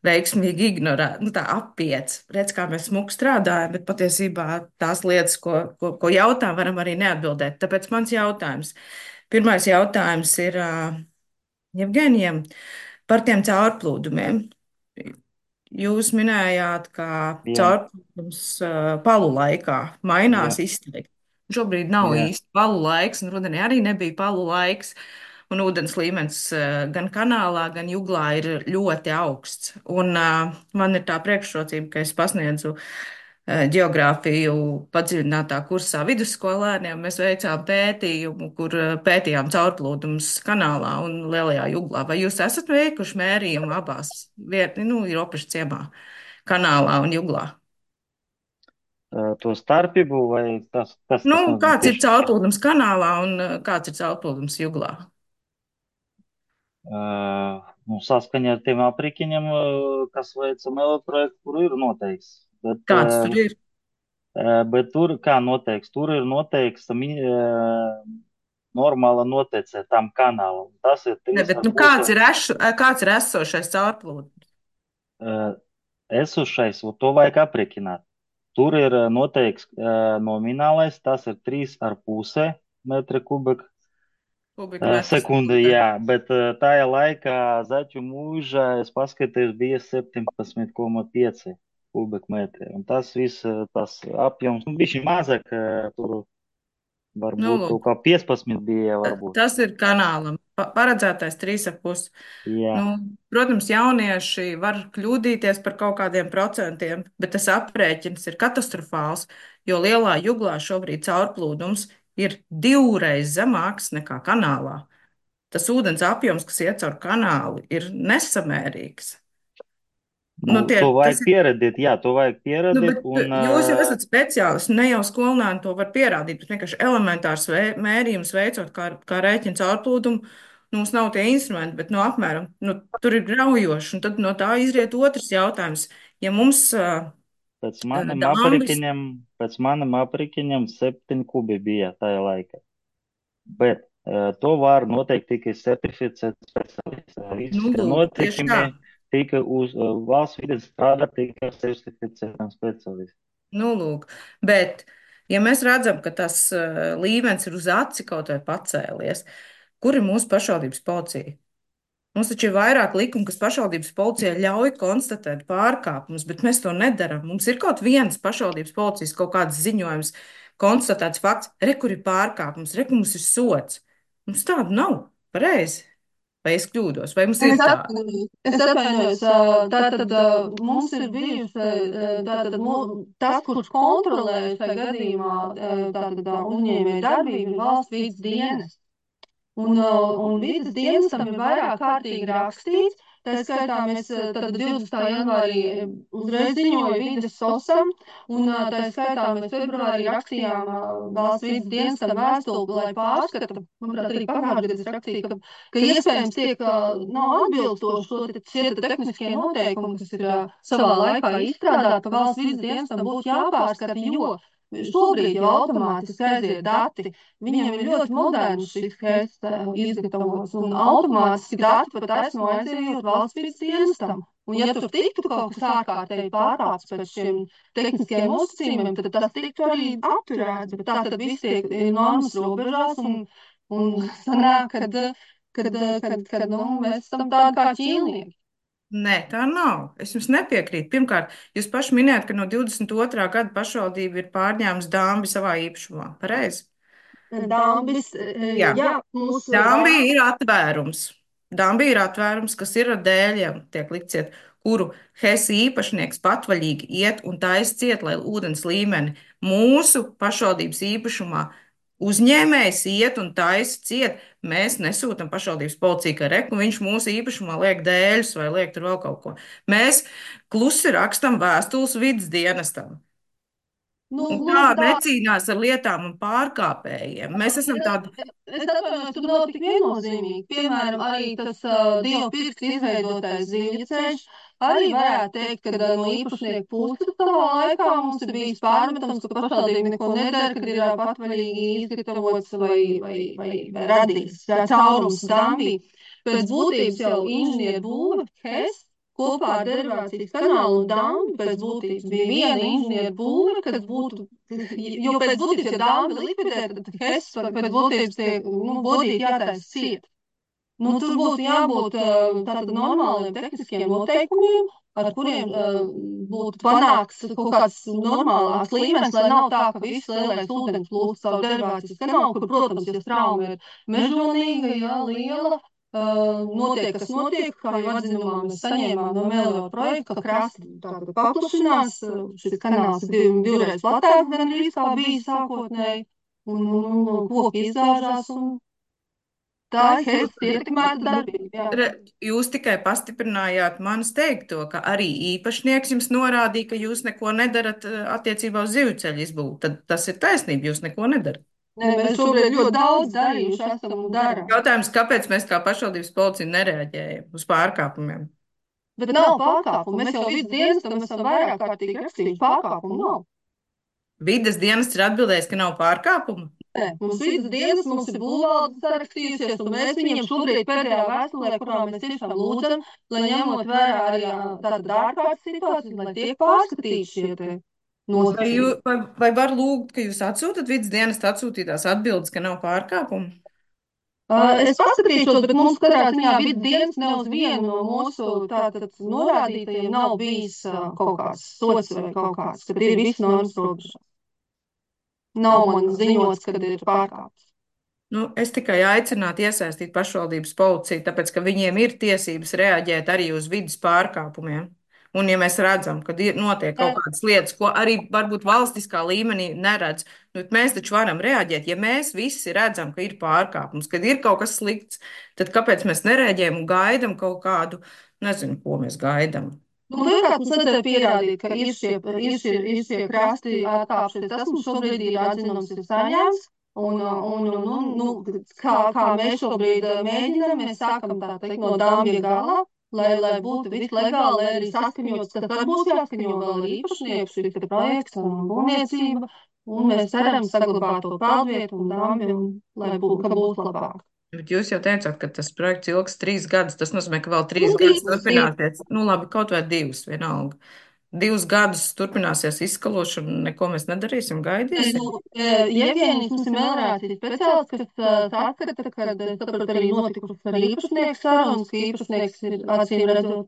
Speaker 10: veiksmīgi ignorēt, nu tā apiet. Redz, kā mēs smuki strādājam, bet patiesībā tās lietas, ko jautā, varam arī neatbildēt. Tāpēc mans jautājums. Pirmais jautājums ir Jevgenijam par tiem caurplūdumiem. Jūs minējāt, ka
Speaker 6: Jā,
Speaker 10: caurplūdums palu laikā mainās
Speaker 6: jā,
Speaker 10: izteikti. Šobrīd nav
Speaker 6: jā.
Speaker 10: īsti palu laiks, un rudenī arī nebija palu laiks. Un ūdens līmenis gan kanālā, gan juglā ir ļoti augsts. Un man ir tā priekšrocība, ka es pasniedzu geogrāfiju padziļinātā kursā vidusskolēniem. Mēs veicām pētījumu, kur pētījām caurplūdumus kanālā un Lielajā juglā. Vai jūs esat veikuši mērījumu abās vietnē, nu, ir Ropežu ciemā, kanālā un juglā?
Speaker 6: To starpību vai kas
Speaker 10: Nu,
Speaker 6: mums
Speaker 10: kāds ir
Speaker 6: tieši?
Speaker 10: caurplūdums kanālā un kāds ir caurplūdums juglā?
Speaker 6: Nu, saskaņā ar tiem aprīķiem, kas veica meloprojektu, kur ir noteikts.
Speaker 10: Kāds tur ir?
Speaker 6: Bet tur, kā noteikts, tur ir noteikts normāla noteicē tam kanālam. Tas ir
Speaker 10: Ne,
Speaker 6: 3
Speaker 10: bet
Speaker 6: ar
Speaker 10: nu,
Speaker 6: pusi
Speaker 10: kāds ir esošais caurplūdums?
Speaker 6: esošais, to vajag aprēķināt. Tur ir noteikts nominālais, tas ir 3,5 metri kubika
Speaker 10: Kubikmetrs.
Speaker 6: sekunde, jā, bet tajā laikā Zaķu mūžā es paskatījos bija 17,5 kubikmetri. Un tas viss, tas apjoms, nu, bišķi mazāk, tur
Speaker 10: Nu,
Speaker 6: varbūt kaut
Speaker 10: lūk,
Speaker 6: kā 15 bija, varbūt.
Speaker 10: tas ir kanālam. Paredzētais 3,5.
Speaker 6: Jā,
Speaker 10: Nu, protams, jaunieši var kļūdīties par kaut kādiem procentiem, bet tas aprēķins ir katastrofāls, jo lielā juglā šobrīd caurplūdums ir 2 reizes zemāks nekā kanālā. Tas ūdens apjoms, kas iet caur kanālu, ir nesamērīgs. Nu,
Speaker 6: nu, to
Speaker 10: tas
Speaker 6: vajag
Speaker 10: ir.
Speaker 6: pieredēt, jā, to vajag
Speaker 10: Nu,
Speaker 6: pieredēt,
Speaker 10: bet
Speaker 6: un
Speaker 10: jūs jau esat speciālists, ne jau skolēni to var pierādīt, bet vienkārši elementārs mērījums veicot, kā rēķina caurplūdumu. Nu, mums nav tie instrumenti, bet no apmēram tur ir graujoši. Un tad no tā izriet otrs jautājums. Ja mums
Speaker 6: pēc maniem
Speaker 10: dāmas,
Speaker 6: aprēķiniem, pēc maniem aprēķiniem 7 kubi bija tajā laikā. Bet to var noteikt tikai certificēts speciālists. Visi
Speaker 10: nu, lūk, tieši tā.
Speaker 6: noteikumi tika uz valsts vides strādā tikai ar certificētām speciālistiem.
Speaker 10: Nu, lūk. Bet, ja mēs redzam, ka tas līmenis ir uz aci kaut vai pacēlies, kur ir mūsu pašvaldības policija? Mums taču ir vairāk likumu, kas pašvaldības policijai ļauj konstatēt pārkāpumus, bet mēs to nedarām. Mums ir kaut viens pašvaldības policijas kaut kāds ziņojums, konstatēts fakts, re, kur ir pārkāpums, re, kur mums ir sots. Mums tādu nav. Pareizi. Vai es kļūdos? Vai mums ir tā?
Speaker 13: Es atvainojos, tātad mums ir bijusi, tātad tas, kurš kontrolē šajā gadījumā, tātad uzņēmēja darbību, ir valsts vides dienas. Un vidas dienestam ir vairāk kārtīgi rakstīts. Tā skaitā mēs tad 20. janvārī uzreiz ziņoja vidas sosam, un tā skaitā mēs februārī rakstījām valsts vidas dienestam vēstuli, lai pārskata, manuprāt, arī pagājušajā gadā rakstīja, ka iespējams tiek nav atbilstoši šie tehniskie noteikumi, kas ir savā laikā izstrādāti, ka valsts vidas dienestam būtu jāpārskata, jo šobrīd jau automātiski aiziet dati. Viņiem ir ļoti moderns šis tests izgatavots, un automātiski dati pat esmu aizējot valsts vidas dienestam. Un ja tur tiktu kaut kas ārkārtēji pārkāpts pēc šiem tehniskajiem nosacījumiem, tad tas tiktu arī apturēts. Bet tā tad viss tiek normas robežās, un sanāk, kad mēs esam tādi kā ķīlnieki.
Speaker 10: Nē, tā nav. Es jums nepiekrītu. Pirmkārt, jūs paši minējāt, ka no 22. gada pašvaldība ir pārņēmusi dāmbi savā īpašumā. Pareizi?
Speaker 13: Dambis,
Speaker 10: Jā.
Speaker 13: jā, mūsu
Speaker 10: Dāmbi ir atvērums. Dāmbi ir atvērums, kas ir ar dēļiem, tiek likts ciet, kuru Hesi īpašnieks patvaļīgi iet un taisa ciet, lai ūdens līmeni mūsu pašvaldības īpašumā uzņēmējs iet un taisa ciet. Mēs nesūtam pašvaldības policiju, ka reku viņš mūsu īpašumā liek dēļus vai liek tur vēl kaut ko. Mēs klusi rakstam vēstules vidas dienestam.
Speaker 13: Nu,
Speaker 10: Un kā
Speaker 13: gluži tā.
Speaker 10: necīnās ar lietām un pārkāpējiem. Mēs esam tādi.
Speaker 13: Es atvainojos, tur nav tik viennozīmīgi. Piemēram, arī tas Dieva pirksta izveidotais zivļceļš. Arī varētu teikt, ka no īpašnieku puses savā laikā mums ir bijis pārmetums, ka pašvaldība neko nedara, kad ir patvaļīgi izgatavots vai radīts caurums dampī. Pēc būtības jau inženieru būve, HES, kopā ar derivācijas kanālu un dambi pēc būtības bija viena inženieru būve, kas būtu, jo pēc būtības, ja dambi likvidē, tad HES pēc būtības tiek, bodīgi jātaisa ciet. Tur būtu jābūt tātad normāliem tehniskiem noteikumiem, ar kuriem būtu panāks kaut kāds normālāks līmenis, lai nav tā, ka viss lielais ūdens plūst savu derivācijas kanālu, kur, protams, ja strauma ir mežonīga, jā, liela, notiek, kas notiek, kā jau atzinumā mēs saņēmām no Meliora projekta, ka krasti tātad paplašinās, šis kanāls ir divreiz platāks, gan arī kā bija sākotnēji, un koki izgāžās, un tā ir HES ietekmēta darbība.
Speaker 10: Jūs tikai pastiprinājāt manis teikto, ka arī īpašnieks jums norādīja, ka jūs neko nedarat attiecībā uz zivceļu izbūvi. Tad tas ir taisnība, jūs neko nedarat.
Speaker 13: Nē, mēs šobrīd ļoti daudz darījuši esam un darām.
Speaker 10: Jautājums, kāpēc mēs kā pašvaldības policija nereaģējam uz pārkāpumiem?
Speaker 13: Bet nav pārkāpumu. Mēs jau vidas dienestam esam vairāk kārtīgi rakstījuši, pārkāpumu nav.
Speaker 10: Vides dienests ir atbildējis, ka nav pārkāpumu?
Speaker 13: Nē, mums vidas dienas, mums ir būvvalde sarakstījusies, un mēs viņiem šobrīd pēdējā vēstulē, kurā mēs tiešām lūdzam, lai ņemot vērā arī tātad ārkārtas situācijas, lai tiek pārskatīti šie te nosacījumi.
Speaker 10: Vai var lūgt, ka jūs atsūtat vidas dienestu atsūtītās atbildes, ka nav pārkāpumu?
Speaker 13: Es paskatīšos, bet mums katrā ziņā vidas dienas ne uz vienu no mūsu tātad norādītajiem nav bijis kaut kāds sots vai kaut kāds, kad ir viss normas robežās. Nav man ziņots, kad ir pārkāpts.
Speaker 10: Es tikai aicinātu iesaistīt pašvaldības policiju, tāpēc, ka viņiem ir tiesības reaģēt arī uz vidas pārkāpumiem. Un, ja mēs redzam, ka notiek kaut kādas lietas, ko arī varbūt valstiskā līmenī neredz, mēs taču varam reaģēt. Ja mēs visi redzam, ka ir pārkāpums, kad ir kaut kas slikts, tad kāpēc mēs nereaģējam un gaidam kaut kādu, nezinu, ko mēs gaidam?
Speaker 13: Pirmkārt, mums vajadzēja pierādīt, ka ir šie krasti atkāpšies. Tas mums šobrīd ir atzinums ir saņēmts. Kā mēs šobrīd mēģinām, mēs sākam tā teikt no dambja gala, lai būtu viss legāli, lai arī saskaņots, tad būs jāskaņo vēl arī īpašnieku šis projekts un būvniecība, un mēs ceram saglabāt to peldvietu un dambju, lai būs labāk.
Speaker 10: Bet jūs jau teicāt, ka tas projekts ilgs 3 gadus. Tas nozīmē, ka vēl 3 gadus turpināsies. Labi, kaut vai 2, vienalga. 2 gadus turpināsies izskalošana, un neko mēs nedarīsim, gaidīsim.
Speaker 13: Jevgeņijs mums ir melnrācijas speciālists, kas saskata, kad saprot arī notikušas ar īpašnieku sarunas, ka īpašnieks ir acīm redzot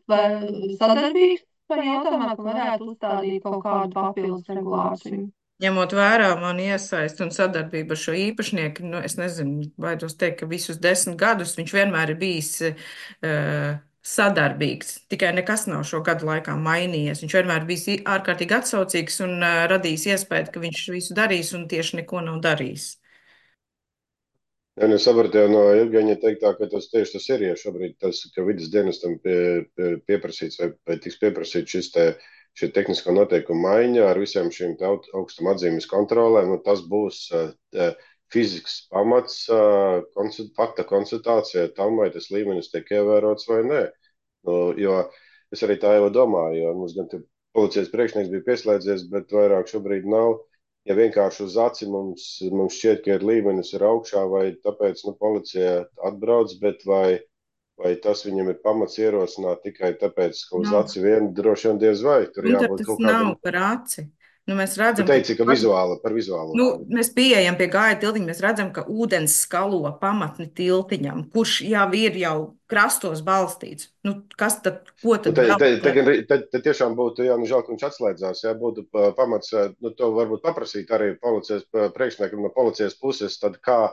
Speaker 13: sadarbīgs par jautājumā, ka varētu uzstādīt kaut kādu papildus regulāciju.
Speaker 10: Ņemot vērā mani iesaisti un sadarbību ar šo īpašnieku, es nezinu, baidos teikt, ka visus 10 gadus viņš vienmēr ir bijis sadarbīgs. Tikai nekas nav šo gadu laikā mainījies. Viņš vienmēr bijis ārkārtīgi atsaucīgs un radījis iespēju, ka viņš visu darīs un tieši neko nav darījis.
Speaker 1: Ja sapratu jau no Jevgeņa teiktā, ka tas tieši tas ir, ja šobrīd tas, ka vidas dienestam pieprasīts vai tiks pieprasīts šī tehnisko noteikumu maiņa ar visiem šīm augstuma atzīmes kontrolēm, tas būs fizikas pamats fakta konstatācijai tam, vai tas līmenis tiek ievērots vai nē. Jo es arī tā jau domāju, jo mums gan policijas priekšnieks bija pieslēdzies, bet vairāk šobrīd nav. Ja vienkārši uz aci mums šķiet, ka ir līmenis ir augšā, vai tāpēc policija atbrauc, bet vai tas viņam ir pamats ierosināt tikai tāpēc, ka uz aci vien droši vien diez vai. Tur jābūt kaut kādam.
Speaker 10: Tas nav par aci. Mēs redzam,
Speaker 1: tu teici, ka par vizuālu.
Speaker 10: Mēs pieejam pie gāja tiltiņa, mēs redzam, ka ūdens skalo pamatni tiltiņam, kurš jau ir krastos balstīts. Kas tad, ko tad?
Speaker 1: Tad tiešām būtu, žēl, ka viņš atslēdzās, būtu pamats, to varbūt paprasīt arī policijas priekšniekam no policijas puses, tad kā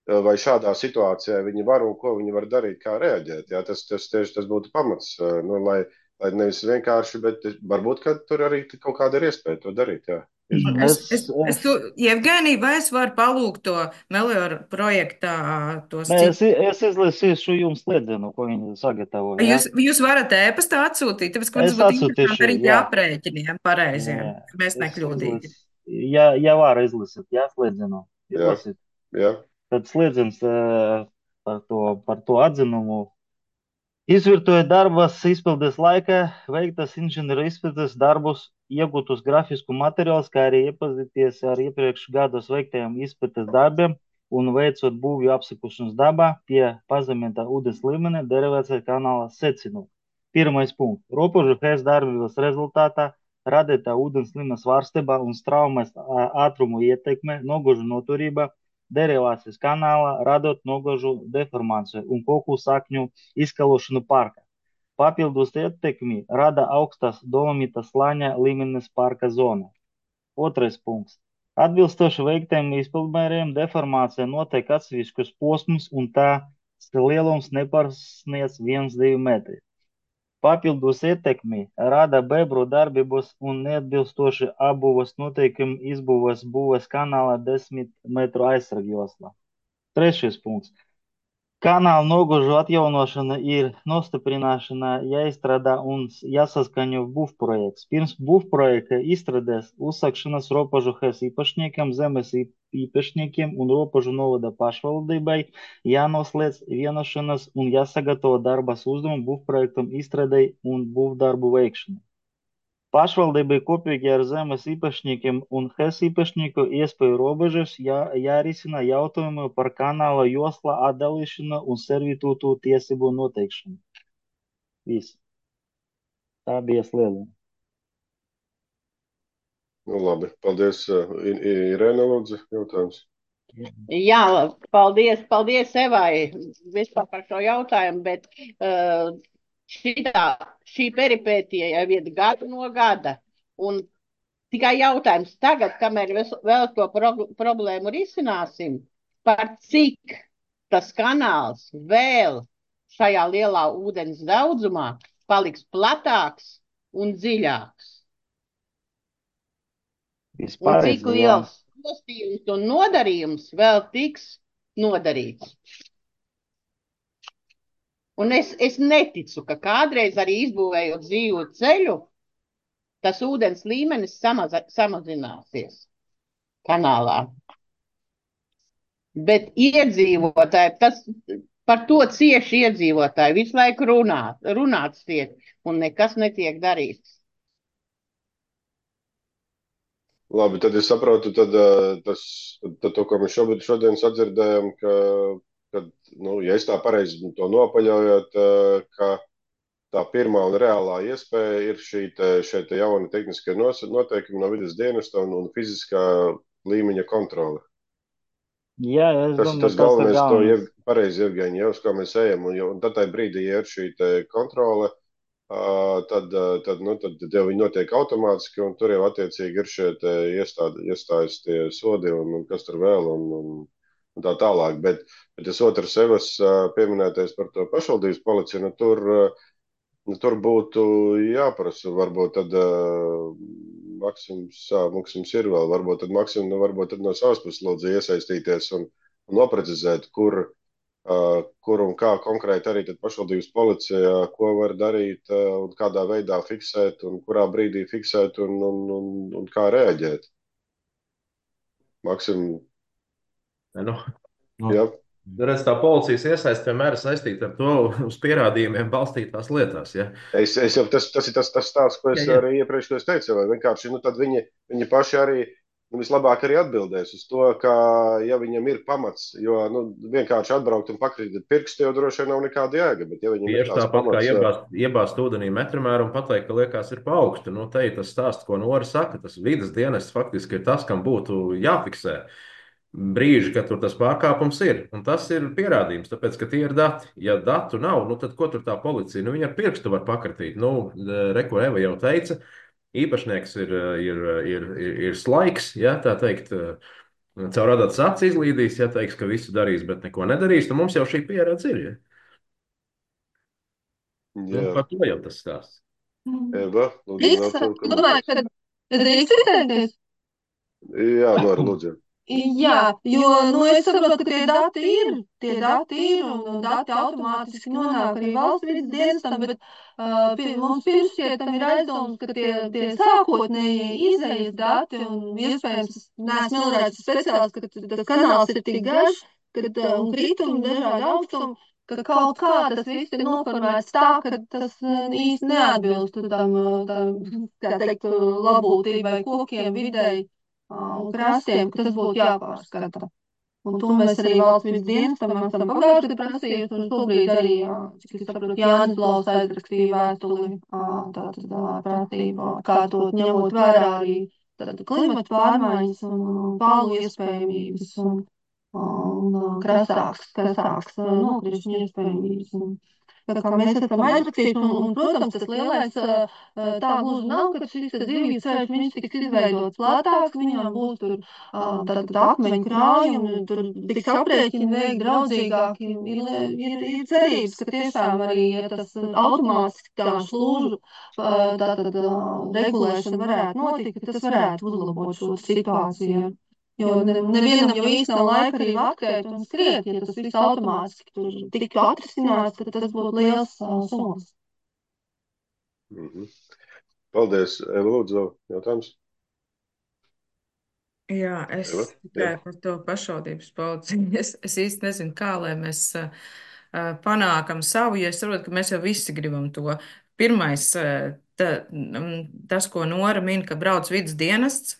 Speaker 1: vai šādā situācijā viņi var un ko viņi var darīt, kā reaģēt. Tas būtu pamats, lai nevis vienkārši, bet varbūt, ka tur arī kaut kāda ir iespēja to darīt. Jā.
Speaker 10: Jevgenij, vai es varu palūgt to Meliora projektā?
Speaker 6: Es izlasīšu jums slēdzienu, ko viņi sagatavoja.
Speaker 10: Jūs varat ēpastā atsūtīt, tāpēc, ka mums būtu interesanti arī jāprēķiniem pareiziem, ka mēs nekļūdīgi.
Speaker 6: ja var izlasīt, jā, slēdzienu.
Speaker 1: Jā,
Speaker 6: Izlasīt.
Speaker 1: jā.
Speaker 6: Tad slēdziens par to atzinumu. Izvirtoja darbas izpildes laikā veiktas inženieru izpildes darbus, iegūtus grafisku materiālus, kā arī iepazīties ar iepriekš gados veiktajiem izpildes darbiem un veicot būvju apsekošanas dabā pie pazeminātā ūdens līmeņa derivācijas kanāla secinu. Pirmais punkts. Robežu hēs darbības rezultātā radītā ūdens līmeņa svārstībā un straumes ātrumu ietekme, nogužu noturība derivācijas kanālā, radot nogužu deformāciju un koku sakņu izkalošanu parkā. Papildus ietekmi rada augstās dolomīta slāņa līmenis parka zonā. Otrais punkts. Atbilstoši veiktiem izpildmēriem deformācija notiek atsevišķos posmus un tās lielums nepārsniedz 1-2 metri. Papildus ietekmi rada bebru darbības un neatbilstoši apbūves noteikumi izbūves būves kanāla 10 metru aizsargjoslā. Trešais punkts. Kanāla nogužu atjaunošana ir nostiprināšana jāizstrādā un jāsaskaņo būvprojekts. Pirms būvprojekta izstrādēs uzsākšanas robežu hēs īpašniekiem, zemes īpašniekiem un robežu novada pašvaldībai jānoslēdz vienošanās un jāsagatavo darbas uzdevumu būvprojektam izstrādei un būvdarbu veikšanai. Pašvaldībai kopīgi ar zemes īpašniekiem un hēs īpašnieku iespēju robežas jārisina jautājumu par kanāla josla atdalīšanu un servitūtu tiesību noteikšanu. Viss. Tā bija slēdziena.
Speaker 1: Nu, labi, paldies. Irēna, lūdzu, jautājums.
Speaker 14: Jā, paldies Evai vispār par šo jautājumu, bet šī peripētija jau ir gadu no gada. Un tikai jautājums tagad, kamēr vēl to problēmu risināsim, par cik tas kanāls vēl šajā lielā ūdens daudzumā paliks platāks un dziļāks. Un cik liels postījums un nodarījums vēl tiks nodarīts. Un es neticu, ka kādreiz arī izbūvējot dzīvu ceļu, tas ūdens līmenis samazināsies kanālā. Bet iedzīvotāji, par to cieši iedzīvotāji visu laiku runāts tiek, un nekas netiek darīts.
Speaker 1: Labi, tad es saprotu, tad to, ko mēs šodien sadzirdējam, ka, ja es tā pareizi to nopaļojot, ka tā pirmā un reālā iespēja ir šie jauni tehniskie noteikumi no vides dienesta un fiziskā līmeņa kontrole.
Speaker 6: Jā,
Speaker 1: tas galvenais, to pareizi, Jevgeņi, uz kā mēs ejam, un tad tajā brīdī, ja ir šī kontrole, tad jau viņi notiek automātiski, un tur jau attiecīgi ir šie iestājas tie sodi, un kas tur vēl, un tā tālāk. Bet tas otrs Evas pieminētais par to pašvaldības policiju, tur būtu jāprasa, varbūt tad Maksims ir vēl, varbūt tad Maksim, varbūt tad no savas puses lūdzu iesaistīties un noprecizēt, kur un kā konkrēti arī tad pašvaldības policija, ko var darīt un kādā veidā fiksēt un kurā brīdī fiksēt un kā reaģēt. Maksim? Jā.
Speaker 2: Redz, tā policijas iesaiste vienmēr ir saistīta ar to uz pierādījumiem balstītās lietās. Ja?
Speaker 1: Tas ir tas stāsts, ko es arī iepriekš teicu, vai vienkārši tad viņi paši arī vislabāk arī atbildēs uz to, ka, ja viņam ir pamats, jo vienkārši atbraukt un pakrīt pirksti, jau droši vien nav nekāda jēga. Bet, ja viņam
Speaker 2: ir tāds pamats, kā iebāzt ūdenī metramēru un pateikt, ka liekas ir pa augstu, te ir tas stāsts, ko Nora saka, tas vides dienests faktiski ir tas, kam būtu jāfiksē brīži, kad tur tas pārkāpums ir. Un tas ir pierādījums, tāpēc, ka tie ir dati. Ja datu nav, tad ko tur tā policija? Viņa ar pirkstu var pakratīt. Reko Eva jau teica, īpašnieks ir slaiks, ja, tā teikt, caur adatas acis izlīdīs, ja teiks, ka visu darīs, bet neko nedarīs, tad mums jau šī pieredze ir. Ja? Par to jau tas stāsts.
Speaker 1: Eva, lūdzu,
Speaker 13: domāju, ka drīkst izteikties?
Speaker 1: Jā, Nora, lūdzu.
Speaker 13: Jā, jo es saprotu, ka tie dati ir un dati automātiski nonāk arī valsts vidas dienestam, bet mums pirms šķietam ir aizdomas, ka tie sākotnējie izējas dati un iespējams, neesmu melnrāds speciālists, ka tas kanāls ir tik garš, un kritumi dažādi augstumi, ka kaut kā tas viss ir noformēts tā, ka tas īsti neatbilst kā teikt, labūtībai, kokiem, videi un krastiem, ka tas būtu jāpārskata. Un to mēs arī valsts vidas dienestam esam pagājuši gadu prasījuši, un šobrīd arī, cik es saprotu, Jānis Blaus aizrakstīja vēstuli, tātad prasību, kā to ņemot vērā arī klimata pārmaiņas un pālu iespējamības un krasāks nokrišņu iespējamības. Tā kā mēs esam aizrakstījuši, un, protams, tas lielais tā gluži nav, ka šis zivju ceļš, viņš tiks izveidots lētāks, viņam būs tur tātad akmeņu krājumi, tur tiks aprēķini veikti draudzīgāki. Ir cerības, ka tiešām arī, ja tas automātiski tā slūžu tātad regulēšana varētu notikt, ka tas varētu uzlabot šo situāciju. Jo nevienam jau īsti nav laika arī vaktēt un skriet, ja tas viss automātiski tur tiktu atrisināts, tad tas būtu liels solis.
Speaker 1: Paldies, Lūdzu, jautājums.
Speaker 10: Jā, es tikai par to pašvaldības policiju. Es īsti nezinu, kā lai mēs panākam savu, jo es saprotu, ka mēs jau visi gribam to. Pirmais, tas, ko Nora min, ka brauc vidas dienests,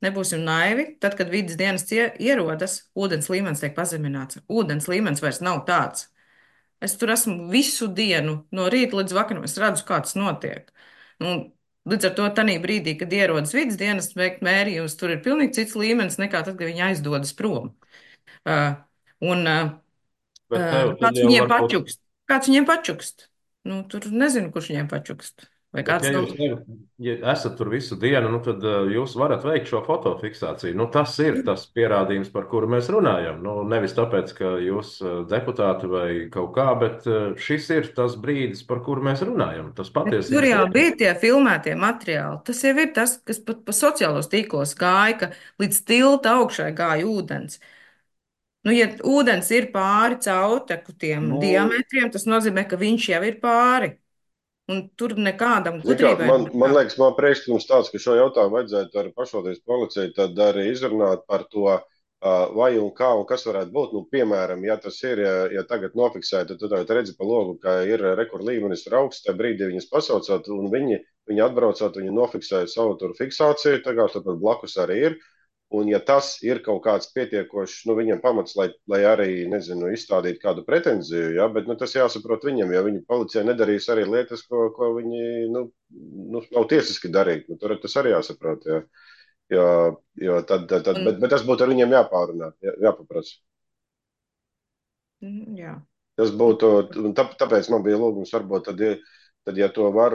Speaker 10: nebūsim naivi. Tad, kad vidas dienests ierodas, ūdens līmenis tiek pazemināts. Ūdens līmenis vairs nav tāds. Es tur esmu visu dienu, no rīta līdz vakaram. Es redzu, kā tas notiek. Līdz ar to tanī brīdī, kad ierodas vidas dienests veikt mērījumus, tur ir pilnīgi cits līmenis nekā tad, kad viņi aizdodas prom. Kāds viņiem pačukst? Kāds viņiem pačukst? Tur nezinu, kurš viņiem pačukst.
Speaker 2: Bet, ja jūs esat tur visu dienu, tad jūs varat veikt šo fotofiksāciju. Tas ir tas pierādījums, par kuru mēs runājam. Nevis tāpēc, ka jūs deputāti vai kaut kā, bet šis ir tas brīdis, par kuru mēs runājam. Tas patiesībā
Speaker 10: tur jau bija tie filmētie materiāli. Tas jau ir tas, kas pat pa sociālos tīklos gāja, ka līdz tilta augšai gāja ūdens. Ja ūdens ir pāri caurteku tiem diametriem, tas nozīmē, ka viņš jau ir pāri. Un tur nekādam gudrībai.
Speaker 1: Man liekas, man priekšlikums tāds, ka šo jautājumu vajadzētu ar pašvaldības policiju tad arī izrunāt par to, vai un kā un kas varētu būt. Piemēram, ja tas ir, ja tagad nofiksēta, tad tu redzi pa logu, ka ir rekord līmenis ir augsts, tajā brīdī viņas pasaucot, un viņi atbraucot, viņi nofiksēja savu tur fiksāciju, tā kā turpat blakus arī ir. Un ja tas ir kaut kāds pietiekošs, viņam pamats, lai arī, nezinu, izstādītu kādu pretenziju, ja, bet tas jāsaprot viņam, jo viņa policija nedarīs arī lietas, ko viņi, nav tiesiski darīt. Tur tas arī jāsaprot, ja. Jo bet tas būtu ar viņiem jāpārunā, jāpaprasa.
Speaker 10: Jā.
Speaker 1: Tas būtu, tāpēc man bija lūgums varbūt tad, ja to var,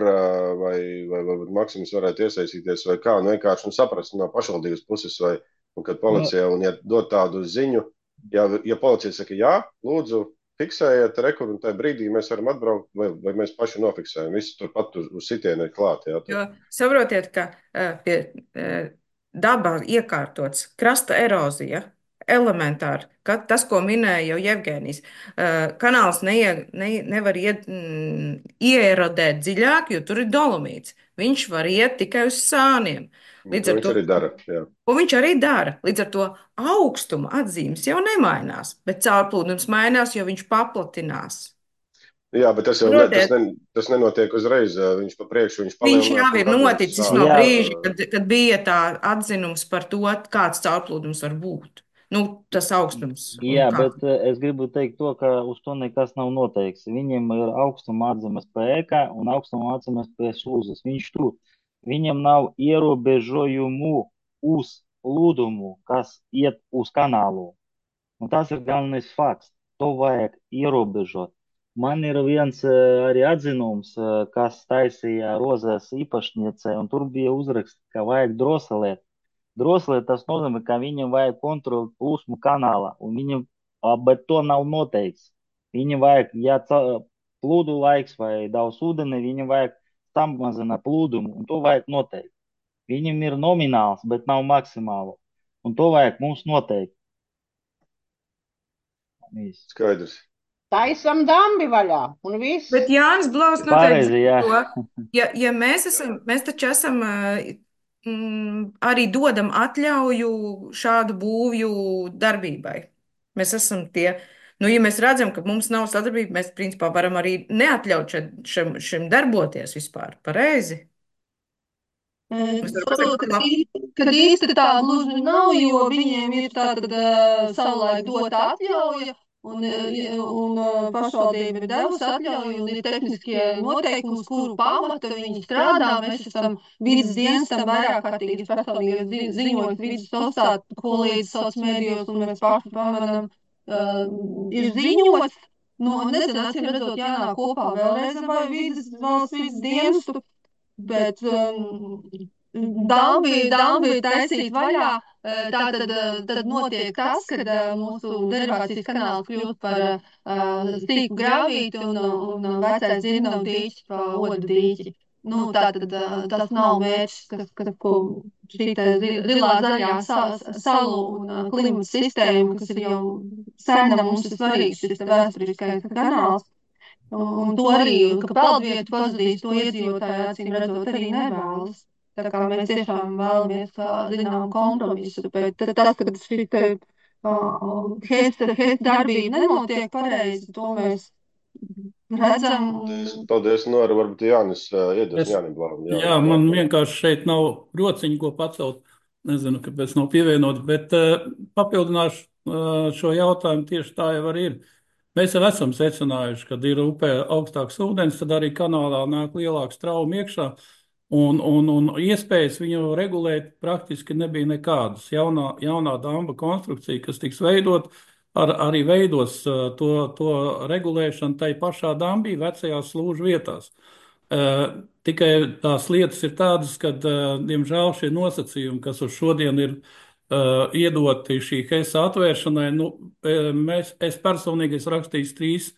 Speaker 1: vai Maksims varētu iesaistīties, vai kā, vienkārši saprast no pašvaldības puses, vai, un kad policija, un ja dod tādu ziņu, ja policija saka, jā, lūdzu, fiksējiet rekordu, un tajā brīdī mēs varam atbraukt, vai mēs paši nofiksējam, visi turpat uz sitienu ir klāt. Jā,
Speaker 10: jo saprotiet, ka pie dabā iekārtots krasta erozija, elementāri, ka tas, ko minēja jau Jevgenijs, kanāls nevar ieerodēt dziļāk, jo tur ir dolomīts. Viņš var iet tikai uz sāniem.
Speaker 1: Viņš arī dara, jā.
Speaker 10: Un viņš arī dara. Līdz ar to augstuma atzīmes jau nemainās, bet caurplūdums mainās, jo viņš paplatinās.
Speaker 1: Jā, bet tas jau tas nenotiek uzreiz. Viņš pa priekšu, viņš
Speaker 10: palielinās. Viņš jau ir noticis no brīža, kad bija tā atzinums par to, kāds caurplūdums var būt. Tas augstums.
Speaker 6: Jā, bet es gribu teikt to, ka uz to nekas nav noteikts. Viņam ir augstuma atzīmes pie ēkā un augstuma atzīmes pie slūzes. Viņš tur. Viņam nav ierobežojumu uz plūdumu, kas iet uz kanālu. Un tas ir galvenais fakts. To vajag ierobežot. Man ir viens arī atzinums, kas taisīja Rozes īpašniece, un tur bija uzraksts, ka vajag droselēt. Droselēt tas nozīmē, ka viņam vajag kontrolēt plūsmu kanālā, bet to nav noteikts. Viņam vajag, ja plūdu laiks vai daudz ūdeni, viņam vajag samazināt plūdumu, un to vajag noteikt. Viņam ir nomināls, bet nav maksimālu. Un to vajag mums noteikt.
Speaker 1: Skaidrs.
Speaker 14: Taisam dambi vaļā un viss.
Speaker 10: Bet Jānis Blaus noteikti
Speaker 6: Pareizi, jā.
Speaker 10: to, ja mēs taču esam arī dodam atļauju šādu būvju darbībai. Mēs esam tie, nu, ja mēs redzam, ka mums nav sadarbība, mēs principā varam arī neatļaut šim darboties vispār. Pareizi? Mēs varam
Speaker 13: Saprotu,
Speaker 10: pateikt,
Speaker 13: kad īsti tā gluži nav, jo viņiem ir tātad savulaik dota atļauja, un pašvaldība ir devusi atļauju, un ir tehniskie noteikumi, uz kuru pamata viņi strādā. Mēs esam vidas dienestam vairāk kārtīgi personīgi ziņojot vidas sociālā kolēģis sociālos mēdījos, un mēs paši pamanām, ir ziņots. Nu, nezinu, acīm redzot, jānāk kopā vēlreiz ar valsts vidas dienestu. Bet dambi ir taisīt vaļā, tad notiek tas, kad mūsu derivācijas kanāls kļūst par stīku gravīti un vecais dzirnavu dīķis pa odu dīķi. Nu, tātad tas nav mērķis, ko šī zilā zaļā salu un klimata sistēma, kas ir jau sena, mums ir svarīgs šis vēsturiskais kanāls. Un to arī, ka peldvietu pazudīs, to iedzīvotāji acīm redzot arī nevēlas. Tā kā mēs tiešām vēlamies zinām kompromisu, bet tas, ka šī hesta darbība nenotiek pareizi, to mēs redzam.
Speaker 1: Paldies, Nora, varbūt Jānis iedos Jānim Blāvam.
Speaker 15: Jā, man vienkārši šeit nav rociņu, ko pacelt. Nezinu, kāpēc nav pievienot, bet papildināšu šo jautājumu tieši tā jau arī ir. Mēs jau esam secinājuši, kad ir upē augstāks ūdens, tad arī kanālā nāk lielāks trauma iekšā, un iespējas viņu regulēt praktiski nebija nekādas. Jaunā damba konstrukcija, kas tiks veidot, arī veidos to regulēšanu tai pašā dambī, vecajās slūžu vietās. Tikai tās lietas ir tādas, ka, diemžēl, šie nosacījumi, kas uz šodien ir iedoti šī heisa atvēršanai, nu, es personīgi esmu rakstījis 3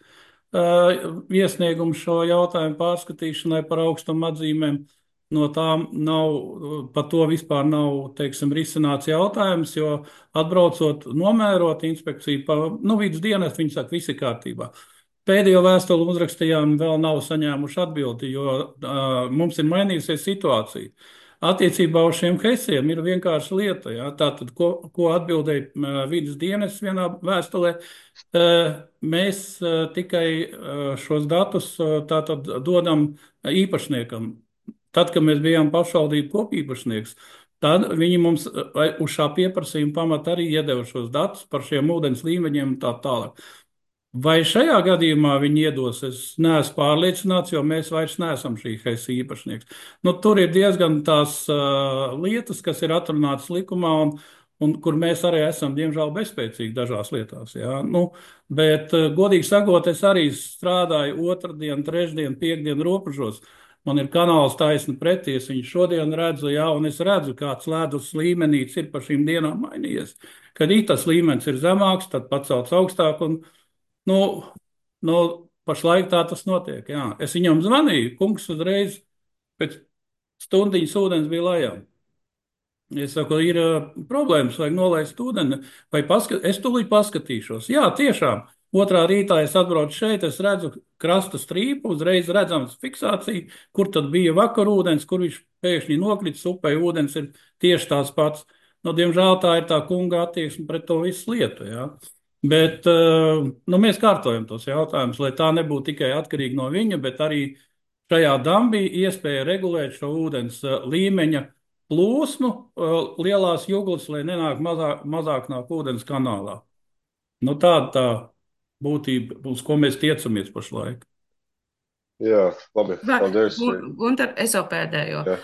Speaker 15: iesniegumus šo jautājumu pārskatīšanai par augstuma atzīmēm. No tām par to vispār nav, teiksim, risināts jautājums, jo atbraucot, nomērot inspekciju, vidas dienas, viņi saka, viss ir kārtībā. Pēdējo vēstuli uzrakstījām, vēl nav saņēmuši atbildi, jo mums ir mainījusies situācija. Attiecībā uz šiem heisiem ir vienkārši lieta. Ja? Tātad, ko atbildēja vidas dienas vienā vēstulē, mēs tikai šos datus tātad dodam īpašniekam. Tad, kad mēs bijām pašvaldību kopīpašnieks, tad viņi mums uz šā pieprasījuma pamata arī iedeva šos datus par šiem ūdens līmeņiem un tā tālāk. Vai šajā gadījumā viņi iedos, es neesmu pārliecināts, jo mēs vairs neesam šī heisa īpašnieks. Nu, tur ir diezgan tās lietas, kas ir atrunātas likumā un kur mēs arī esam, diemžēl, bezspēcīgi dažās lietās. Ja? Nu, bet, godīgi sakot, es arī strādāju otrdien, trešdien, piekdien robežos. Man ir kanāls taisni pretī, es viņu šodien redzu, ja, un es redzu, kāds ledus līmenīts ir pa šīm dienām mainījies. Kad tas līmenis ir zemāks, tad pacelts augstāk un pašlaik tā tas notiek. Jā. Es viņam zvanīju, kungs uzreiz pēc stundiņas ūdens bija lejā. Es saku, ir problēmas, vajag nolaist ūdeni, es tūlīt paskatīšos. Jā, tiešām. Otrā rītā es atbraucu šeit, es redzu krasta strīpu, uzreiz redzams fiksācija, kur tad bija vakar ūdens, kur viņš pēkšņi nokritis upē, ūdens ir tieši tās pats. Nu, diemžēl tā ir tā kunga attieksme pret to visu lietu, jā. Bet mēs kārtojam tos jautājumus, lai tā nebūtu tikai atkarīga no viņa, bet arī šajā dambī iespēja regulēt šo ūdens līmeņa plūsmu lielās juglas, lai nenāk mazāk nāk ūdens kanālā. Nu, tāda tā būtība, uz ko mēs tiecamies pašlaik.
Speaker 1: Jā, labi, paldies.
Speaker 10: Gunter, es jau pēdējo. Jā.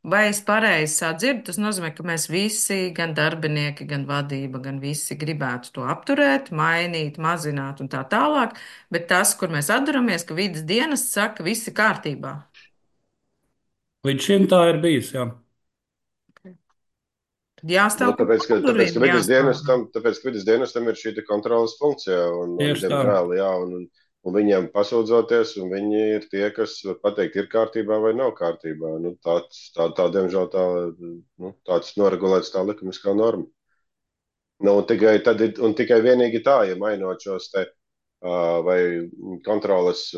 Speaker 10: Vai es pareizi sadzirdu? Tas nozīmē, ka mēs visi, gan darbinieki, gan vadība, gan visi gribētu to apturēt, mainīt, mazināt un tā tālāk, bet tas, kur mēs atduramies, ka vidas dienas saka, viss ir kārtībā.
Speaker 15: Līdz šim tā ir bijis, jā.
Speaker 10: Tad jāstāv.
Speaker 1: Tāpēc, ka vidas dienestam ir šī kontrolas funkcija un diemžēl, jā, un viņiem pasūdzoties, un viņi ir tie, kas var pateikt, ir kārtībā vai nav kārtībā. Nu, diemžēl, tāds noregulēts tā likumiskā norma. Nu, tikai vienīgi tā, ja mainot šos te vai kontroles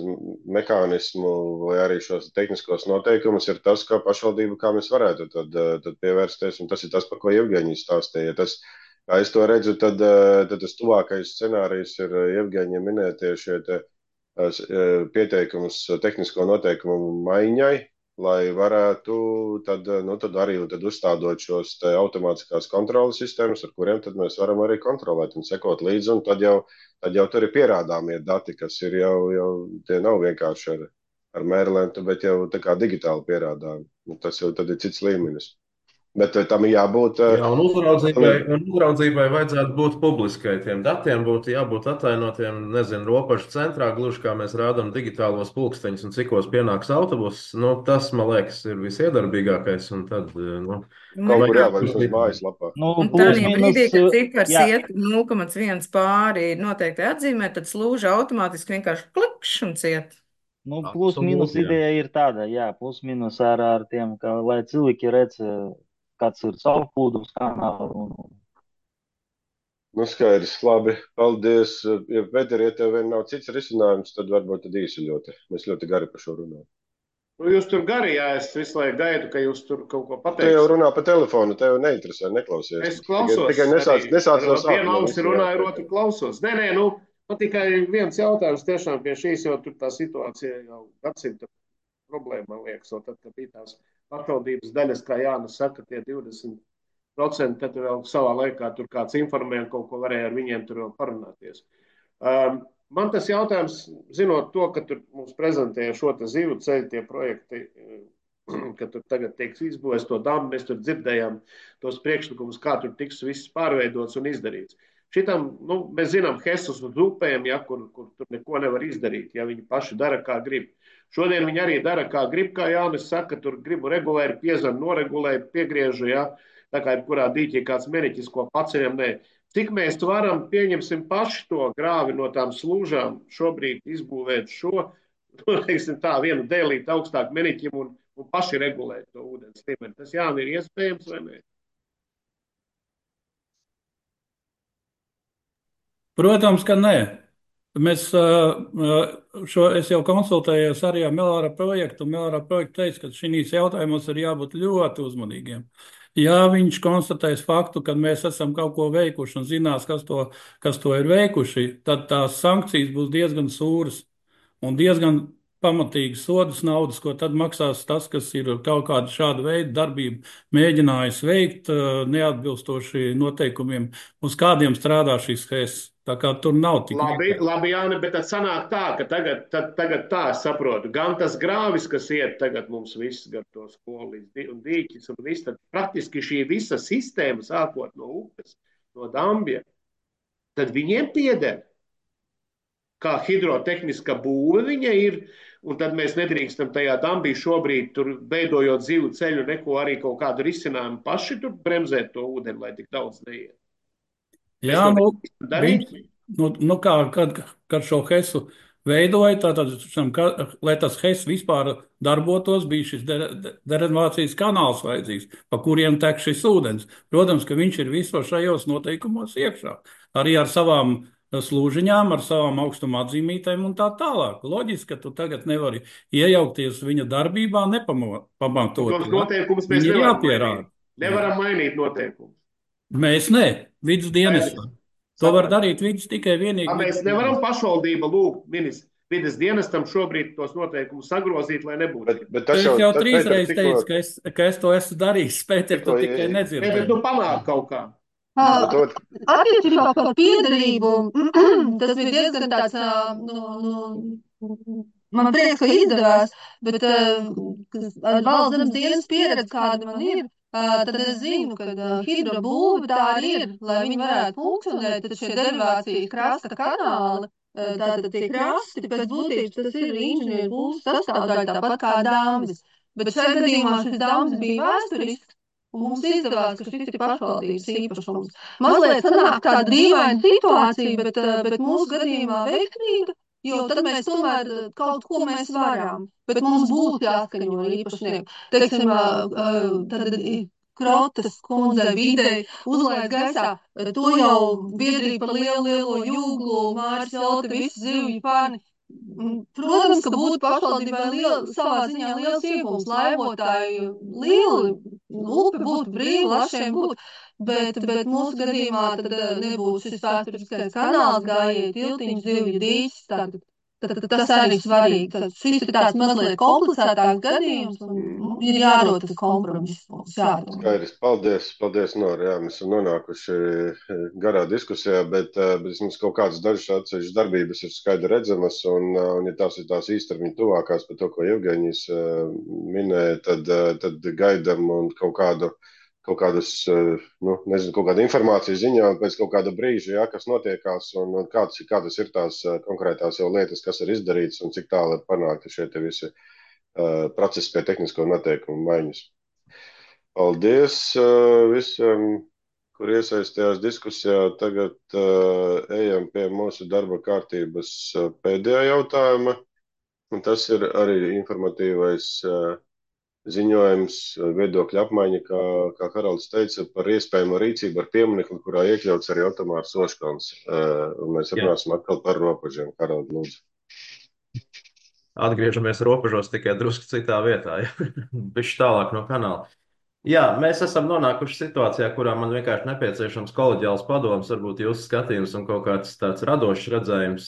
Speaker 1: mehānismu vai arī šos tehniskos noteikumus, ir tas, kā pašvaldība, kā mēs varētu tad pievērsties, un tas ir tas, par ko Jevgeņija stāstīja. Kā es to redzu, tad tas tuvākais scenārijs ir Jevgeņija minētie šie pieteikumus tehnisko noteikumu maiņai, lai varētu tad arī uzstādot šos automātiskās kontrolas sistēmas, ar kuriem tad mēs varam arī kontrolēt un sekot līdzi, un tad jau tur ir pierādāmie dati, kas ir jau tie nav vienkārši ar mērlentu, bet jau tā kā digitāli pierādāmi. Tas jau tad ir cits līmenis. Bet tam ir jābūt.
Speaker 2: Jā, un uzraudzībai vajadzētu būt publiskai. Tiem datiem būtu jābūt atainotiem, nezinu, robežu centrā, gluži kā mēs rādām digitālos pulksteņus un cikos pienāks autobuss. Nu, tas, man liekas, ir visiedarbīgākais. Un tad,
Speaker 1: kaut kur jāvar uz mājaslapā.
Speaker 10: Tādā brīdī, kad cipars iet 0,1 pāri noteikti atzīmē, tad slūža automātiski vienkārši klikšķi un ciet.
Speaker 6: Nu, plus mīnus ideja ir tāda, jā, plus mīnus ar tiem, ka, lai cilvēki redz, kāds ir caurplūdums kanāls.
Speaker 1: Nu, skaidrs, labi, paldies. Ja, Pēter, ja tev vien nav cits risinājums, tad varbūt tad īsi ļoti. Mēs ļoti gari par šo runājam.
Speaker 5: Nu, jūs tur gari, jā, es visu laiku gaidu, ka jūs tur kaut ko pateiksiet.
Speaker 1: Tu jau runā pa telefonu, tev neinteresē, neklausies.
Speaker 5: Es klausos.
Speaker 1: Tikai nesāc no sākuma.
Speaker 5: Viena ausi runāju, otru klausos. Nē, man tikai viens jautājums tiešām pie šīs, jo tur tā situācija jau gadsimta problēma, man liekas, un tad, kad bija tās pašvaldības daļas, kā Jānis saka, tie 20%, tad vēl savā laikā tur kāds informēja, kaut ko varēja ar viņiem tur vēl parunāties. Man tas jautājums, zinot to, ka tur mums prezentēja šo te zivu ceļu tie projekti, ka tur tagad tieks izbūvēts to dambu, mēs tur dzirdējām tos priekšlikumus, kā tur tiks viss pārveidots un izdarīts. Šitam, mēs zinām Hesus uz upēm, ja, kur tur neko nevar izdarīt, ja viņi paši dara, kā grib. Šodien viņi arī dara, kā grib, kā Jānis saka, tur gribu regulēju, piezem, noregulēju, piegriežu, ja, tā kā jebkurā dīķī kāds meriķis, ko paceļam, nē. Cik mēs varam, pieņemsim paši to grāvi no tām slūžām, šobrīd izbūvēt šo, teiksim tā, vienu dēlīt augstāk meriķim un paši regulēt to ūdens līmeni. Tas Jāni ir iespējams vai ne?
Speaker 15: Protams, ka nē. Es jau konsultējos arī ar Melāra projektu, un Melāra projektu teica, ka šīs jautājumos ir jābūt ļoti uzmanīgiem. Ja viņš konstatēs faktu, ka mēs esam kaut ko veikuši un zinās, kas to ir veikuši, tad tās sankcijas būs diezgan sūras un diezgan pamatīgas sodas naudas, ko tad maksās tas, kas ir kaut kādu šādu veidu darbību mēģinājis veikt neatbilstoši noteikumiem, uz kādiem strādā šīs HES. Tā kā tur nav tik
Speaker 5: labi, Jāni, bet tad sanāk tā, ka tagad tā es saprotu. Gan tas grāvis, kas iet tagad mums viss gar to skolu un dīķis un viss, tad praktiski šī visa sistēma, sākot no upes, no dambja, tad viņiem pieder. Kā hidrotehniska būve viņa ir, un tad mēs nedrīkstam tajā dambī šobrīd tur veidojot zivu ceļu neko arī kaut kādu risinājumu paši tur bremzēt to ūdeni, lai tik daudz neiet.
Speaker 15: Jā, kad šo HESu veidoja, tātad, lai tas HES vispār darbotos, bija šis derenovācijas kanāls vajadzīgs, pa kuriem tek šis ūdens. Protams, ka viņš ir visos šajos noteikumos iekšā, arī ar savām slūžiņām, ar savām augstuma atzīmītēm un tā tālāk. Loģiski, ka tu tagad nevari iejaukties viņa darbībā nepamatot.
Speaker 5: Tos noteikumus mēs nevaram mainīt noteikumus.
Speaker 15: Mēs vidas dienestā. To var darīt vidas tikai vienīgi.
Speaker 5: Mēs nevaram pašvaldība lūgt vidas dienestam šobrīd tos noteikumus sagrozīt, lai nebūtu.
Speaker 15: Es jau 3 reizes teicu, ka es to esmu darījis, Pēter, tu tikai nedzirdi.
Speaker 5: Bet tu panāk kaut kā.
Speaker 13: Attiecībā par piederību, tas bija diezgan tāds, man prieks, ka izdevās, bet ar valsts zemes dienas pieredzi, kāda man ir, tad es zinu, ka hidrobūve tā arī ir, lai viņi varētu funkcionēt, tad šie derivācijas krasta kanāli, tātad tie krasti, pēc būtības tas ir inženieru būvs sastāvdaļa, tāpat kā dambis. Bet šajā gadījumā šis dambis bija vēsturisks, un mums izdevās, ka šis ir pašvaldības īpašums. Mazliet sanāk tāda dīvaina situācija, bet mūsu gadījumā veiksmīga, jo tad mēs tomēr kaut ko mēs varam, bet mums būtu jāskaņo ar īpašnieku. Teiksim, tad Krotas kundze videi uzlaid gaisā, to jau biedrība par lielo jūglu, Māris Velti, visi zivju fani. Protams, ka būtu pašvaldībai savā ziņā liels iegūms, laivotāji lieli, upe būtu brīva, lašiem būtu, bet mūsu gadījumā tad nebūtu šis vēsturiskais kanāls, gājēji, tiltiņš, zivju dīķis, tad tas arī svarīgi. Tad šis ir tāds mazliet komplicētāks gadījums un ir jārod tas kompromiss.
Speaker 1: Skaidrs, paldies, Nora. Jā, mēs esam nonākuši garā diskusijā, bet mums kaut kādas dažas atsevišķas darbības ir skaidri redzamas, un ja tās ir tās īstermiņa tuvākās par to, ko Evgeņijs minēja, tad gaidam un kaut kādus, nezinu, kaut kādu informāciju ziņā un pēc kaut kāda brīža, jā, kas notiekās un kādas ir tās konkrētās jau lietas, kas ir izdarīts un cik tālu ir panākti šie te visi procesi pie tehnisko noteikumu maiņas. Paldies visiem, kur iesaistījās diskusijā. Tagad ejam pie mūsu darba kārtības pēdējā jautājuma, un tas ir arī informatīvais ziņojums, viedokļa apmaiņa, kā Haralds teica, par iespējamo rīcību ar pieminekli, kurā iekļauts arī Otomārs Oškalns. Un mēs runāsim atkal par robežiem. Harald, lūdzu.
Speaker 2: Atgriežamies robežos tikai drusku citā vietā, bišķi tālāk no kanāla. Jā, mēs esam nonākuši situācijā, kurā man vienkārši nepieciešams koleģiāls padoms, varbūt jūsu skatījums un kaut kāds tāds radošs redzējums.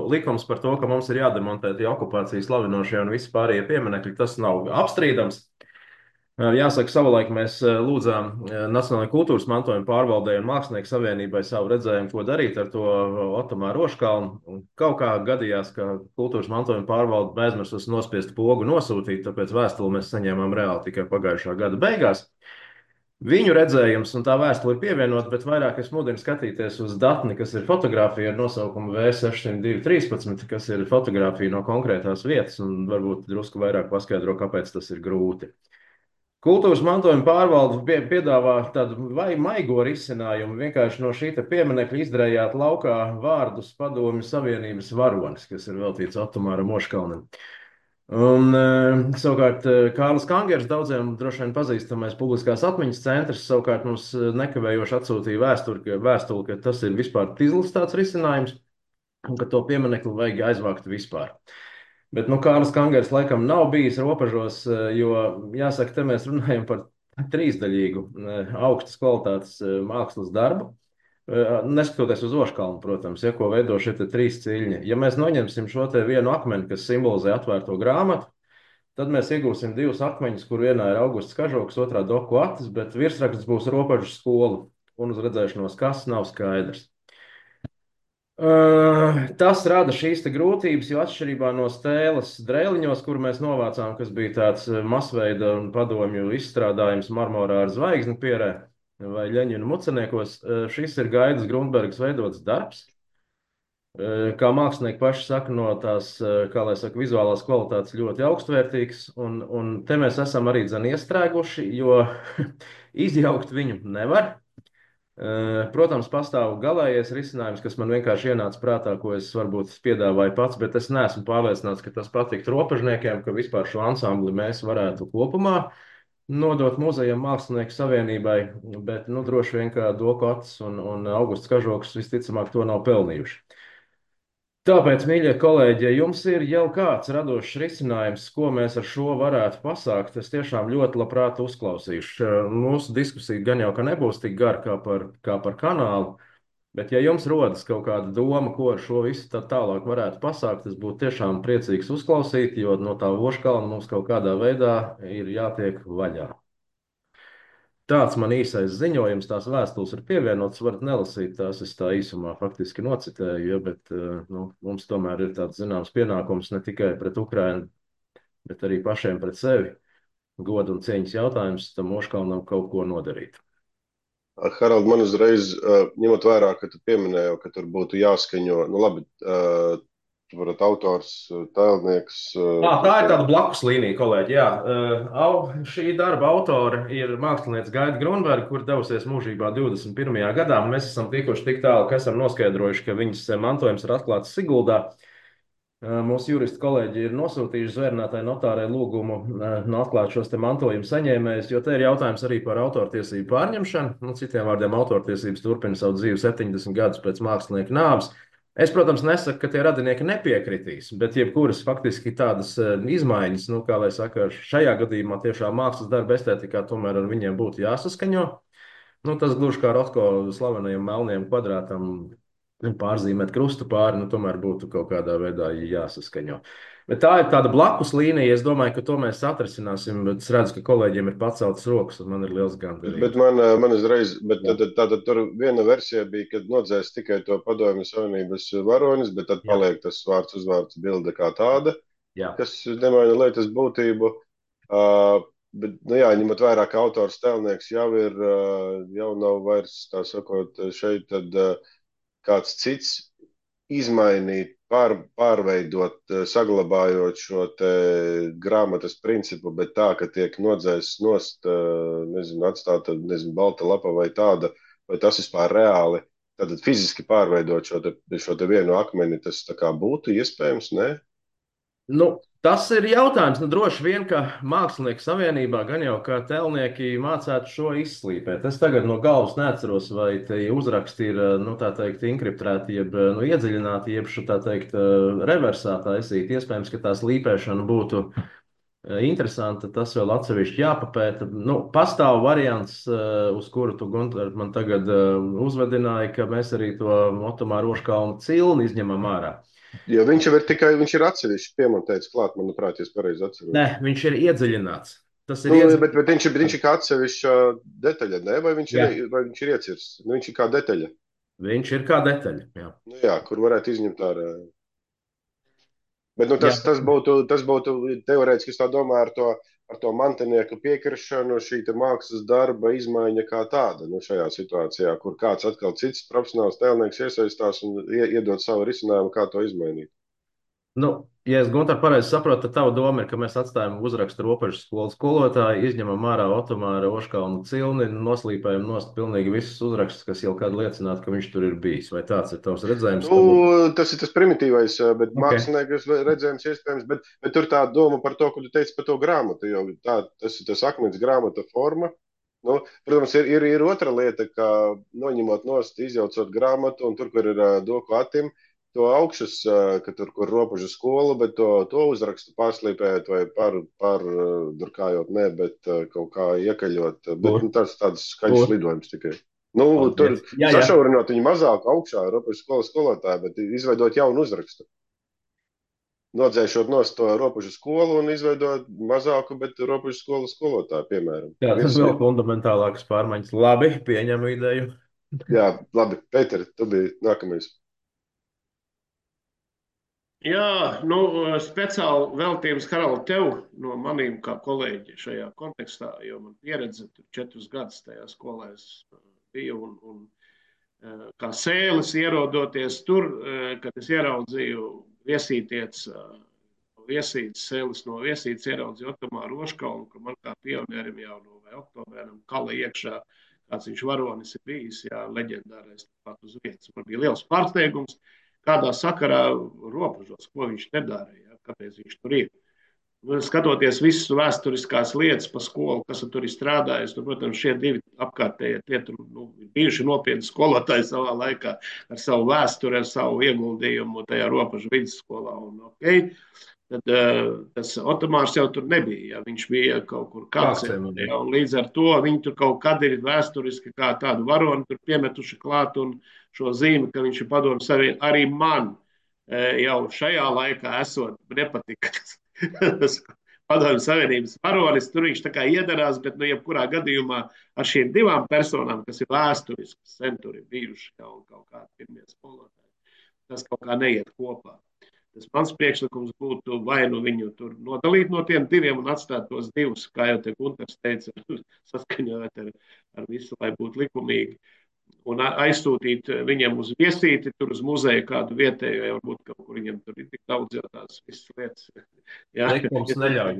Speaker 2: Likums par to, ka mums ir jādemontē tie okupācijas slavinošie un visi pārējie pieminekļi, tas nav apstrīdams. Jāsaka, savulaik mēs lūdzām Nacionālajai kultūras mantojuma pārvaldei un Mākslinieku savienībai savu redzējumu, ko darīt ar to Otomāru Oškalnu. Kaut kā gadījās, ka kultūras mantojuma pārvalde aizmirsus nospiest pogu nosūtīt, tāpēc vēstuli mēs saņēmām reāli tikai pagājušā gada beigās. Viņu redzējums un tā vēstule ir pievienota, bet vairāk es mudinu skatīties uz datni, kas ir fotografija ar nosaukumu V60213, kas ir fotografija no konkrētās vietas un varbūt drusku vairāk paskaidro, kāpēc tas ir grūti. Kultūras mantojuma pārvalde piedāvā tādu vai maigo risinājumu, vienkārši no šī pieminekļa izdrējāt laukā vārdus Padomju Savienības varonis, kas ir veltīts Otomāram Oškalnim. Un savukārt Kārlis Kangers, daudziem droši vien pazīstamais publiskās atmiņas centrs, savukārt mums nekavējoši atsūtīja vēstuli, ka tas ir vispār izlastāts risinājums un ka to pieminekli vajag aizvākt vispār. Bet Kārlis Kangers laikam nav bijis robežos, jo, jāsaka, te mēs runājam par trīsdaļīgu augstas kvalitātes mākslas darbu, neskatoties uz Oškalnu, protams, ko veido šie trīs ciļņi. Ja mēs noņemsim šo te vienu akmeni, kas simbolizē atvērto grāmatu, tad mēs iegūsim divus akmeņus, kur vienā ir Augusts Kažoks, otrā Doku Atis, bet virsraksts būs Robežu skola, un uz redzēšanos kas nav skaidrs. Tas rada šīs grūtības, jo atšķirībā no stēles Drēliņos, kur mēs novācām, kas bija tāds masveida un padomju izstrādājums marmorā ar zvaigzni pierē vai Ļeņina muceniekos, šis ir Gaidas Grundbergas veidots darbs. Kā mākslinieki paši saka, no tās, kā lai saka, vizuālās kvalitātes ļoti augstvērtīgs, un te mēs esam arī iestrēguši, jo izjaukt viņu nevar. Protams, pastāv galējais risinājums, kas man vienkārši ienāca prātā, ko es varbūt piedāvāju pats, bet es neesmu pārliecināts, ka tas patiktu robežniekiem, ka vispār šo ansambli mēs varētu kopumā nodot Muzejam Mākslinieku savienībai, bet droši vien, ka Doku Atis un Augusts Kažoks visticamāk to nav pelnījuši. Tāpēc, mīļie kolēģi, ja jums ir jau kāds radošs risinājums, ko mēs ar šo varētu pasākt, es tiešām ļoti labprāt uzklausīšu. Mūsu diskusija gan jau ka nebūs tik gara kā par kanālu, bet ja jums rodas kaut kāda doma, ko ar šo visu tālāk varētu pasākt, es būtu tiešām priecīgs uzklausīt, jo no tā Oškalna mums kaut kādā veidā ir jātiek vaļā. Tāds man īsais ziņojums, tās vēstules ir pievienotas, varat nelasīt, tās es tā īsumā faktiski nocitēju, bet mums tomēr ir tāds zināms pienākums ne tikai pret Ukrainu, bet arī pašiem pret sevi. Goda un cieņas jautājums tam Oškalnam kaut ko nodarīt.
Speaker 1: Harald, man uzreiz, ņemot vērā, ka tu pieminēji, ka tur būtu jāskaņo, labi, varat autors, tēlnieks.
Speaker 2: Tā ir tāda blakus līnija, kolēģi, jā. Šī darba autora ir māksliniece Gaida Grundberga, kur devusies mūžībā 21. gadā. Mēs esam tikuši tik tālu, ka esam noskaidrojuši, ka viņas mantojums ir atklāts Siguldā. Mūsu juristu kolēģi ir nosūtījuši zvērnātai notārai lūgumu atklāt šos te mantojuma saņēmējus, jo te ir jautājums arī par autortiesību pārņemšanu. Nu, citiem vārdiem, autortiesības turpina savu dzīvi 70 gadus pēc mākslinieka nāves. Es, protams, nesaku, ka tie radinieki nepiekritīs, bet jebkuras faktiski tādas izmaiņas, nu, kā lai saka, šajā gadījumā tiešām mākslas darba estētikā tomēr ar viņiem būtu jāsaskaņo. Nu, tas gluži kā Rotko slavenajam melnajam kvadrātam pārzīmēt krustu pāri, nu, tomēr būtu kaut kādā veidā jāsaskaņo. Bet tā ir tāda blakus līnija. Es domāju, ka to mēs atrisināsim, bet es redzu, ka kolēģiem ir paceltas rokas, un man ir liels gandarījums.
Speaker 1: Bet man uzreiz, bet tad tur viena versija bija, kad nodzēs tikai to Padomju Savienības varonis, bet tad paliek tas vārds uzvārds bilde kā tāda, kas nemaina lietas būtību. Bet, nu jā, ņemot vērā, ka autors tēlnieks jau nav vairs, tā sakot, šeit tad kāds cits izmainīt, pārveidot, saglabājot šo te grāmatas principu, bet tā, ka tiek nodzēsts nost, atstāta, balta lapa vai tāda, vai tas vispār reāli, tad fiziski pārveidot šo te vienu akmeni, tas tā kā būtu iespējams, ne?
Speaker 2: Nu, tas ir jautājums. Nu, droši vien, ka Mākslinieku savienībā gan jau kā tēlnieki mācētu šo izslīpēt. Es tagad no galvas neatceros, vai tie uzraksti ir, nu, tā teikt, inkriptēti, jeb iedziļināti, jeb tā teikt, reversā taisīti. Iespējams, ka tā slīpēšana būtu interesanta. Tas vēl atsevišķi jāpapēta. Nu, pastāv variants, uz kuru tu, Gunter, man tagad uzvedināji, ka mēs arī to Otomāra Ožkalna cilni izņemam ārā.
Speaker 1: Jo viņš ir atsevišķi piemontēts klāt, manuprāt, ja es pareizi atceros.
Speaker 2: Nē, viņš ir iedziļināts. Tas ir
Speaker 1: bet viņš ir kā atsevišķa detaļa, ne? Vai viņš ir iecirsts? Nu, viņš ir kā detaļa.
Speaker 2: Viņš ir kā detaļa, jā.
Speaker 1: Nu, jā, kur varētu izņemt ārā. Bet nu, tas būtu teorētiski, es tā domāju, ar to mantinieku piekrišanu, šī te mākslas darba izmaiņa kā tāda, nu, šajā situācijā, kur kāds atkal cits profesionāls tēlnieks iesaistās un iedod savu risinājumu, kā to izmainīt.
Speaker 2: Nu, ja es, Gunter, pareizi saprotu, tad tava doma ir, ka mēs atstājam uzrakstu Robežas skolas skolotāju, izņemam ārā Otomāra Ožkalna cilni, noslīpējam nost pilnīgi visus uzrakstus, kas jau kādu liecinātu, ka viņš tur ir bijis. Vai tāds ir tavs redzējums?
Speaker 1: Nu, tas ir tas primitīvais, bet mākslinieku redzējums iespējams, bet tur tā doma par to, ko tu teici par to grāmatu, jo tas ir tas akmens grāmata forma. Nu, protams, ir otra lieta, ka noņemot nost, izjaucot grāmatu, un tur, kur ir doku atim, to augšas, ka tur, kur Robežu skola, bet to uzrakstu pārslīpējot vai pārdurkājot, ne, bet kaut kā iekaļot. Bet nu, tas tāds skaļš lidojums tikai. Nu, tur sašaurinot viņu mazāk augšā Robežu skolas skolotāju, bet izveidot jaunu uzrakstu. Nodzēšot nost to Robežu skolu un izveidot mazāku, bet Robežu skolas skolotāju, piemēram.
Speaker 2: Jā, tas vēl fundamentālākas pārmaiņas. Labi, pieņemu ideju.
Speaker 1: Jā, labi. Pēter, tu biji nākamais.
Speaker 5: Jā, nu, speciāli veltījums, Harald, tev no manīm kā kolēģi šajā kontekstā, jo man pieredze 4 gadus tajā skolā biju un kā sēlis ierodoties tur, kad es ieraudzīju viesīties, sēlis no viesītes ieraudzīju Otomāru Ožkalnu, ka man kā pionierim jau no vai oktobēram kala iekšā, kāds viņš varonis ir bijis, jā, leģendārais pat uz vietas. Man bija liels pārsteigums, kādā sakarā Robežos, ko viņš nedara, ja, kāpēc viņš tur ir. Skatoties visas vēsturiskās lietas pa skolu, kas tur ir strādājis, nu, protams, šie divi apkārtējie tie tur bijuši nopietni skolotāji savā laikā ar savu vēsturi, ar savu ieguldījumu tajā Robežu vidusskolā. Un, tad tas Otomārs jau tur nebija, ja viņš bija kaut kur kācē. Ja, un līdz ar to viņi tur kaut kad ir vēsturiski kā tādu varoni tur piemetuši klāt un šo zīmi, ka viņš ir Padomju Savienībā. Arī man jau šajā laikā esot nepatika tas Padomju Savienības varonis. Tur viņš tā kā iedarās, bet nu jebkurā gadījumā ar šīm divām personām, kas ir vēsturiskas, sen tur ir bijuši jau kaut kādi pirmie skolotāji, tas kaut kā neiet kopā. Tas mans priekšlikums būtu vai nu viņu tur nodalīt no tiem diviem un atstāt tos divus, kā jau te Gunters teica, saskaņot ar visu, lai būtu likumīgi. Un aizsūtīt viņiem uz viesīti, tur uz muzeju kādu vietējo, jau varbūt kaut kur viņiem tur ir tik daudz jau tās visas lietas. Jā.
Speaker 2: Likums neļauj.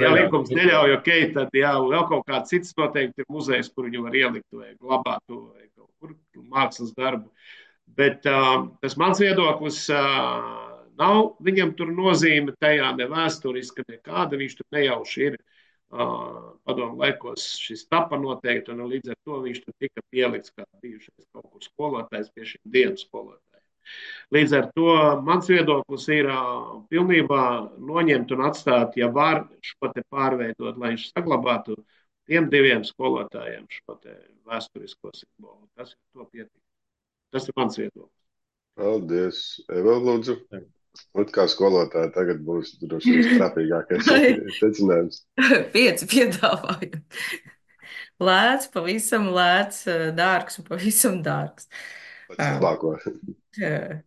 Speaker 5: Jā, likums neļauj, ok, tad jā, vēl kaut kā cits noteikti ir muzejs, kur viņu var ielikt vai glabāt vai kaut kur mākslas darbu. Bet tas mans viedoklis Nav viņam tur nozīme tajā ne vēsturiska, nekāda, viņš tur nejauši ir. Padomu laikos šis tapa noteikti, un līdz ar to viņš tur tika pielikts kā bijušais kaut kur skolotājs pie šiem dienas skolotājiem. Līdz ar to mans viedoklis ir pilnībā noņemt un atstāt, ja var šo te pārveidot, lai viņš saglabātu tiem diviem skolotājiem šo te vēsturisko simbolu. Tas ir to pietiek. Tas ir mans viedoklis.
Speaker 1: Paldies. Eva, lūdzu. Un kā skolotāja tagad būs droši vien trapīgākais secinājums.
Speaker 10: 5 piedāvājumi. Lēts, pavisam lēts, dārgs un pavisam dārgs.
Speaker 1: Labāko.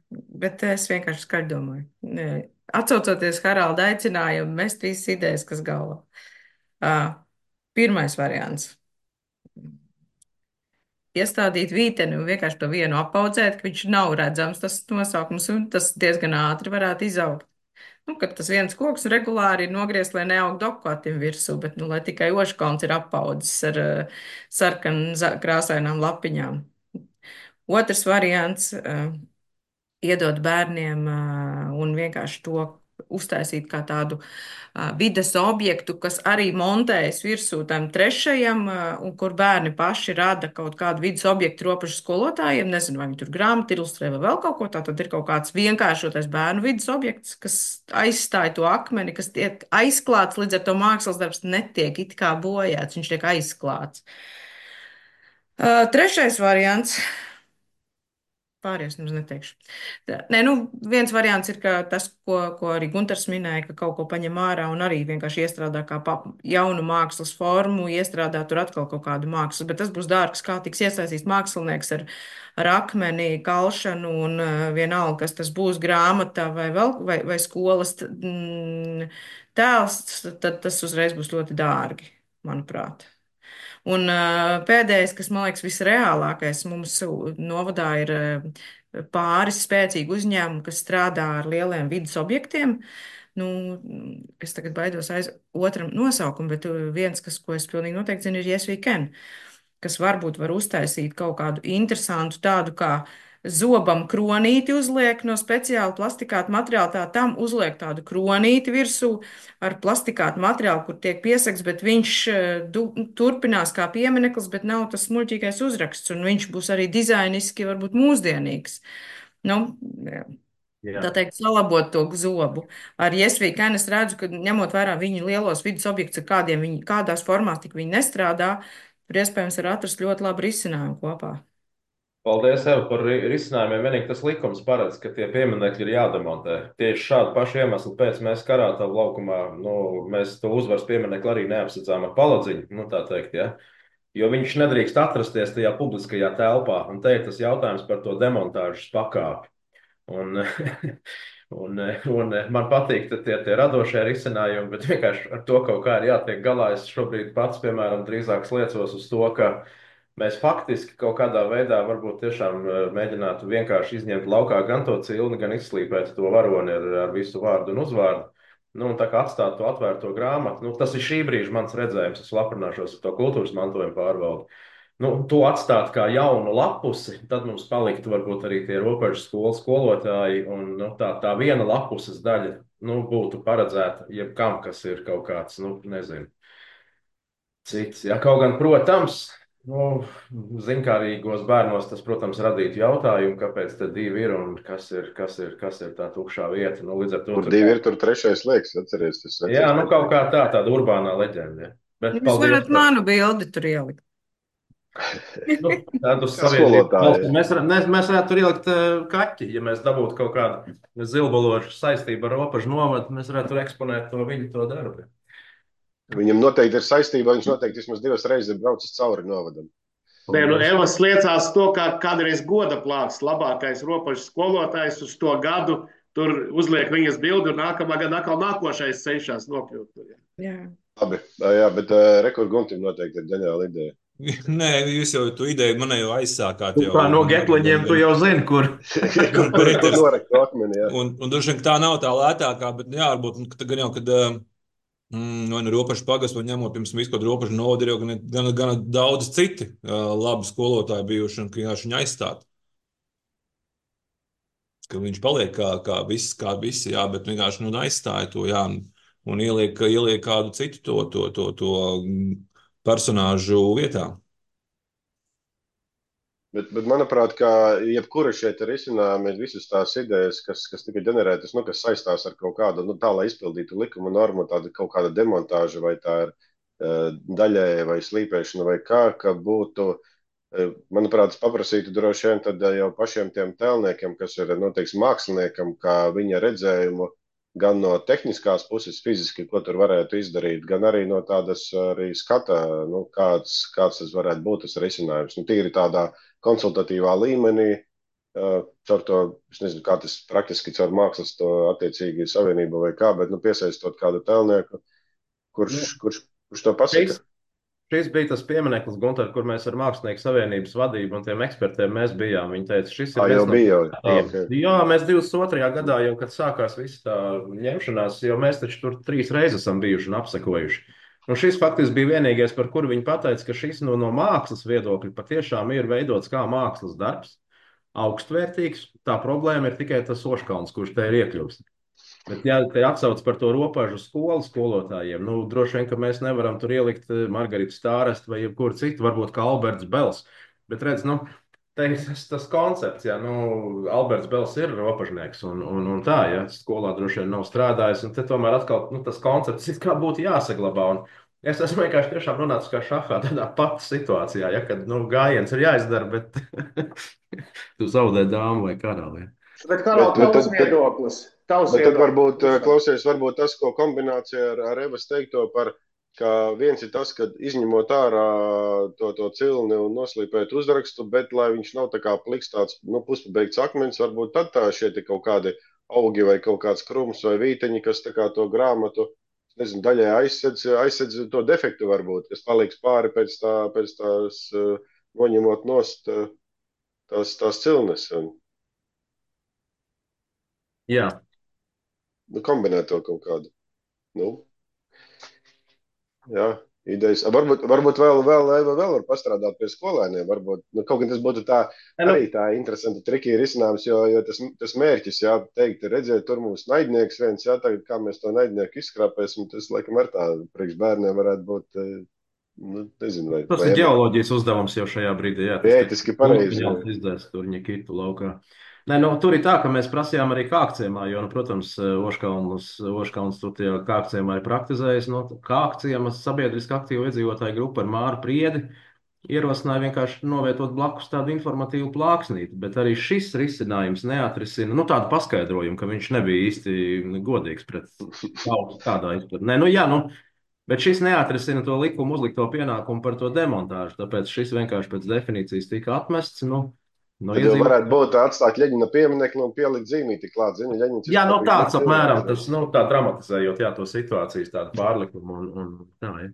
Speaker 10: Bet es vienkārši skaļi domāju. Atcaucoties Haralda aicinājumu, mest visas idejas, kas galvā. Pirmais variants. Iestādīt vīteni un vienkārši to vienu apaudzēt, ka viņš nav redzams, tas nosaukums, un tas diezgan ātri varētu izaugt. Kad tas viens koks regulāri ir nogriezt, lai neaug dokvatim virsū, bet, lai tikai oškauns ir apaudzis ar sarkan krāsainām lapiņām. Otrs variants iedot bērniem un vienkārši to uztaisīt kā tādu vides objektu, kas arī montējas virsū tam trešajam, un kur bērni paši rada kaut kādu vides objektu robežu skolotājiem. Nezinu, vai viņi tur grāmatu ilustrē vai vēl kaut ko tā, tad ir kaut kāds vienkāršotais bērnu vides objekts, kas aizstāja to akmeni, kas tiek aizklāts, līdz ar to mākslas darbs netiek it kā bojāts, viņš tiek aizklāts. Trešais variants. Pārējais nemaz neteikšu. Nē, viens variants ir tas, ko arī Gunters minēja, ka kaut ko paņem ārā un arī vienkārši iestrādā kā jaunu mākslas formu, iestrādā tur atkal kaut kādu mākslu, bet tas būs dārgs, kā tiks iesaistīts mākslinieks ar akmeni, kalšanu un vienalga, kas tas būs grāmatā vai skolas tēls, tad tas uzreiz būs ļoti dārgi, manuprāt. Un pēdējais, kas man liekas visreālākais, mums novadā ir pāris spēcīgi uzņēmumi, kas strādā ar lieliem vidas objektiem. Es tagad baidos aiz otram nosaukumu, bet viens, ko es pilnīgi noteikti zinu, ir Yes We Can, kas varbūt var uztaisīt kaut kādu interesantu tādu kā zobam kronīti uzliek no speciāla plastikāta materiāla, tā tam uzliek tādu kronīti virsū ar plastikāta materiālu, kur tiek piesakts, bet viņš turpinās kā piemineklis, bet nav tas smuļķīgais uzraksts, un viņš būs arī dizainiski varbūt mūsdienīgs. Tā teikt, salabot to zobu. Ar Yes We Can es redzu, ka ņemot vērā viņu lielos vidas objektus, kādās formās tik viņi nestrādā, tur iespējams var atrast ļoti labu risinājumu kopā.
Speaker 2: Paldies, Eva, par risinājumiem. Vienīgi tas likums paredz, ka tie pieminekļi ir jādemontē. Tieši šādu pašu iemeslu pēc mēs Karātavu laukumā, mēs to uzvaras pieminekli arī neapsacām ar paladziņu, tā teikt, ja? Jo viņš nedrīkst atrasties tajā publiskajā telpā. Un te ir tas jautājums par to demontāžas pakāpi. Un man patīk tie radošie risinājumi, bet vienkārši ar to kaut kā ir jātiek galā. Es šobrīd pats, piemēram, drīzāk sliecos uz to, ka mēs faktiski kaut kādā veidā varbūt tiešām mēģinātu vienkārši izņemt laukā gan to cilni, gan izslīpēt to varoni ar visu vārdu un uzvārdu. Un tā kā atstāt to atvērto grāmatu, tas ir šī brīža mans redzējums. Es aprunāšos ar to kultūras mantojumu pārvaldi. To atstāt kā jaunu lapusi, tad mums paliktu varbūt arī tie robežu skolas skolotāji, un tā viena lapuses daļa būtu paredzēta jebkam, kas ir kaut kāds, nezinu, cits. Ja, kaut gan, protams, zinkārīgos bērnos tas, protams, radītu jautājumu, kāpēc te divi ir un kas ir tā tukšā vieta. Līdz ar to
Speaker 1: tur divi ir, tur trešais liekas, atceries.
Speaker 2: Jā, kaut kā tāda urbānā leģenda. Bet
Speaker 10: jūs varat manu bildi tur ielikt.
Speaker 2: Tādu savienību. Mēs varētu tur ielikt kaķi, ja mēs dabūtu kaut kādu zilbalošu saistību ar robežu novadu, mēs varētu tur eksponēt to darbu.
Speaker 1: Viņam noteikti ir saistība, viņš noteikti vismaz 2 reizes ir braucis cauri novadam.
Speaker 5: Evas liecās to, kā kādreiz goda plāks, labākais robežu skolotājs uz to gadu, tur uzliek viņas bildi un nākamā gada atkal nākošais cenšas nokļūt tur.
Speaker 10: Jā.
Speaker 1: Labi, jā, bet Rekord Guntim noteikti ir ģeniāla ideja.
Speaker 3: Nē, jūs jau tu ideju man jau aizsākāt.
Speaker 2: Kā no Getliņiem tu jau zini, kur.
Speaker 1: Kur norekt to akmeni, jā.
Speaker 3: Un droši vien tā nav tā lētākā, bet jā, varbūt gan jau, kad vai nu robežu pagastu, vai ņemot pirms visu kaut robežu novadu, ir jau gan daudz citi labi skolotāji bijuši, un ka jāši viņi aizstāt.
Speaker 16: ka viņš paliek kā visi, jā, bet vienkārši aizstāja to, jā, un ieliek kādu citu to personāžu vietā.
Speaker 1: Bet manuprāt, ka jebkura šeit ir izcinājumi, visas tās idejas, kas tika ģenerētas, kas saistās ar kaut kādu, tā, lai izpildītu likuma normu, tāda kaut kāda demontāža, vai tā ir daļēja vai slīpēšana, vai ka būtu, manuprāt, paprasītu droši vien tad jau pašiem tiem tēlniekiem, kas ir, teiksim, māksliniekam, kā viņa redzējumu, gan no tehniskās puses fiziski, ko tur varētu izdarīt, gan arī no tādas arī skata, kāds tas varētu būt tas risinājums. Tīri tādā konsultatīvā līmenī, caur to, es nezinu, kā tas praktiski caur mākslas to attiecīgi savienību vai kā, bet piesaistot kādu tēlnieku, kurš to pasaka.
Speaker 2: Šis bija tas piemineklis, Gunter, kur mēs ar Mākslinieku savienības vadību un tiem ekspertiem mēs bijām. Viņi teica, šis ir
Speaker 1: jau bija. Okay.
Speaker 2: Jā, mēs 22. gadā jau, kad sākās visa tā ņemšanās, jo mēs taču tur 3 reizes esam bijuši un apsekojuši. Un šis faktiski bija vienīgais, par kuru viņi pateica, ka šis no mākslas viedokļa patiešām ir veidots kā mākslas darbs, augstvērtīgs. Tā problēma ir tikai tas Oškalns, kurš te ir iekļūst. Bet, ja te atsauc par to robežu skolu skolotājiem, droši vien, ka mēs nevaram tur ielikt Margaritu Stārestu vai jebkuru citu, varbūt kā Alberts Bels. Bet redz, tas koncepts, ja, Alberts Bels ir robežnieks un tā, ja, skolā droši vien nav strādājis, un te tomēr atkal tas koncepts it kā būtu jāsaglabā. Un es esmu vienkārši tiešām nonācis kā šahā tādā pat situācijā, ja, kad, gājiens ir jāizdara, bet tu zaudē dāmu vai karali.
Speaker 5: Bet kā nav tavs viedoklis?
Speaker 1: Bet tad varbūt, klausies, varbūt tas, ko kombinācija ar Evas teikto par, ka viens ir tas, ka izņemot ārā to cilni un noslīpēt uzrakstu, bet lai viņš nav tā kā pliks tāds, puspabeigts akmens, varbūt tad tā šie kaut kādi augi vai kaut kāds krums vai vīteņi, kas tā kā to grāmatu, nezinu, daļai aizsedz to defektu varbūt, kas paliks pāri pēc tās noņemot nost tās cilnes.
Speaker 2: Jā.
Speaker 1: Kombinēt to kaut kādu. Jā, idejas. Varbūt vēl var pastrādāt pie skolēniem. Varbūt, kaut gan tas būtu arī tā interesanti triki risinājums, jo tas mērķis, jā, teikt, redziet, tur mums naidnieks viens, jā, tagad kā mēs to naidnieku izskrāpēsim, tas, laikam, ar tā priekš bērniem varētu būt, nezinu, vai...
Speaker 2: Tas ir ģeoloģijas uzdevums jau šajā brīdī, jā.
Speaker 1: Ētiski pareizi.
Speaker 2: Izdēs turņa kitu laukā. Nē, tur ir tā, ka mēs prasījām arī Kākciemā, jo, protams, Oškalns tur tie Kākciemā ir praktizējis. Kākciema sabiedriski aktīva iedzīvotāju grupa ar Māru Priedi ierosināja vienkārši novietot blakus tādu informatīvu plāksnīti, bet arī šis risinājums neatrisina, tādu paskaidrojumu, ka viņš nebija īsti godīgs pret tautu tādā izpratnē. Bet šis neatrisina to likumu uzlikto pienākumu par to demontāžu, tāpēc šis vienkārši pēc definīcijas tika atmests,
Speaker 1: Tad jau varētu būt atstāt Ļeņina pieminekli un pielikt zīmīti klāt, zini, Ļeņins.
Speaker 2: Jā, tāds apmēram, tas, tā dramatizējot, jā, to situācijas tādu pārlikumu un tā, jā.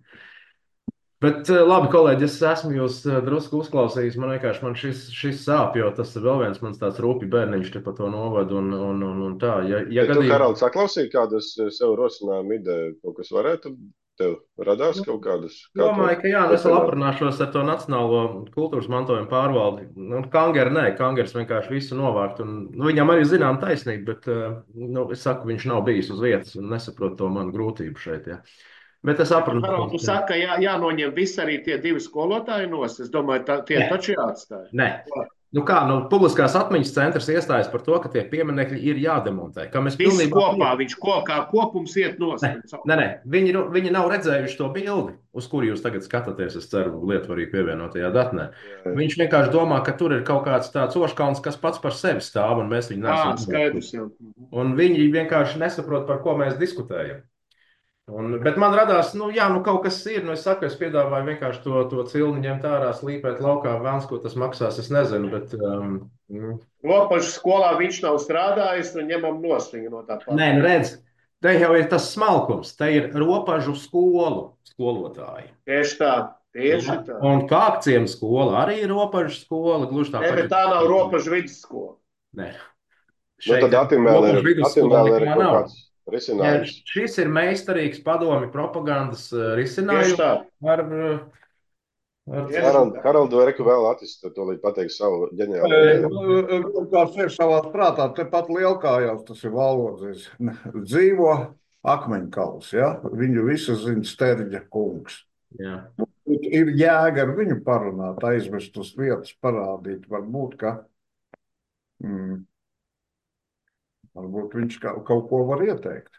Speaker 2: Bet labi, kolēģi, es esmu jūs drusku uzklausījis, man šis sāp, jo tas ir vēl viens mans tāds rūpju bērniņš te pa to novadu un tā. Ja
Speaker 1: tu, Harald, saklausīji kādus sev rosinājumu ideju, kaut kas varētu tev radās kaut kādus?
Speaker 2: Domāju, ka jā, es vēl aprunāšos ar to Nacionālo kultūras mantojumu pārvaldi. Kangers vienkārši visu novākt, un viņam arī zinām taisnība, bet es saku, viņš nav bijis uz vietas un nesaprot to manu grūtību šeit, jā. Bet es aprunāju.
Speaker 5: Tu saka, ka jānoņem visi arī tie 2 skolotāji nost. Es domāju, tie taču jāatstāja.
Speaker 2: Nē. Publiskās atmiņas centrs iestājas par to, ka tie pieminekļi ir jādemontē.
Speaker 5: Visi kopā, viņš kā kopums iet nost.
Speaker 2: Nē, viņi nav redzējuši to bildi, uz kuru jūs tagad skatāties, es ceru, lietvarīgi pievienotajā datnē. Viņš vienkārši domā, ka tur ir kaut kāds tāds Oškalns, kas pats par sevi stāv, un mēs viņu nesam.
Speaker 5: Skaidrs jau.
Speaker 2: Un viņi vienkārši nesaprot, par ko mēs diskutējam. Bet man radās, kaut kas ir, es saku, es piedāvāju vienkārši to cilni ņemt ārā, slīpēt laukā, vēlns, ko tas maksās, es nezinu, bet...
Speaker 5: Ropažu skolā viņš nav strādājis, un ņemam nost viņu no tā pat.
Speaker 2: Nē, redz, te jau ir tas smalkums, te ir ropažu skolotāji.
Speaker 5: Tieši tā.
Speaker 2: Un Kākciema skola arī ir ropažu skola, gluži tā.
Speaker 5: Bet tā nav ropažu vidusskola.
Speaker 2: Nē.
Speaker 1: Tad atim vēl ir kaut kāds... risinājums.
Speaker 2: Jā, šis ir meistarīgs padomi propagandas risinājums
Speaker 1: Haraldu, Eriku vēl attīstīt to, lai pateiks savu ģeniālo ideju.
Speaker 17: Kāds ir savā prātā, tepat Lielkājās, tas ir Vallodzis, dzīvo akmeņkals, ja? Viņu visu zina Sterģa kungs.
Speaker 2: Jā.
Speaker 17: Ir jēga ar viņu parunāt, aizvest uz vietas, parādīt, varbūt, ka varbūt viņš kaut ko var ieteikt.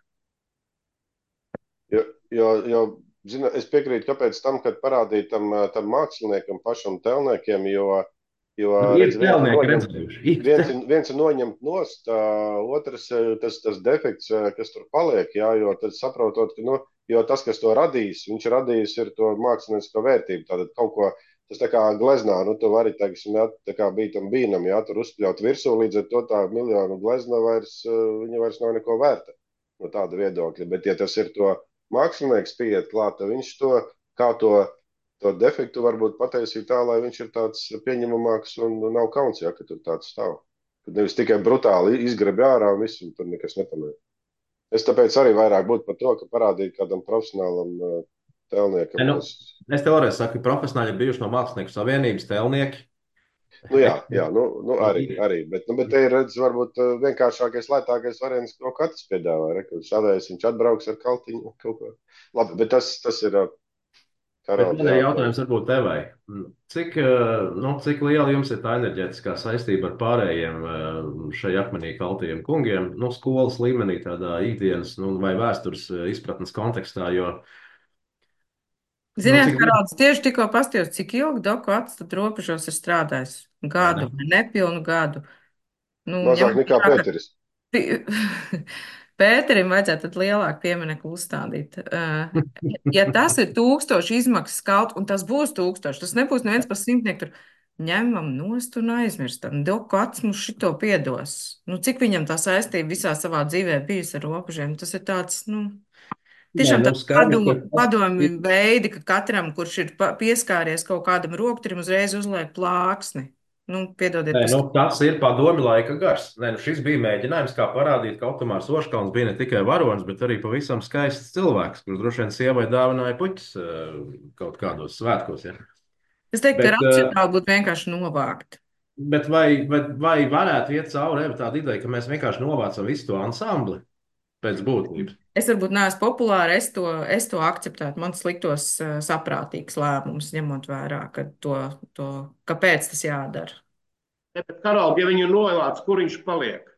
Speaker 1: Jo zina, es piekrītu, kāpēc tam, kad parādīt tam māksliniekam, pašam telniekiem, jo
Speaker 2: Ir telnieki redzējuši.
Speaker 1: viens ir noņemt nost, otrs tas defekts, kas tur paliek, jā, jo tad saprotot, ka, jo tas, kas to radījis, viņš radījis ir to māksliniecisko vērtību, tātad kaut ko, tas tā kā gleznā, tu vari, teiksim, jā, tā kā bītam bīnam, jā, tur uzpļaut virsū, līdz ar to tā miljonu glezna viņa vairs nav neko vērta no tāda viedokļa, bet ja tas ir to mākslinieks pieiet klāt, viņš kā to defektu varbūt pataisīt tā, lai viņš ir tāds pieņemamāks un nav kauns, ja, ka tur tāds stāv. Kad nevis tikai brutāli izgrabi ārā un viss, un tur nekas nepamēr. Es tāpēc arī vairāk būtu par to, ka parādīt kādam profesionālam tēlniekam.
Speaker 2: Es teorētiski saku, ka profesionāļi ir bijuši no Mākslinieku savienības tēlnieki.
Speaker 1: Jā, arī. Bet te ir, varbūt, vienkāršākais, lētākais variants, ko katrs piedāvā. Šādais viņš atbrauks ar kaltiņu kaut ko. Labi, bet tas ir
Speaker 2: jautājums varbūt tevai. Cik liela jums ir tā enerģētiskā saistība ar pārējiem šai akmenī kaltajiem kungiem, skolas līmenī, tādā ikdienas vai vēstures izpratnes kontekstā, jo
Speaker 10: Ziniet, Karāds, tieši tikko pastījos, cik ilgi Doku Atstatu robežos ir strādājis? Gadu, nepilnu gadu.
Speaker 1: Mazāk nekā Pēteris.
Speaker 10: Pēterim vajadzētu tad lielāku pieminekli uzstādīt. Ja tas ir 1000 izmaksas kaut, un tas būs 1000, tas nebūs neviens par 100 tur, ņemam nost un aizmirstam. Doku Ats mums šito piedos. Cik viņam tā saistība visā savā dzīvē bijusi ar robežiem? Tas ir tāds, tiešām tāds padomi veidi, ka katram, kurš ir pieskāries kaut kādam rokturim, uzreiz uzliek plāksni. Piedodiet.
Speaker 2: Tas ir padomi laika gars. Šis bija mēģinājums, kā parādīt, ka Otomārs Oškalns bija ne tikai varonis, bet arī pavisam skaists cilvēks, kurš droši vien sievai dāvināja puķis kaut kādos svētkos. Ja?
Speaker 10: Es teiktu, ka racionāli būtu vienkārši novākt.
Speaker 2: Bet vai varētu iet cauri tāda ideja, ka mēs vienkārši novācam visu to ansambli pēc būtības?
Speaker 10: Es varbūt neesmu populāra, es to akceptētu. Man liktos saprātīgs lēmums, ņemot vērā, kāpēc tas jādara.
Speaker 5: Bet, Karol, ja viņu novāc, kur viņš paliek?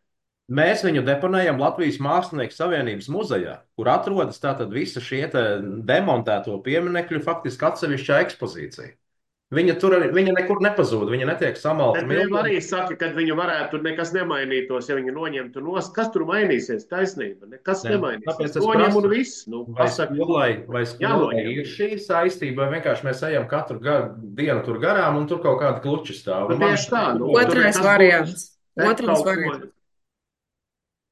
Speaker 2: Mēs viņu deponējam Latvijas Mākslinieku savienības muzejā, kur atrodas tātad visa šie demontēto pieminekļu faktiski atsevišķā ekspozīcija. Viņa nekur nepazūd, viņa netiek samalta.
Speaker 5: Bet arī saka, ka viņu varētu nekas nemainītos, ja viņu noņemtu nost. Kas tur mainīsies? Taisnība. Nekas nemainīsies. Noņem un viss.
Speaker 2: Vai skolai ir šī saistība, vai vienkārši mēs ejam katru dienu tur garām un tur kaut kāda kluči stāv?
Speaker 5: Tieši tā.
Speaker 10: Otrais variants.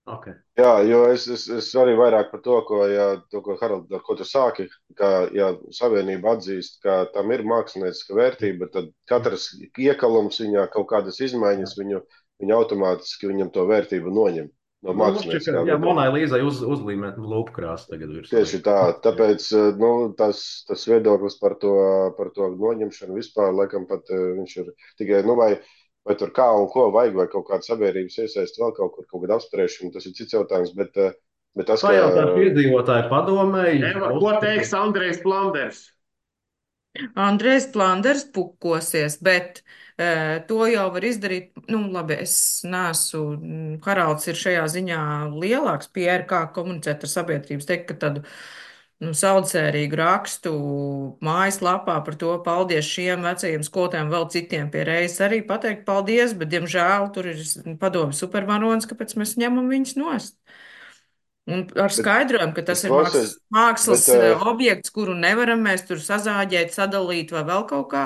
Speaker 2: Okay.
Speaker 1: Jā, jo es arī vairāk par to, Harald, ar ko tu sāki, ka, ja savienība atzīst, ka tam ir mākslinieciska vērtība, tad katrs iekalums viņā, kaut kādas izmaiņas, viņu automātiski viņam to vērtību noņem no mākslinieckā.
Speaker 2: Jā, Monai Līzai uzlīmēt lūpkrāsu tagad virs.
Speaker 1: Tieši tā, tāpēc, tas viedoklis par to noņemšanu vispār, laikam pat viņš ir tikai, vai tur kā un ko vajag, vai kaut kāda sabiedrības iesaist vēl kaut kāda apspriešana, tas ir cits jautājums, bet tas,
Speaker 2: ka... Pajautāt iedzīvotāju padomēji...
Speaker 5: Ko teiks Andrejs Planders?
Speaker 10: Andrejs Planders pukosies, bet to jau var izdarīt, labi, es neesmu, Haralds ir šajā ziņā lielāks PR, kā komunicēt ar sabiedrības, teikt, ka tādu saudzērīgu rakstu mājaslapā par to paldies šiem vecajiem skolotājiem, vēl citiem pie reizes arī pateikt paldies, bet, diemžēl, tur ir padomi supervaronis, kāpēc mēs ņemam viņus nost. Un ar skaidrojumu, ka tas ir mākslas objekts, kuru nevaram mēs tur sazāģēt, sadalīt vai vēl kaut kā.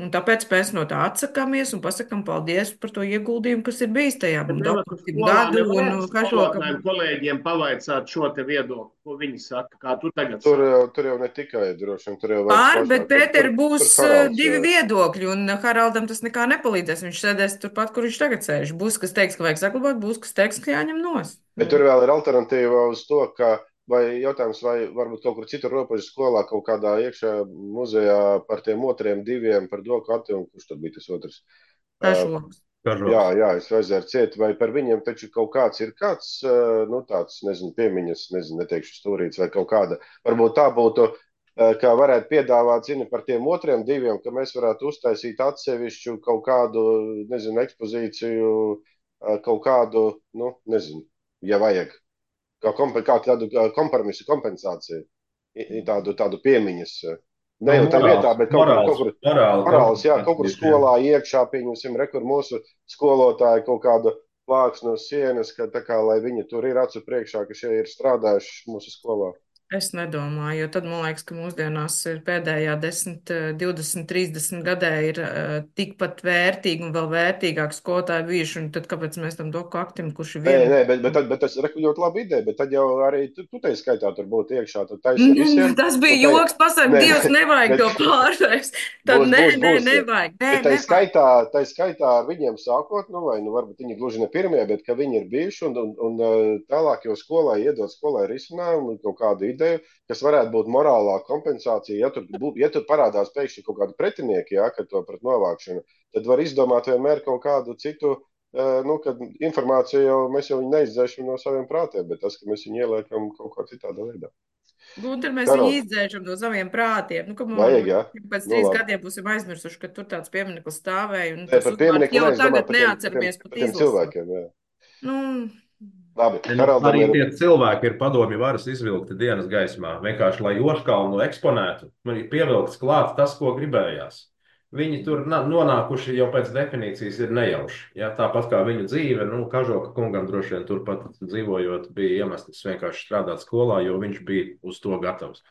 Speaker 10: Un tāpēc mēs no tā atsakāmies un pasakām paldies par to ieguldījumu, kas ir bijis tajā gadu.
Speaker 5: Kolēģiem pavaicāt šo te viedokli, ko viņi saka, kā tu tagad
Speaker 1: tur jau ne tikai droši vien.
Speaker 10: Bet Pēter būs divi viedokļi, un Haraldam tas nekā nepalīdzēs. Viņš sēdēs turpat, kur viņš tagad sēž. Būs, kas teiks, ka vajag saglabāt, būs, kas teiks, ka jāņem nost.
Speaker 1: Bet tur vēl ir alternatīva uz to, ka vai jautājums, vai varbūt kaut kur citur robežu skolā, kaut kādā iekšā muzejā par tiem otriem diviem, par Dokati, un kurš tad bija tas otrs?
Speaker 10: Kažoks.
Speaker 1: Jā, es vajadzēju ciet, vai par viņiem taču kaut kāds ir kāds, nu tāds, nezinu, piemiņas, nezinu, neteikšu stūrīts, vai kaut kāda, varbūt tā būtu, kā varētu piedāvāt, zini, par tiem otriem diviem, ka mēs varētu uztaisīt atsevišķu kaut kādu, nezinu, ekspozīciju, kaut kādu, nu, nezinu, ja vajag, kā tādu kompromisu, kompensāciju, tādu piemiņas. Ne jau tā vietā, bet kaut kur morāls, jā, kaut kur skolā iekšā, pieņemsim, rekur mūsu skolotāji kaut kādu plāksnu uz sienas, ka tā kā, lai viņi tur ir acu priekšā, ka šie ir strādājuši mūsu skolā.
Speaker 10: Es nedomāju, jo tad man liekas, ka mūsdienās ir pēdējā 10, 20, 30 gadē ir tikpat vērtīgi un vēl vērtīgāk skolotāji bijuši, un tad kāpēc mēs tam doku aktim, kurš ir viens?
Speaker 1: Nē, bet tas ir ļoti laba ideja, bet tad jau arī tu tai skaitā tur būtu iekšā, tad taisa visiem.
Speaker 10: Tas bija joks, pasaka, Dievs, nevajag to pārvērst. Tad nevajag.
Speaker 1: Bet tai skaitā ar viņiem sākot, nu vai, nu varbūt viņi gluži ne pirmie, bet ka viņi ir bijuši un tālāk jau skolai iedot skolai risinājumu, kaut kādu ideju, kas varētu būt morālā kompensācija. Ja tur parādās pēkšņi kaut kādi pretinieki, jā, kad to pret novākšanu, tad var izdomāt vienmēr kaut kādu citu, nu, kad informāciju jau mēs jau viņu neizdzēšam no saviem prātiem, bet tas, ka mēs viņu ieliekam kaut kā citādā veidā.
Speaker 10: Gunter, mēs viņu izdzēšam no saviem prātiem. Nu,
Speaker 1: vajag, jā.
Speaker 10: Pēc 3 gadiem būsim aizmirsuši, ka tur tāds piemineklis stāvēja. Un
Speaker 1: tas uzvārds
Speaker 10: jau tagad neatceramies pat izlasīt.
Speaker 1: Cilvēkiem, jā.
Speaker 10: Nu,
Speaker 1: labi,
Speaker 2: arī tie cilvēki ir padomju varas izvilkti dienas gaismā. Vienkārši, lai Oškalnu eksponētu, man ir pievilkts klāt tas, ko gribējās. Viņi tur nonākuši jau pēc definīcijas ir nejauši. Ja, tāpat kā viņu dzīve, nu, Kažoka kungam droši vien turpat dzīvojot, bija iemesls vienkārši strādāt skolā, jo viņš bija uz to gatavs.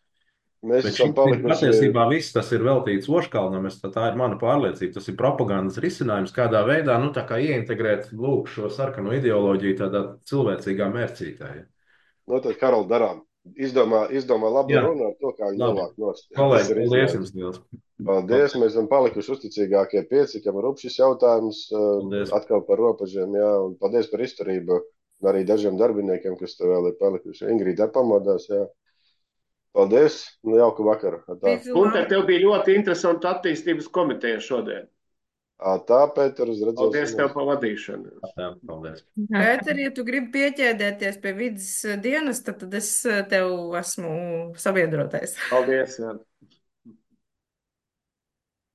Speaker 2: Bet patiesībā viss tas ir veltīts Oškalnam, tā ir mana pārliecība. Tas ir propagandas risinājums, kādā veidā, nu, tā kā ieintegrēt, lūk, šo sarkano ideoloģiju tādā cilvēcīgā mērcītē. Ja.
Speaker 1: Nu, tad, Karol, darām. Izdomā labu runu ar to, kā viņi novāk nost.
Speaker 2: Kolēģi, paldies jums, Diels.
Speaker 1: Paldies, mēs esam palikuši uzticīgākie 5, kam ir šis jautājums atkal par robežiem, jā, un paldies par izturību, un arī dažiem darbiniekiem, kas te vēl ir palikuši. Ingrīda pamodās, jā. Paldies, un jauku vakaru.
Speaker 5: Gunter, tev bija ļoti interesanta attīstības komiteja šodien.
Speaker 1: Tā, Pēter, uz redzēšanos.
Speaker 5: Paldies tev par vadīšanu.
Speaker 2: Paldies.
Speaker 10: Pēter, ja tu gribi pieķēdēties pie vidas dienas, tad es tev esmu sabiedrotais.
Speaker 5: Paldies, jā.